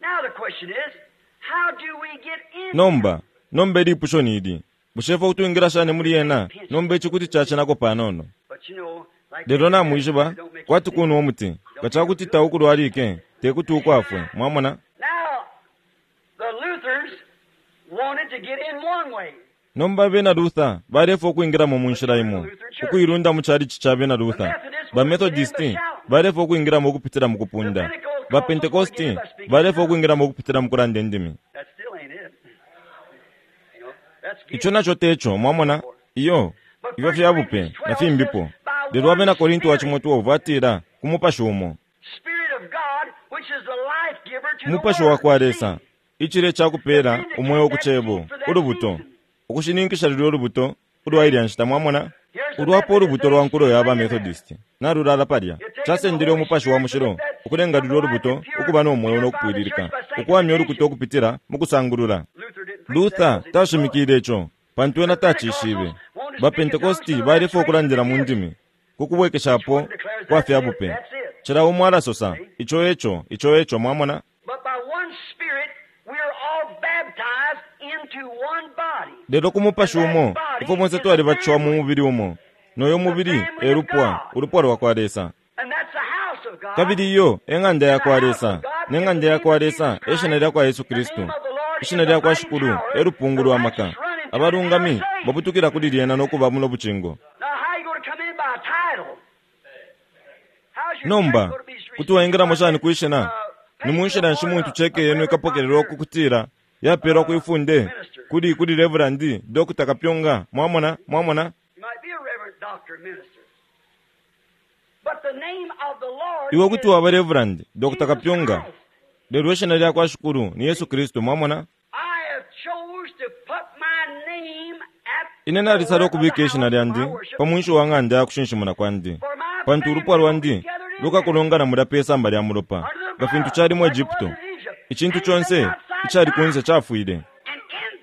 now the question is, how do we get in? Nomba, nomba ilipusho ni ili. Bushe ifwe kutwingila shani muli ena? Nomba ici kuti cacenako panono. But you know, like Lelo namwishiba, kwati kunwa umuti. Nga ca kuti taukulwalike, te kuti ukwafwe. Mwamona? Now, the Lutherans wanted to get in one way. Nomba abena Luther balefwa ukwingilamo mu nshila imo, ukuilunda mu calici ca bena Luther. Ba Methodisti balefwa ukwingilamo ukupitila mu kupunda. Ba Pentecosti balefwa ukwingilamo ukupitila mu kulanda indimi. That still ain't it. You know, that's Ico naco teco, mwamona? Iyo, ifyo fya bupe na fimbipo. Lelo abena Korinto wa cimo twelve atila, ku mupashi umo. Spirit of God, which is the life giver to the Umupashi wa world. kwa Lesa, icile ca kupela umweo ku cebo, ulubuto. Ukushininkisha lulyo lubuto ulwa ilya nshita, mwamona? Ulwapo ulubuto lwa nkulo ya ba Methodist nalulala palya. Casendele umupashi wa mushilo ukulenga lulyo lubuto ukuba no mweo no kupwililika, ukuwamya ulukuta ukupitila mu kusangulula. Luther didn't preach that Luther because he didn't know it. tashimikile ico, pantu ena tacishibe. Ba Pentecosti balefwa ukulandila mu ndimi ku kubwekeshapo kwa fya bupe. Cila umo alasosa, ico eco, ico eco, mwamona? But by one Spirit, we are all baptized into one body. Lelo ku mupashi umo, ifwe bonse twalibatishiwa mu mubili umo. Noyo mubili e lupwa, ulupwa lwa kwa Lesa. And that's the house of God. Kabili iyo e ng'anda ya kwa Lesa, ne ng'anda ya kwa Lesa e shina lya kwa Yesu Kristu. Ishina lya kwa Shikulu e lupungu lwa maka. Abalungami babutukila kuli lyena no kuba muno bucingo. Now, how you going to come in by a title? How's your Nomba, church gonna be kuti waingilamo shani kwishina? Uh, Ni mu nshila nshi muntu cheke yenu ikapokelelwa ku kutila yapelwa kwifunde kuli kuli Reverend Doctor Kapyonga. Mwamona, mwamona? You might be a reverend doctor minister. But the name of the Lord Iwe kuti is waba Reverend Doctor Jesus Kapyonga. Christ. Lelo ishina lya kwa Shikulu ni Yesu Kristu, mwamona? I have chose to put my name at Ine nalisala ukubika ishina lyandi pa mwinshi wa ng'anda ya kushinshimuna kwandi, pantu ulupwa lwandi lukakulongana mulya pe samba lya mulopa, nga fintu cali mu Egypto. Icintu conse icali kunse cafwile. And in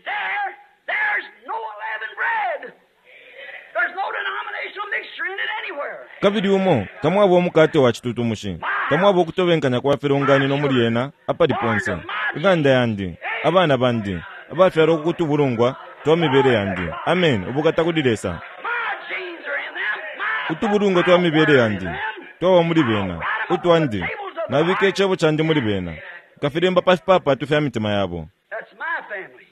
there, there's no leavened bread. There's no denominational mixture in it anywhere. Kabili umo tamwaba umukate wa citutumushi, tamwaba ukutobenkanya kwa filonganino muli ena apali ponse. Ing'anda yandi, abana bandi, abafyalwa ku kutubulungwa twa mibele yandi. Amen. Ubukata kuli Lesa. My genes are in them. My Utubulungwa twa mibele yandi twaba muli bena, utwandi nabika icebo candi muli bena, nkafilemba pa fipapatu fya mitima yabo. That's my family.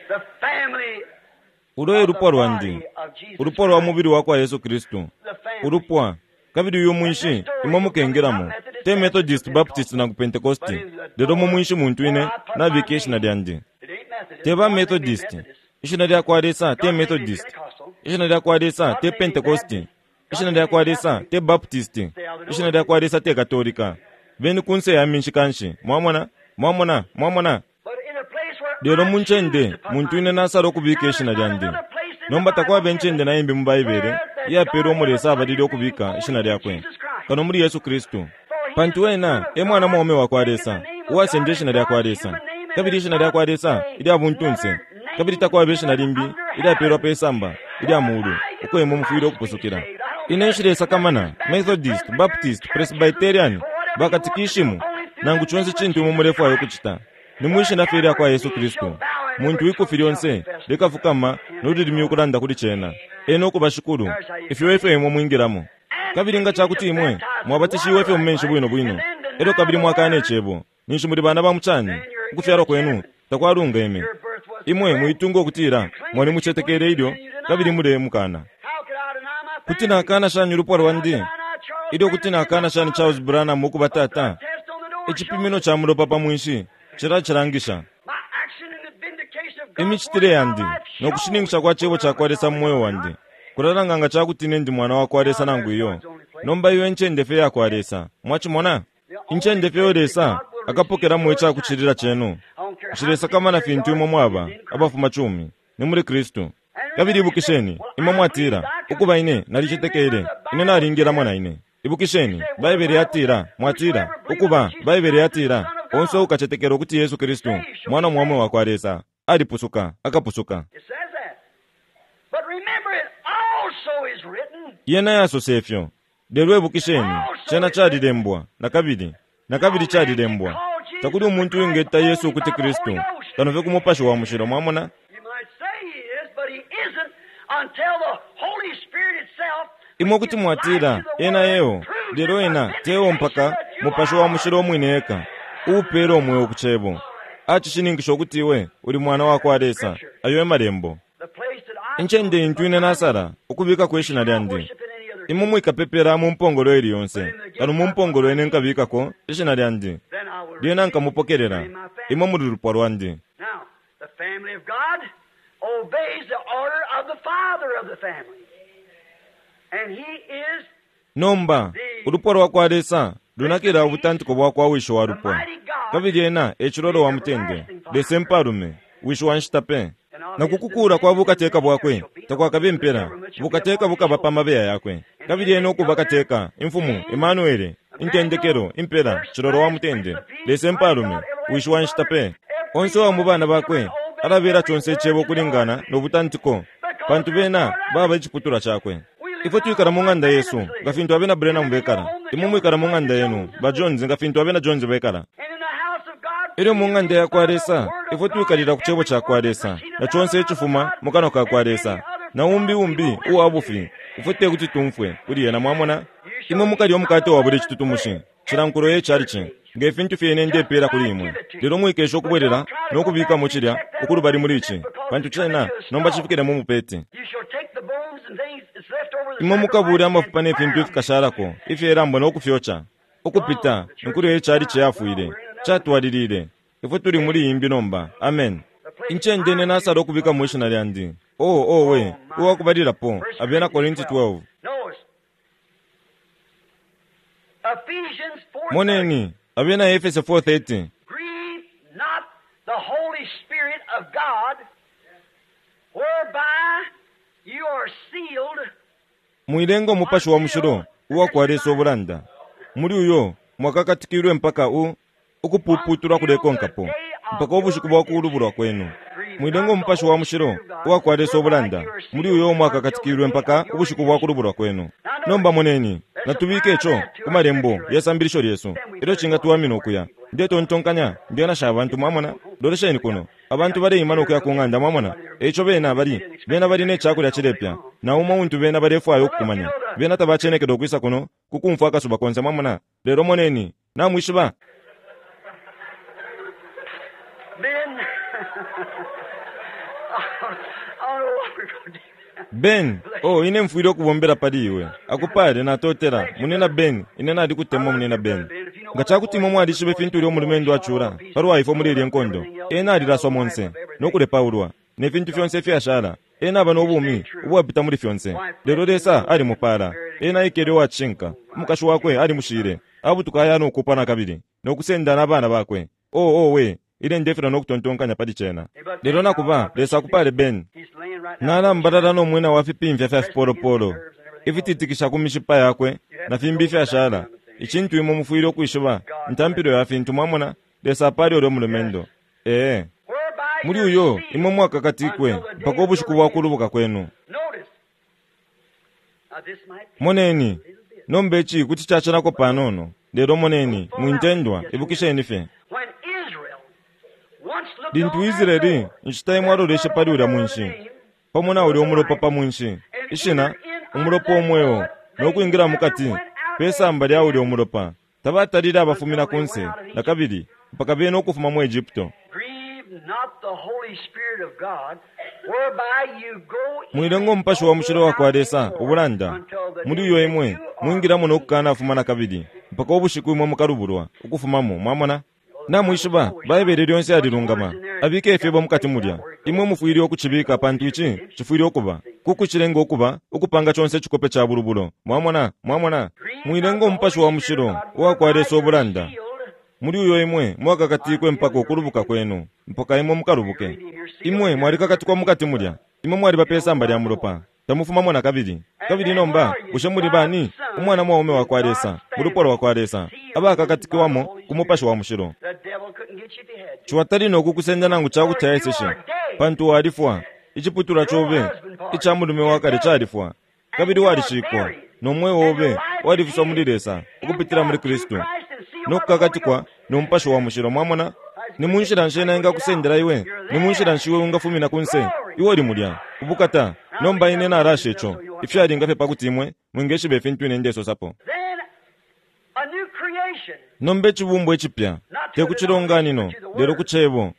The family Ulo e lupwa lwandi, ulupwa lwa mubili wa kwa Yesu Kristu, ulupwa. Kabili uyu mwinshi imwe mukengelamo, te Methodist, Baptist nangu Pentecost, lelo mu mwinshi muntu ine nabika ishina lyandi. Te ba Methodist, ishina lya kwa Lesa te Methodist, ishina lya kwa Lesa te Pentecost, ishina lya kwa Lesa te Baptist, ishina lya kwa Lesa te Katolika. Beni kunse ya minshi kanshi, mwamona, mwamona, mwamona. Lelo mu ncende muntu ine nasala ukubika ishina lyandi. Nomba takwaba incende na imbi mu Baibele iyapelwa umo Lesa abalile ukubika ishina lyakwe kano muli Yesu Kristu, pantu ena e mwana mwaume wa kwa Lesa uwasenda ishina lya kwa Lesa, kabili ishina lya kwa Lesa ilya buntunse, kabili takwaba ishina limbi ilyapelwa pe samba ilya mulu uko imwe mufwile ukupusukila. Ine nshilesakamana Methodist, Baptist, Presbyterian, bakatikishimu nangu conse cintu imwe mulefwaya ukucita, ni mwishina fye lya kwa Yesu Kristu. Muntu ikufi lyonse likafukama nolulimi ukulanda kuli cena, ena ukuba shikulu. Ifyo efyo imwe mwingilamo. Kabili nga cakuti imwe mwabatishiwe fye mu menshi bwino bwino, elyo kabili mwakana icebo, ninshi muli bana ba mucani, ukufyalwa kwenu takwalungeme. Imwe muitunga ukutila mwalimucetekele ilyo kabili mulemukana. Kuti nakana shani ulupwa lwandi ilyo kuti nakana shani Charles Branham ukuba tata? Icipimino ca mulopa pa mwinshi cilacilangisha. Imicitile yandi nokushininkisha kwa cebo ca kwa Lesa mu moyo wandi kulalanga nga cakuti ine ndi mwana wa kwa Lesa nangu iyo. Nomba iyo incende fye ya kwa Lesa, mwacimona? Incende fye yo Lesa akapokelamo icakucilila cenu. Nshilesakamana fintu imwe mwaba abafuma cumi, ni muli Kristu. Kabili ibukisheni, imwe mwatila, ukuba ine nalicetekele, ine nalingilamo na ine. Ibukisheni, Baibele yatila, mwatila, ukuba Baibele yatila, onse ukacetekela ukuti Yesu Kristu mwana mwaume wa kwa Lesa alipusuka, akapusuka. Yena yasosa ifyo. Lelo ibukisheni, cena calilembwa nakabili, nakabili calilembwa. Takuli umuntu uwingeta Yesu ukuti Kristu kano fye ku Mupashi wa Mushilo, mwamona? Imwe kuti mwatila ena eo, lelo ena teo mpaka Mupashi wa Mushilo umwine eka uupela umweo ku cebo acishininkisha ukuti iwe uli mwana wa kwa Lesa. Ayo e malembo. Incende intu ine nasala ukubikako ishina lyandi. Imwe mwikapepela mu mpongolo ili yonse, kano mu mpongolo ine nkabikako ishina lyandi, lyena nkamupokelela imwe muli lupwa lwandi. Nomba ulupwa lwa kwa Lesa lunakila ubutantiko bwa kwa wisho wa lupwa, kabili ena e cilolo wa mutende, Lesa empalume, wisho wa nshita pe. Na kukukula kwa bukateka bwakwe takwakabe impela, bukateka bukaba pa mabeya yakwe, kabili ena ukuba kateka, imfumu Emanuele, intendekelo, impela, cilolo wa mutende, Lesa empalume, wisho wa nshita pe. Onse wa mu bana bakwe alabela conse icebo kulingana no butantiko, pantu bena baba iciputulwa cakwe. Ifwe twikala mu ng'anda yesu nga fintu abena Branham bekala, imwe mwikala mu ng'anda yenu ba Jones nga fintu abena Jones bekala. Ilyo mu ng'anda ya kwa Lesa ifwe twikalila ku cebo ca kwa Lesa na conse icifuma mu kanwa ka kwa Lesa, na umbi umbi uwa bufi ifwe te kuti tumfwe kuli yena, mwamona? Imwe mukalya umukate wa buli citutumushi cilankulo ye calici nge fintu fyene ndepela kuli imwe, lelo mwikesha ukubwelela no kubikamo cilya ukulubali muli ici, pantu cena nomba cifikile mu mupeti. Imwe mukabule amafupa ne fintu ifikashalako ifyelambo no kufyoca ukupita inkulo ye calici yafwile catwalilile. Ifwe tuli muli imbi nomba. Amen. Incende ine nasala ukubikamo ishina lyandi. Oh, oh we, uwakubalilapo Abena Korinti twelve. Moneni Abena Efese four thirty. Grieve not the Holy Spirit of God, whereby you are sealed. Mwilenga Umupashi wa Mushilo uwa kwa Lesa ubulanda, muli uyo mwakakatikilwe mpaka u ukupuputulwa kulekonkapo mpaka ubushiku bwa kulubulwa kwenu. Mwilenga Umupashi wa Mushilo uwa kwa Lesa ubulanda, muli uyo mwakakatikilwe mpaka ubushiku bwa kulubulwa kwenu. Nomba moneni, natubike ico ku malembo yesambilisho lyesu ilyo cingatuwamina ukuya. Ndetontonkanya ndenasha abantu, mwamona? Lolesheni kuno, abantu baleima nokuya ku ng'anda, mwamona? Eico bena bali bena bali ne cakulya cilepya, na umo untu bena balefwaya ukukumanya. Bena tabacenekele ukwisa kuno kukumfwa akasuba konse, mwamona? Lelo moneni, namwishiba. Men, I don't know what we're going to do. Ben, oh, ine mfwile ukubombela pali iwe. Akupale natotela, munena Ben, ine nali kutemwa munena Ben. Nga chakuti imwe mwalishiba ifintu ulya umulumendo achula, palwa ifwe muli ilye nkondo. Ena alilaswa monse, nokulepaulwa, ne fintu fyonse ifyashala. Ena aba n'obumi ubwapita muli fyonse. Lelo Lesa alimupala. Ena aikele uwacishinka. Umukashi wakwe alimushile. Abutuka aya nokupa nakabili, nokusenda n'abana bakwe. Oh, oh, we, ile ndefera nokutontonkanya pali chena. Lelo nakuba, Lesa akupale Ben. He's laying right now. Nalambalala n'omwina wa fipimfya fya fipolopolo ifititikisha ku mishipa yakwe na fimbi ifyashala. Icintu imwe mufwile ukwishiba ntampilo ya fintu mwamona Lesa apali ulyo mulumendo. Ee, Whereby muli you're uyo sealed imwe mwakakatikwe until the day mpaka of the ubushiku bwa kulubuka kwenu. Notice. Now this might be Moneni, a little bit. nomba ici kuti cacenako panono. Lelo moneni, mwintendwa, ibukisheni fye. When Israel once looked Lintu on that Israeli door, inshita imwe aloleshe pali ulya mwinshi, pamo na ulya umulopa pa mwinshi, ishina umulopa omweo, nokwingira mukati, pesamba lya ulya umulopa. Tabatalile abafumina kunse, nakabili, mpaka bena ukufuma mu Egypto. Grieve not the Holy Spirit of God, whereby you go in Mwilenga umupashi wa mushilo wa kwa Lesa ubulanda. Muli uyo imwe, mwingilamo nokukanafuma nakabili, mpaka ubushiku imwe mukalubulwa, ukufumamo, mwamona? Namwishiba, Baibele lyonse yalilungama. Abike ifyebo mukati mulya. Imwe mufwile ukucibika pantu ici cifwile ukuba. Kukucilenga ukuba, ukupanga conse icikope ca bulubulo. Mwamona, mwamona. Mwilenga umupashi wa mushilo, uwa kwa Lesa ubulanda. Muli uyo imwe mwakakatikwe mpaka ukulubuka kwenu, mpaka imwe mukalubuke. Imwe mwalikakatikwa mukati mulya. Imwe mwaliba pesamba lya mulopa. Tamufumamo nakabili. Kabili nomba, bushe muli bani? Umwana mwaume wa kwa Lesa, mu lupwa lwa kwa Lesa, abakakatikiwamo ku mupashi wa mushilo. The devil couldn't get you if he had to. Chiwatali nokukusenda nangu chakuti aeseshe, pantu walifwa, iciputulwa chobe, ica mulume wakale califwa, kabili walishikwa, nomweo obe walifiswa muli Lesa, ukupitila muli Kristu, nokukakatikwa nomupashi wa mushilo. Mwamona? Ni munshila nshi ena engakusendela iwe? Ni munshila nshi iwe ungafumina kunse? Iwe uli mulya, ubukata. Nomba ine nalasha ico, ifyalinga fye pakuti imwe mwingeshiba ifintu ine ndesosapo. Then a new creation. Nomba icibumbwa icipya, te ku cilonganino, lelo ku cebo.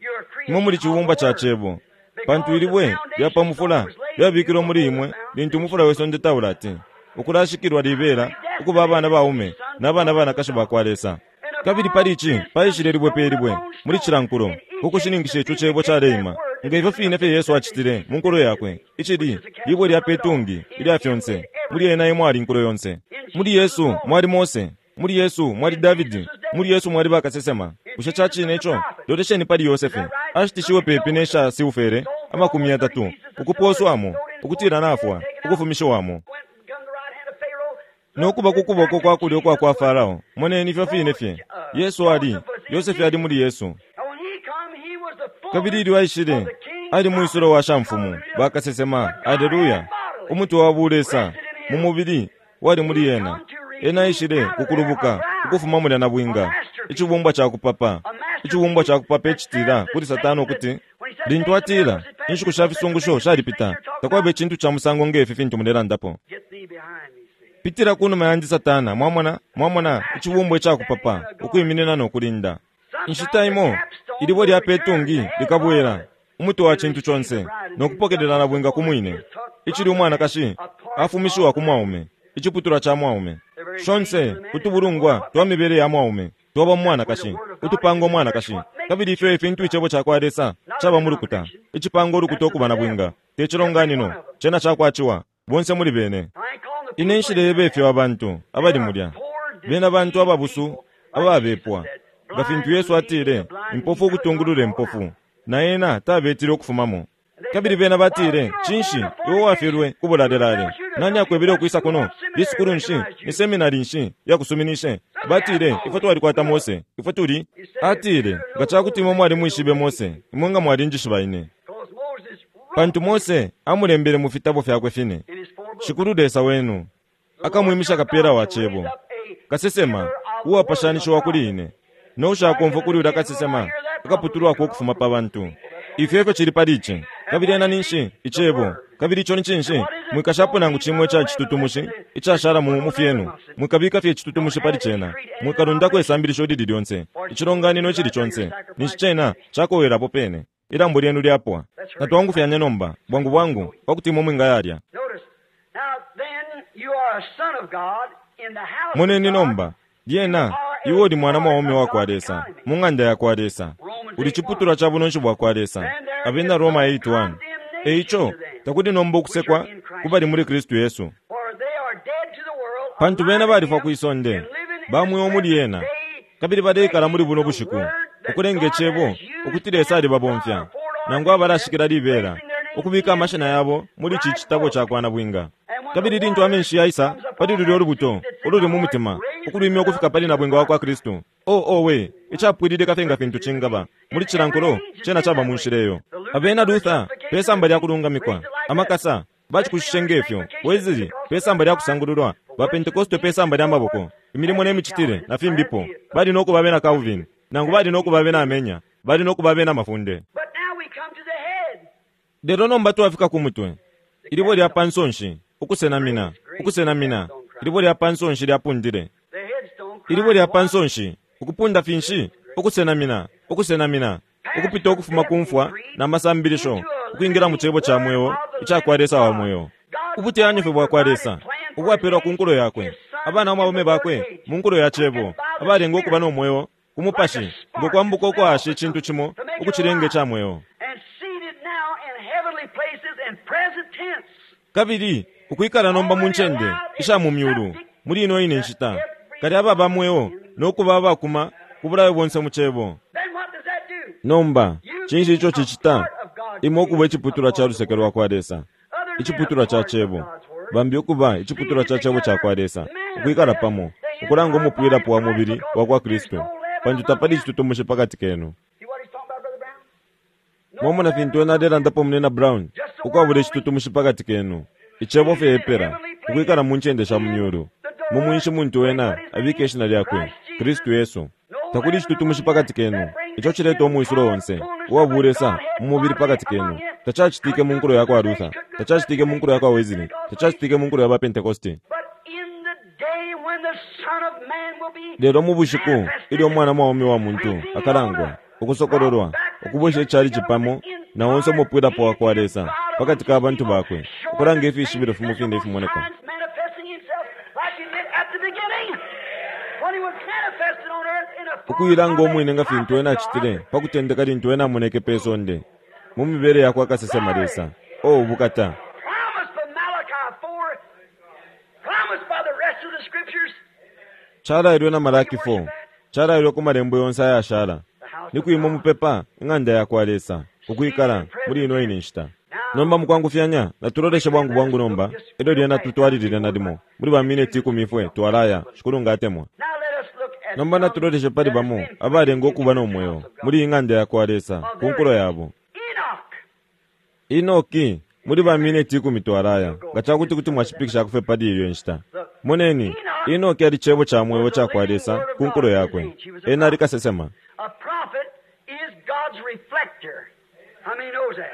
Imwe muli cibumbwa ca cebo. Pantu ilibwe lya pa mufula lyabikilwe muli imwe lintu umufula we sonde taulati. Ukulashikilwa libela ukuba abana baume n'abana banakashi ba kwa Lesa. Kabili pali ici paishile libwe pe libwe muli cilankulo ukushininkisha ico cebo caleima. Nga ifyo fine fye Yesu acitile mu nkulo yakwe, icili libwe lya petungi ilya fyonse. Muli ena imwe ali nkulo yonse. Muli Yesu mwali Mose, muli Yesu mwali Davidi, muli Yesu mwali bakasesema. Bushe cacine ico? Lolesheni pali Yosefe. Ashitishiwe pepi nesha silfere amakumi yatatu, ukupooswamo, ukutila nafwa, ukufumishiwamo. Went and come the right hand of Pharaoh. Nokuba ku kuboko kwa kulyo kwa kwa Farao. Moneni ifyo fine fye. Yesu ali, Yosefe ali muli Yesu. And when he come, he was the fullness Kabili ilyo aishile, of the king's ali mwisulo wa shamfumu, bakasesema, aleluya. Umutwe wa bulesa, mu mubili, wali muli ena. Ena aishile kukulubuka, ukufuma mulya na bwinga. Icibumbwa ca kupapa. Icibumbwa ca kupapa icitila kuli Satani ukuti, lintu atila, inshiku sha fisungusho shalipita, takwaba icintu ca musango ngefi fintu mulelandapo. Get thee behind me, Satan. Pitira kunuma yandi Satana, mwamona, mwamona, icibumbwa icakupapa, ukwiminina nokulinda. Inshita imo, ilibwe lya petungi likabwela, umutwe wa cintu conse, nokupokelela na bwinga ku mwine. Icili umwanakashi, afumishiwa ku mwaume, iciputulwa ca mwaume. Shonse, utubulungwa twa mibele ya mwaume, twaba mu mwanakashi, utupanga umwanakashi. Kabili ifyo ifintu icebo ca kwa Lesa, caba mu lukuta, icipanga ulukuta ukuba na bwinga, te cilonganino, cena cakwaciwa, bonse muli bene. I ain't calling the Ine people nshilebe ifyo abantu abali mulya. Bena bantu ababusu ababepwa. Nga fintu Yesu atile, impofu ukutungulula impofu. Na ena tabetile ukufumamo. Kabili bena batile, cinshi, iwe wafyelwe kubulalelale. Nani akwebele ukwisa kuno? Lisukulu nshi, ni seminari nshi yakusuminishe. Batile, ifwe twalikwata Mose, ifwe tuli. Atile, nga cakuti imwe mwali mwishibe Mose, imwe nga mwalinjishiba ine. Because Moses wrote Pantu Mose amulembele mu fitabo fyakwe fine. in his four books. Shikulu Lesa wenu, akamwimisha kapera wa cebo. Kasesema, uwapashanishiwa kuli ine. Noushakomfwa kuli ulya kasesema, akaputulwako ukufuma pa bantu. Ifyo efyo cili pali ici. Kabili ena ninshi, icebo. Kabili ico ni cinshi, mwikashapo nangu cimwe ica citutumushi, icashala mu mu fyenu. Mwikabika fye icitutumushi pali cena. Mwikalundako isambilisho lili lyonse, icilonganino icili conse. Ninshi cena cakowelapo pene. Ilambo lyenu lyapwa. Natwangufyanye nomba, bwangu bwangu, pakuti imwe mwingayalya. Notice, now then you are a son of God in the house Moneni of God. nomba, lyena, iwe uli mwana mwaume wakwa Lesa, mu ng'anda yakwa Lesa. Uli chiputulwa cha bunonshi bwakwa Lesa. Abena Roma eight one. Eicho, takuli nomba ukusekwa kubali muli Kristu Yesu. For they are dead to the world, Pantu bena alive balifwa in ku him, isonde, and living in bamwewo the muli ena, present day, kabili baleikala muli buno bushiku, ukulenga icebo ukuti Lesa alibabomfya, nangu abalashikila libela, ukubika amashina yabo muli ici citabo ca kwa nabwinga. Kabili lintu amenshi yaisa pali lulyo lubuto ululi mu mutima, ukulwimya ukufika pali nabwinga wa kwa Kristu. O owe, icapwililika fye nga fintu cingaba muli cilankulo cena caba mu nshila eyo. Abena Luther pe samba lya kulungamikwa, amakasa bacikushishe ngefyo, Wesley pe samba lya kusangululwa, ba Pentecoste pe samba lya maboko, imilimo ne micitile na fimbipo, bali no kuba bena Calvin, nangu bali no kuba bena Amenya, bali no kuba bena Mafunde. But now we come to the head. Lelo nomba twafika ku mutwe. Ilibo lya pansonshi, ukusenamina, ukusenamina, ilibo lya pansonshi lyapundile. The headstone Ilibo lya cried, pansonshi, ukupunda finshi, ukusenamina, ukusenamina, ukupita ukufuma ku mfwa na masambilisho, ukwingira mu cebo ca mweo, ica kwa Lesa wa mweo. Ubuteyanyo fye bwa kwa Lesa, ubwapelwa ku nkulo yakwe, abana baume bakwe mu nkulo ya cebo, abalenga ukuba no mweo ku mupashi, ngo kwambuka ukwasha icintu cimo, ukucilenga ica mweo. and seated now in heavenly places in present tense. Kabili ukwikala nomba mu ncende isha mu myulu muli ino ine nshita, kali ababa mweo no kuba abakuma ku bulayo bonse mu cebo. Then what does that do? Nomba cinshi ico cicita? Imwe ukuba iciputulwa ca luseke lwa kwa Lesa, Other iciputulwa ca cebo, bambi ukuba iciputulwa ca cebo ca kwa Lesa, ukwikala pamo, ukulanga umupwilapo wa mubili wa kwa Kristu, pantu tapali icitutumushi pakati kenu. See what he's talking about, Brother Brown? Mwamona fintu ena alelandapo munena Brown, ukwabula icitutumushi pakati kenu. Icebo fye epela, ukwikala mu ncende sha mu myulu. Mu mwinshi muntu ena abika ishina lyakwe, Kristu Yesu. Takuli icitutumushi pakati kenu, ico cileta umwisulo onse, uwabulesa mu mubili pakati kenu. Tacacitike mu nkulo ya kwa Luther, tacacitike mu nkulo ya kwa Wesley, tacacitike mu nkulo ya ba Pentecoste. But in the day when the Son of Man will be Lelo mu bushiku ilyo umwana mwaume wa muntu akalangwa, ukusokololwa, ukubwesha icali cipamo na onse umupwilapo wa kwa Lesa pakati ka bantu bakwe, ukulanga ifishibilo fimo fine ifimoneka. manifesting himself like he did at the beginning when he was manifested on earth in a form Ukuilanga of a umwine nga fintu ena acitile pa kutendeka lintu ena amoneke pe sonde mu mibele ya kwa kasesema Lesa. O ubukata! promised by Malachi four, promised by the rest of the scriptures. Calailwe na Malaki four, calailwe ku malembo yonse ayashala, ni kwima mupepa ing'anda ya kwa Lesa, ukwikala muli ino ine nshita. Nomba mukwangufyanya natuloleshe bwangu bwangu nomba, elyo lyena tutwalilile nalimo muli ba mineti ikumi ifwe twalaya, Shikulu nga atemwa. Now let us look at Nomba some natuloleshe pali that has bamo been abalenga in ukuba the no mweo house of God. muli ing'anda ya kwa Lesa ku nkulo yabo. Enoch. Enoki muli ba mineti ikumi twalaya, nga cakuti kuti mwashipikisha kufe pali iyo nshita. Moneni, Enoki ali cebo ca mweo ca kwa Lesa ku nkulo yakwe. Ena ali kasesema. A prophet is God's reflector. How many knows that?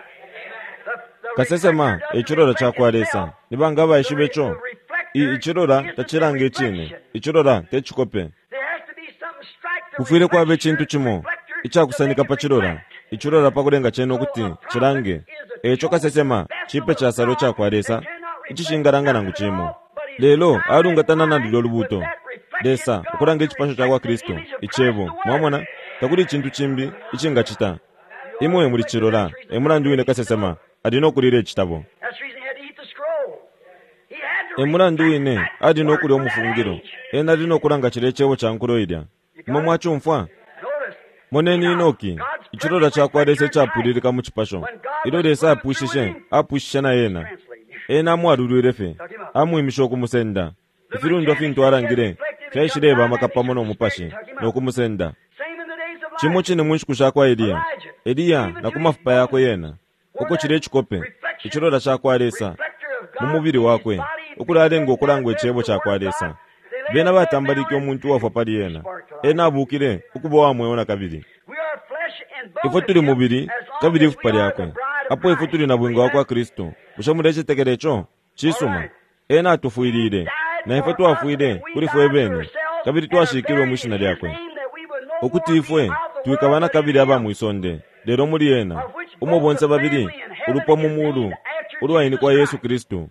The, the Kasesema reflector doesn't icilola ca reflect kwa Lesa. itself. Ni banga abaishiba ico? The reflector I icilola isn't the tacilanga icine. reflection. Icilola te cikope. There has to be something strike the Kufwile kwaba reflector, icintu cimo reflector icakusanika to pa make it cilola, reflect. icilola pa kulenga cene ukuti cilange. Eco kasesema cipe casalo ca kwa Lesa icishingalanga nangu cimo. Lelo alungatana na lulyo lubuto. Lesa ukulanga icipasho ca kwa Kristu, icebo. Mwamona, takuli icintu cimbi icingacita. Imwe muli cilola, e mulandu wine kasesema ali no kulila icitabo. That's the reason he had to eat the scroll. He had to E mulandu reflect wine that ali no word kulya for that umufungilo. age. Ena ali no kulanga cilya icebo ca nkulo ilya. Imwe mwacumfwa? Notice, Moneni Enoki, God's icilola ca kwa Lesa perfect reflector icapwililika mu cipasho. When God Ilyo was Lesa through with apwishishe, him, apwishishe na ena. translate. Ena amwalulwile fye, amwimishe ukumusenda. Ifilundwa fintu alangile fyaishileba amaka pamo no mupashi no kumusenda. Same in the days of Cimo Elijah. cine mu nshiku sha kwa Eliya, Eliya na ku mafupa yakwe yena, uko cile icikope, icilola ca kwa Lesa Reflector of mu God mubili in his wakwe, body, ukulalenga ukulangwa icebo manifest the ca kwa word of Lesa. God. They laid Bena a dead batambalike man on umuntu uwafwa pali ena. Spark to life. Ena abukile ukuba wa mweo na kabili. We are flesh and bone Ifwe of tuli him, mubili as long kabili as ifupa we are lyakwe. the bride of Apo ifwe Christ. tuli na bwinga wa kwa Amen. Kristu. Bushe mulecetekela ico? Cisuma. Ena atufwilile, na ifwe twafwile kuli fwe bene, kabili twashikilwe mwi shina lyakwe. Ukuti ifwe twikaba na kabili aba mwisonde, lelo muli ena, Umo bonse babili ulupwa mu mulu ulwainikwa Yesu Kristu.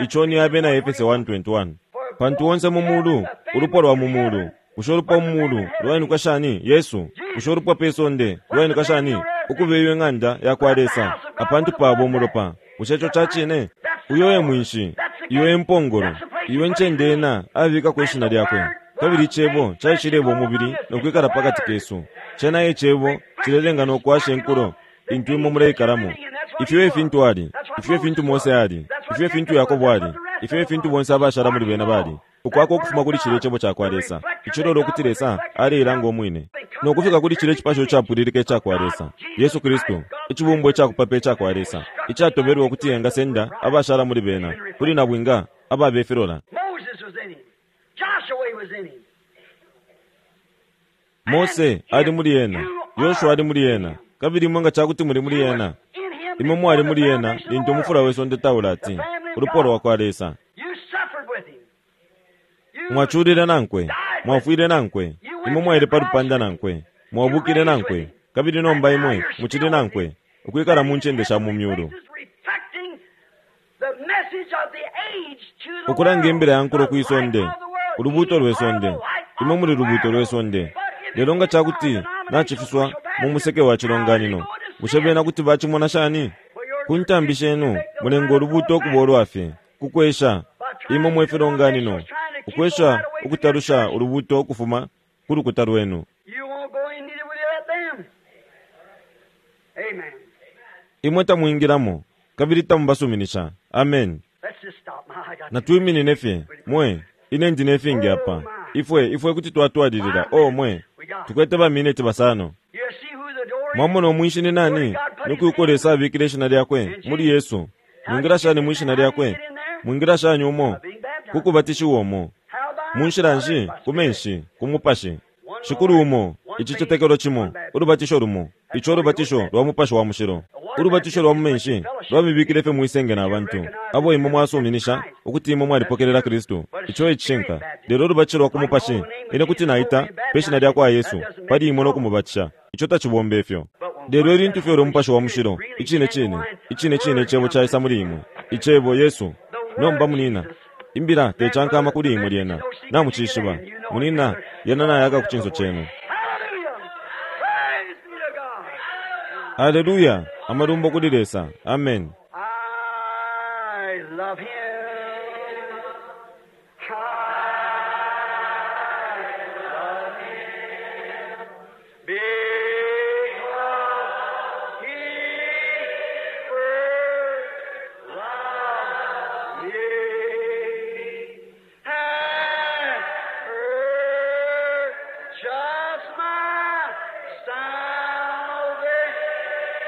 Ico ni Abena Efese one twenty-one. Pantu onse mu mulu ulupwa lwa mu mulu. Bushe ulupwa mu mulu lwainikwa shani? Yesu. Bushe ulupwa pe sonde lwainikwa shani? Ukuba ing'anda ya kwa Lesa apantu pabo umulopa. Bushe ico ca cine? Uyo e mwinshi, iyo e mpongolo, iyo ncende ena abikako ishina lyakwe. Kabili icebo caishileba umubili no kwikala pakati kesu. Cena e cebo cilelenga no kwasha inkulo intu imwe muleikalamo. Ifyo e fintu ali, ifyo e fintu Mose ali, ifyo e fintu Yakobo ali, ifyo e fintu bonse abashala muli bena bali. Ukwako ukufuma kuli cile cebo ca kwa Lesa, icilolo ukuti Lesa aleilanga umwine. No kufika kuli cile cipasho capwililika ica kwa Lesa, Yesu Kristu, icibumbwa icakupapa ica kwa Lesa, icatobelwe ukuti engasenda abashala muli bena, kuli nabwinga ababe filola. Mose ali muli ena, Yoshua ali muli ena, kabili imwe nga cakuti muli muli ena. Imwe mwali muli ena lintu umufula we sonde taulati, ulupwa lwa kwa Lesa. Mwaculile nankwe, mwafwile nankwe, imwe mwaile pa lupanda nankwe, mwabukile nankwe, kabili nomba imwe mucili nankwe, ukwikala mu ncende sha mu myulu. Ukulanga imbila ya nkulo kwi sonde, ulubuto lwe sonde, imwe muli lubuto lwe sonde. Lelo nga cakuti nacifiswa mu museke wa cilonganino, bushe bena kuti bacimona shani? Ku ntambi shenu mulenga ulubuto ukuba ulwafye, kukwesha imwe mwe filonganino, ukwesha ukutalusha ulubuto ukufuma ku lukuta lwenu. Imwe tamwingilamo kabili tamubasuminisha. Amen. Natwiminine fye mwe, ine ndi nefingi apa. Ifwe ifwe kuti twatwalilila. Oh mwe, tukwete ba minute basano. Mwamona umwinshi ni nani? Nukuko Lesa abikile ishina lyakwe muli Yesu. Mwingira shani mu ishina lyakwe? Mwingira shani umo? Kukubatishiwa umo. Munshila nshi? Ku menshi, ku mupashi. Shikulu umo, icicetekelo cimo, ulubatisho lumo, ico ulubatisho lwa mupashi wa mushilo. Ulubatisho lwa mu menshi lwamibikile fye mwisenge na bantu abo imwe mwasuminisha ukuti imwe mwalipokelela Kristu. Ico e cishinka. Lelo ulubatisho lwa ku mupashi, ine kuti naita pe shina lya kwa Yesu pali imwe no kumubatisha. Ico tacibomba ifyo. Lelo ilintu fye umupashi wa mushilo, icine cine, icine cine icebo caisa muli imwe, icebo Yesu. Nomba munina, imbila tecankama kuli imwe lyena, namucishiba. Munina, yena nayaka ku cinso cenu. Hallelujah! Amalumbo kuli Lesa. Amen. I love him. I love him. Because he first loved me and purchased my salvation.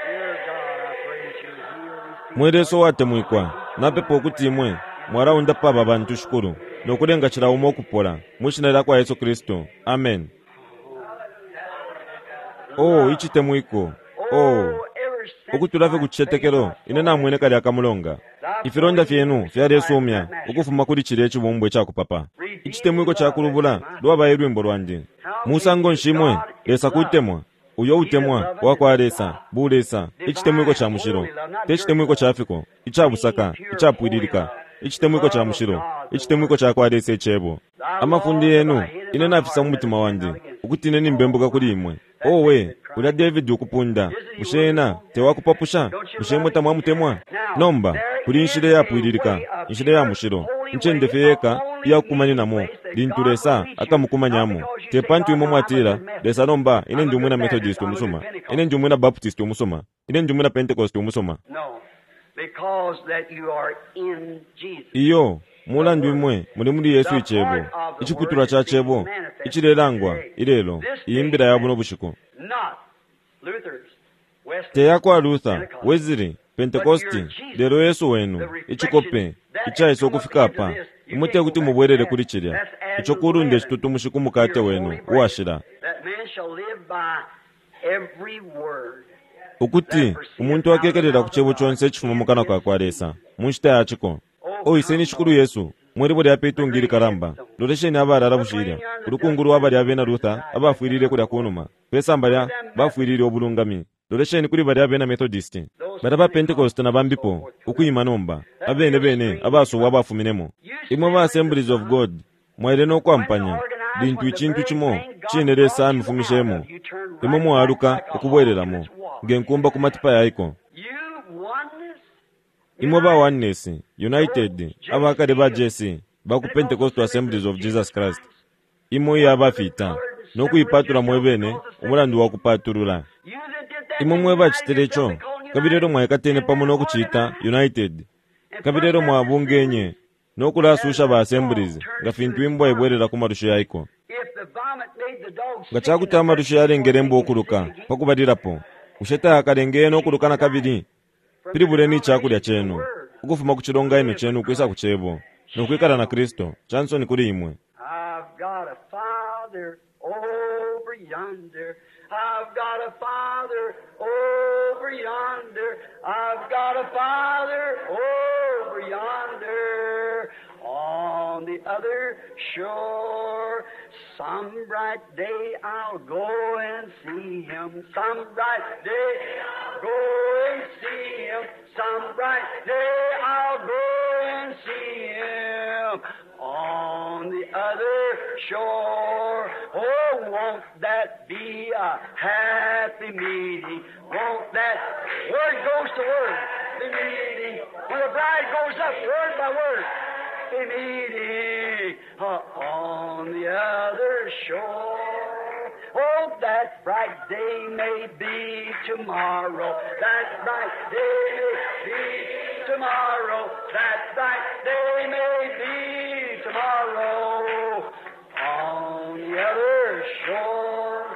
Dear God, I praise you. Heal these people. Mwe Lesa uwatemwikwa, napepa ukuti imwe mwalaundapa aba bantu shikulu nokulenga cila umo ukupola mu shina lya kwa Yesu Kristu. Amen. Oh, icitemwiko. Oh, ukutula fye ku cicetekelo ine namwene kalya kamulonga. Ifilonda fyenu fyalesumya ukufuma kuli cilya icibumbwa icakupapa. Icitemwiko cakulubula lwaba e lwimbo lwandi. Musango nshi imwe Lesa kutemwa, uyo utemwa wa kwa Lesa, bu Lesa, icitemwiko ca mushilo, te citemwiko ca fiko, icabusaka, icapwililika, icitemwiko ca mushilo, icitemwiko ca kwa Lesa icebo. Amafundi yenu ine nafisa mu mutima wandi ukuti ine nimbembuka kuli imwe. Owe, ulya David ukupunda, bushe ena tewakupapusha? Bushe imwe tamwamutemwa? Nomba kuli inshila iyapwililika, inshila ya mushilo, incende fye yeka iyakukumaninamo lintu Lesa akamukumanyamo. Te pantu imwe mwatila, Lesa nomba ine ndi umwina Methodist umusuma, ine ndi umwina Baptist umusuma, ine ndi umwina Pentecost umusuma. No, because that you are in Jesus. Iyo mulandu imwe muli muli Yesu icebo, iciputulwa ca cebo icilelangwa ilelo, iyi mbila ya buno bushiku. Not Luther's, Wesley, Te yakwa Luther, Wesley, Pentecosti, lelo Yesu wenu, icikope icaisa ukufika apa. Imwe te kuti mubwerere kuli cilya. Ico kulunda icitutumushi ku mukate wenu uwashila. That man shall live by every word. Ukuti umuntu akekelela ku cebo conse icifuma mu kanwa ka kwa Lesa mu nshita ya ciko. Oiseni Shikulu Yesu, mwelibo lya petungi likalamba, lolesheni abalala bushilya, ulukungu lwa balya abena Luther abafwilile kulya kunuma, pe samba lya bafwilile ubulungami. Lolesheni kuli balya abena Methodist, balya ba Pentecost na bambipo, ukwima nomba, abene bene abasubwa abafuminemo. Imwe ba Assemblies of God mwaile no kwampanya lintu icintu cimo cine Lesa amifumishemo, imwe mwaluka ukubwereramo nge nkumba ku matipa yaiko. Imwe ba Oneness, United, abakale ba J C, ba ku Pentecostal Assemblies of Jesus Christ, imwe iya bafita no kuipatula mwebene umulandu wa kupatulula. Imwe mwe bacitile ico, kabili lelo mwaikatene pamo no kucita United, kabili lelo mwabungenye no kulasusha ba Assemblies nga fintu imbwa ibwerera ku malusho yaiko. Nga cakuti amalusho yalengele imbwa ukuluka pa kubalilapo, bushe tayakalengeye no kuluka na kabili? Pilibuleni icakulya cenu ukufuma ku cilonganino cenu ukwisa ku cebo no kwikala na Kristo. Chansoni kuli imwe. I've got a father over yonder. I've got a father over yonder. I've got a father over yonder on the other shore. Some bright day I'll go and see him. Some bright day I'll go and see him. Some bright day I'll go and see him on the other shore. Oh, won't that be a happy meeting? Won't that word goes to word be meeting? When the bride goes up, word by word, be meeting uh, on the other shore. Oh, that bright day may be tomorrow. That bright day may be tomorrow. That bright day may be tomorrow. On the other shore.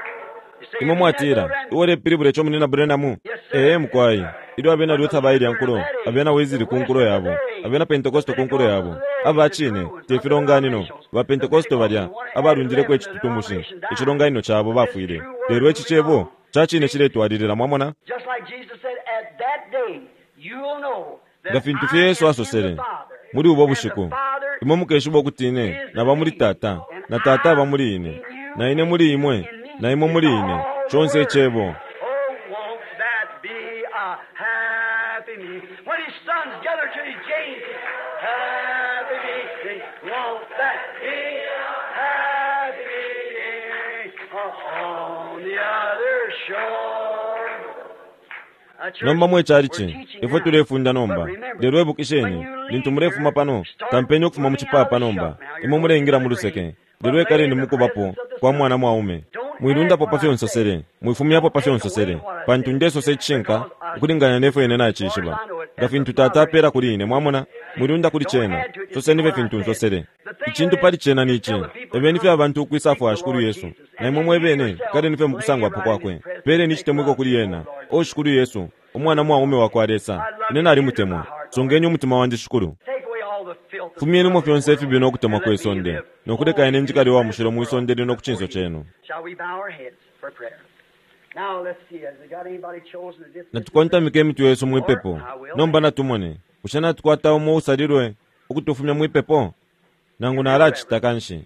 You see, Imwe mwatila iwole pilibula ico munina Branham? Ee mukwai, ilyo abena Luther bailya nkulo, abena Wesley ku nkulo yabo, abena Pentecost ku nkulo yabo, aba cine te filonganino ba Pentecost balya abalundileko icitutumushi icilonganino cabo bafwile. Lelo ici cebo ca cine ciletwalilila, mwamona? Just like Jesus said, at that day you'll know Nga that fintu I fye Yesu am in asosele the Father, muli ubo and the bushiku, Father imwe mukeshiba ukuti ine naba muli Tata na Tata aba muli ine, na ine muli imwe na imwe muli ine, conse icebo. Oh, won't that be a happy meeting? When his sons gather to his gates, happy meeting. Won't that be a happy meeting? On the other shore. A church, Nomba mwe we're chalichi, teaching ifwe now. tulefunda But nomba. remember, Lelo when ebukisheni, you leave lintu mulefuma here, pano, start kampeni okufuma mu moving out cipapa of the nomba. shop. Now you're Imwe going muleingila to mu the luseke. grave. Lelo But lay ekaleni in the mukubapo presence of the kwa Son. mwana mwaume. Don't add Mwilundapo what pa I fyo say. nsosele, mwifumyapo pa fyo Don't take away nsosele, what I pantu say. ndesosa icishinka Because I, ukulingana nefyo ine as far as nacishiba. I know it, Nga as the fintu Tata Father apela kuli ine, mwamona, mwilunda kuli Don't cena. add to it, just Soseni say fye what I fintu said. nsosele. The thing of Icintu it pali is, cena ni you ici. tell the people to Ebeni fye come abantu ukwisa seek fwa the Shikulu Lord Yesu. Jesus. Na And imwe then you mwebene, yourself kaleni fye lay mukusangwapo right in His kwakwe. presence and Peleni make icitemwiko love kuli to the ena. Lord O Jesus. Shikulu Yesu, umwana mwaume wa kwa Lesa. I love Ine you. Enter my nalimutemwa. heart, Lord. Songeni umutima wandi Shikulu. Take away all the filth of the Fumyenimo worldly fyonse world ifibi no kutemwa and kwe let me sonde, live no kuleka holy ine in njikale the wa present mushilo mwi world sonde lino ku before cinso you. cenu. Shall we bow our heads for prayer? Now let's see. Has it got anybody chosen to dismiss the prayer? Natukontamike imitwe yesu Or mwipepo. I will Nomba now. natumone, bushe natukwata umo usalilwe ukutufumya mwipepo? Nangu Dear nalacita Reverend, kanshi.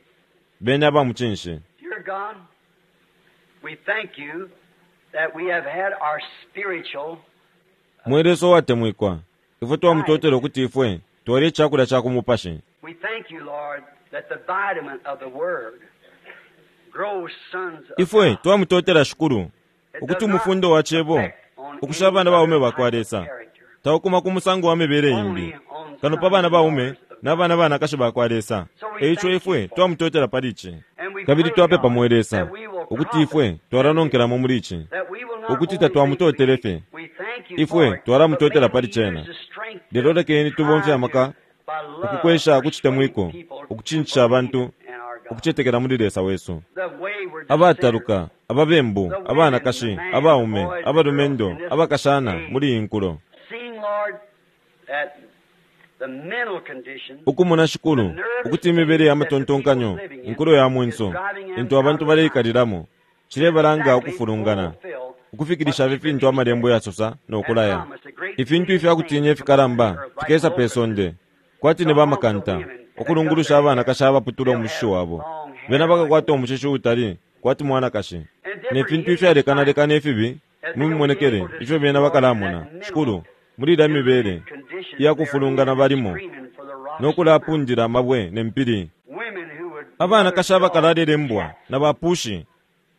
Beni aba mucinshi. dear God, we thank you that we have had our spiritual Mwe Lesa uwatemwikwa, ifwe diet. twamutotela ukuti ifwe twalye icakulya ca ku mupashi. We thank you, Lord, that the vitamin of the Word grows sons of Ifwe God. twamutotela Shikulu It ukuti does not umufundo wa cebo affect on ukusha any abana baume other ba kwa type of Lesa character, taukuma ku musango wa mibele imbi only on kano pa sons bana and baume daughters of na God. bana banakashi ba kwa Lesa. So we Eico thank you ifwe for it. twamutotela pali ici. And we Kabili pray, twapepa God, mwe Lesa that we will ukuti profit ifwe from it, twalanonkelamo muli ici, that we will not ukuti only think tatwamutotele we, fye, we thank you ifwe for it, but twalamutotela may pali we cena. use the strength Lelo to lekeni tubomfye try to, amaka by love, ukukwesha persuade kucitemwiko, people to ukucincisha believe abantu in our God. ukucetekela muli Lesa wesu. The wayward Abataluka, sinners, ababembu, the women, the abanakashi, man, the abaume, boys, the girls abalumendo, in this abakashana age, muli iyi nkulo. seeing, Lord, that the mental condition, Ukumona the Shikulu, nervous ukuti imibele state ya that the people's matontonkanyo, living in inkulo ya is mwenso, driving them intu out abantu of line. baleikalilamo, cilebalanga Exactly ukufulungana, fulfill what ukufikilisha the ifintu Scripture amalembo said yasosa and nokulaya. promised. The great Ifintu things ifya kutinya to come to ifikalamba the earth like fikesa pe locusts sonde, kwati to ne haunt the bamakanta, women that cut ukulungulusha their hair. abanakashi abaputula They'll umushishi have wabo. long Bena hair like bakakwata women. umushishi utali kwati mwanakashi. And Ne different fintu hideous ifyalekanalekana signs ifibi as Mu mimonekele ifyo bena bakalamona, Shikulu, muli ilya mibele iyakufulungana balimo no kulapundila amabwe ne mpili. Abanakashi abakalalele mbwa na bapushi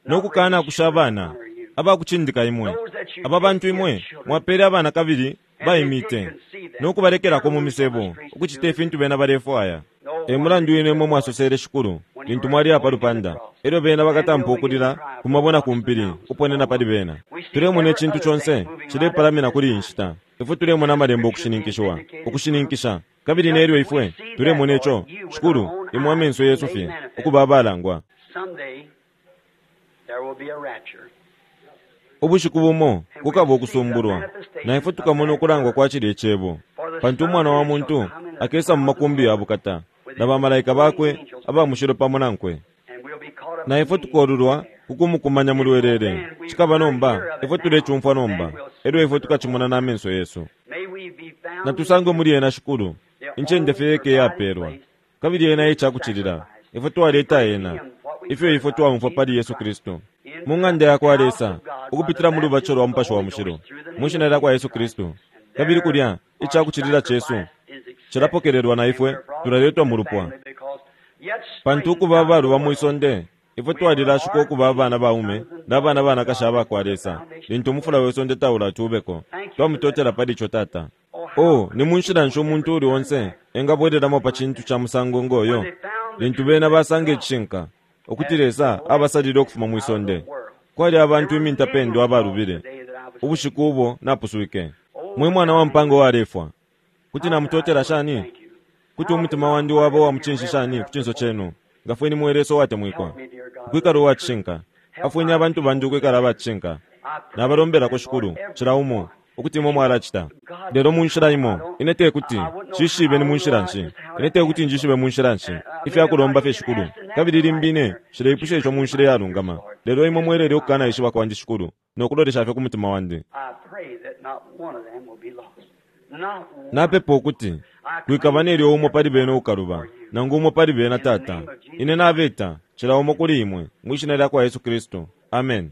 no kukana kusha abana abakucindika imwe. Aba bantu imwe mwapele abana kabili baimite no kubalekelako mu misebo ukucita ifintu bena balefwaya. E mulandu wine imwe mwasosele, Shikulu, lintu mwali apa lupanda, elyo bena bakatampa ukulila kumabona ku mpili ukuponena pali bena. Tulemona icintu conse cilepalamina kuli inshita. Ifwe tulemona amalembo ukushininkishiwa, ukushininkisha, kabili nelyo ifwe tulemona ico, Shikulu, imwe amenso yesu fye ukuba abalangwa. Ubushiku bumo kukaba ukusumbulwa, na ifwe tukamona ukulangwa kwa cilya icebo, pantu umwana wa muntu akesa mu makumbi ya bukata na bamalaika bakwe abamushilo pamo nankwe, na ifwe tukolulwa kukumukumanya mu lwelele. Cikaba nomba ifwe tulecumfwa nomba, elyo ifwe tukacimona na amenso yesu. Natusangwe muli ena, Shikulu, incende fye yeke yapelwa, kabili ena ecakucilila. Ifwe twaleta ena ifyo ifwe twaumfwa pali Yesu Kristu mu ng'anda ya kwa Lesa ukupitila mu lubatisho lwa Mupashi wa Mushilo mu shina lya kwa Yesu Kristu, kabili kulya icakucilila cesu cilapokelelwa na ifwe tulaletwa mu lupwa. Pantu ukuba abaluba mwi sonde, ifwe twalilashuka ukuba abana baume na abana banakashi aba kwa Lesa lintu umufula we sonde taulatuubeko. Twamutotela pali ico, Tata. Oh, ni mu nshila nshi umuntu uli onse engabwelelamo pa cintu ca musango ngoyo lintu bena basanga icishinka ukuti Lesa abasalile ukufuma mwi sonde? Kwali abantu imintapendwa abalubile ubushiku ubo napuswike. Mwe mwana wa mpango walefwa, kuti namutotela shani? Kuti umutima wandi waba wa mucinshi shani ku cinso cenu? Ngafweni mwe Lesa uwatemwikwa, ukwikala uwacishinka. Afweni abantu bandi ukwikala abacishinka. Nabalombelako, Shikulu, cila umo ukuti imwe mwalacita. Lelo mu nshila imo ine tekuti nshishibe ni mu nshila nshi, ine tekuti njishibe mu nshila nshi ifyakulomba fye, Shikulu, kabili limbi ine nshileipusha ico mu nshila iyalungama. Lelo imwe mwelele ukukanaishiba kwandi, Shikulu, no kulolesha fye ku mutima wandi. Napepa ukuti kwikaba nelyo umo pali bena ukaluba, nangu umo pali bena, Tata. Ine nabeta cila umo kuli imwe mwi shina lya kwa Yesu Kristu. Amen.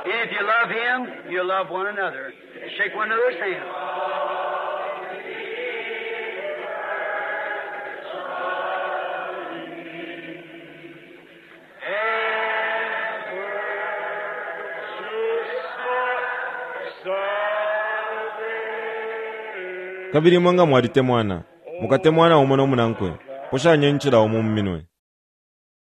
If you love him, you love one another. Shake one another's hand. Kabili imwe nga mwalitemwana, mukatemwana umo no munankwe, poshanye ncila umo mu minwe.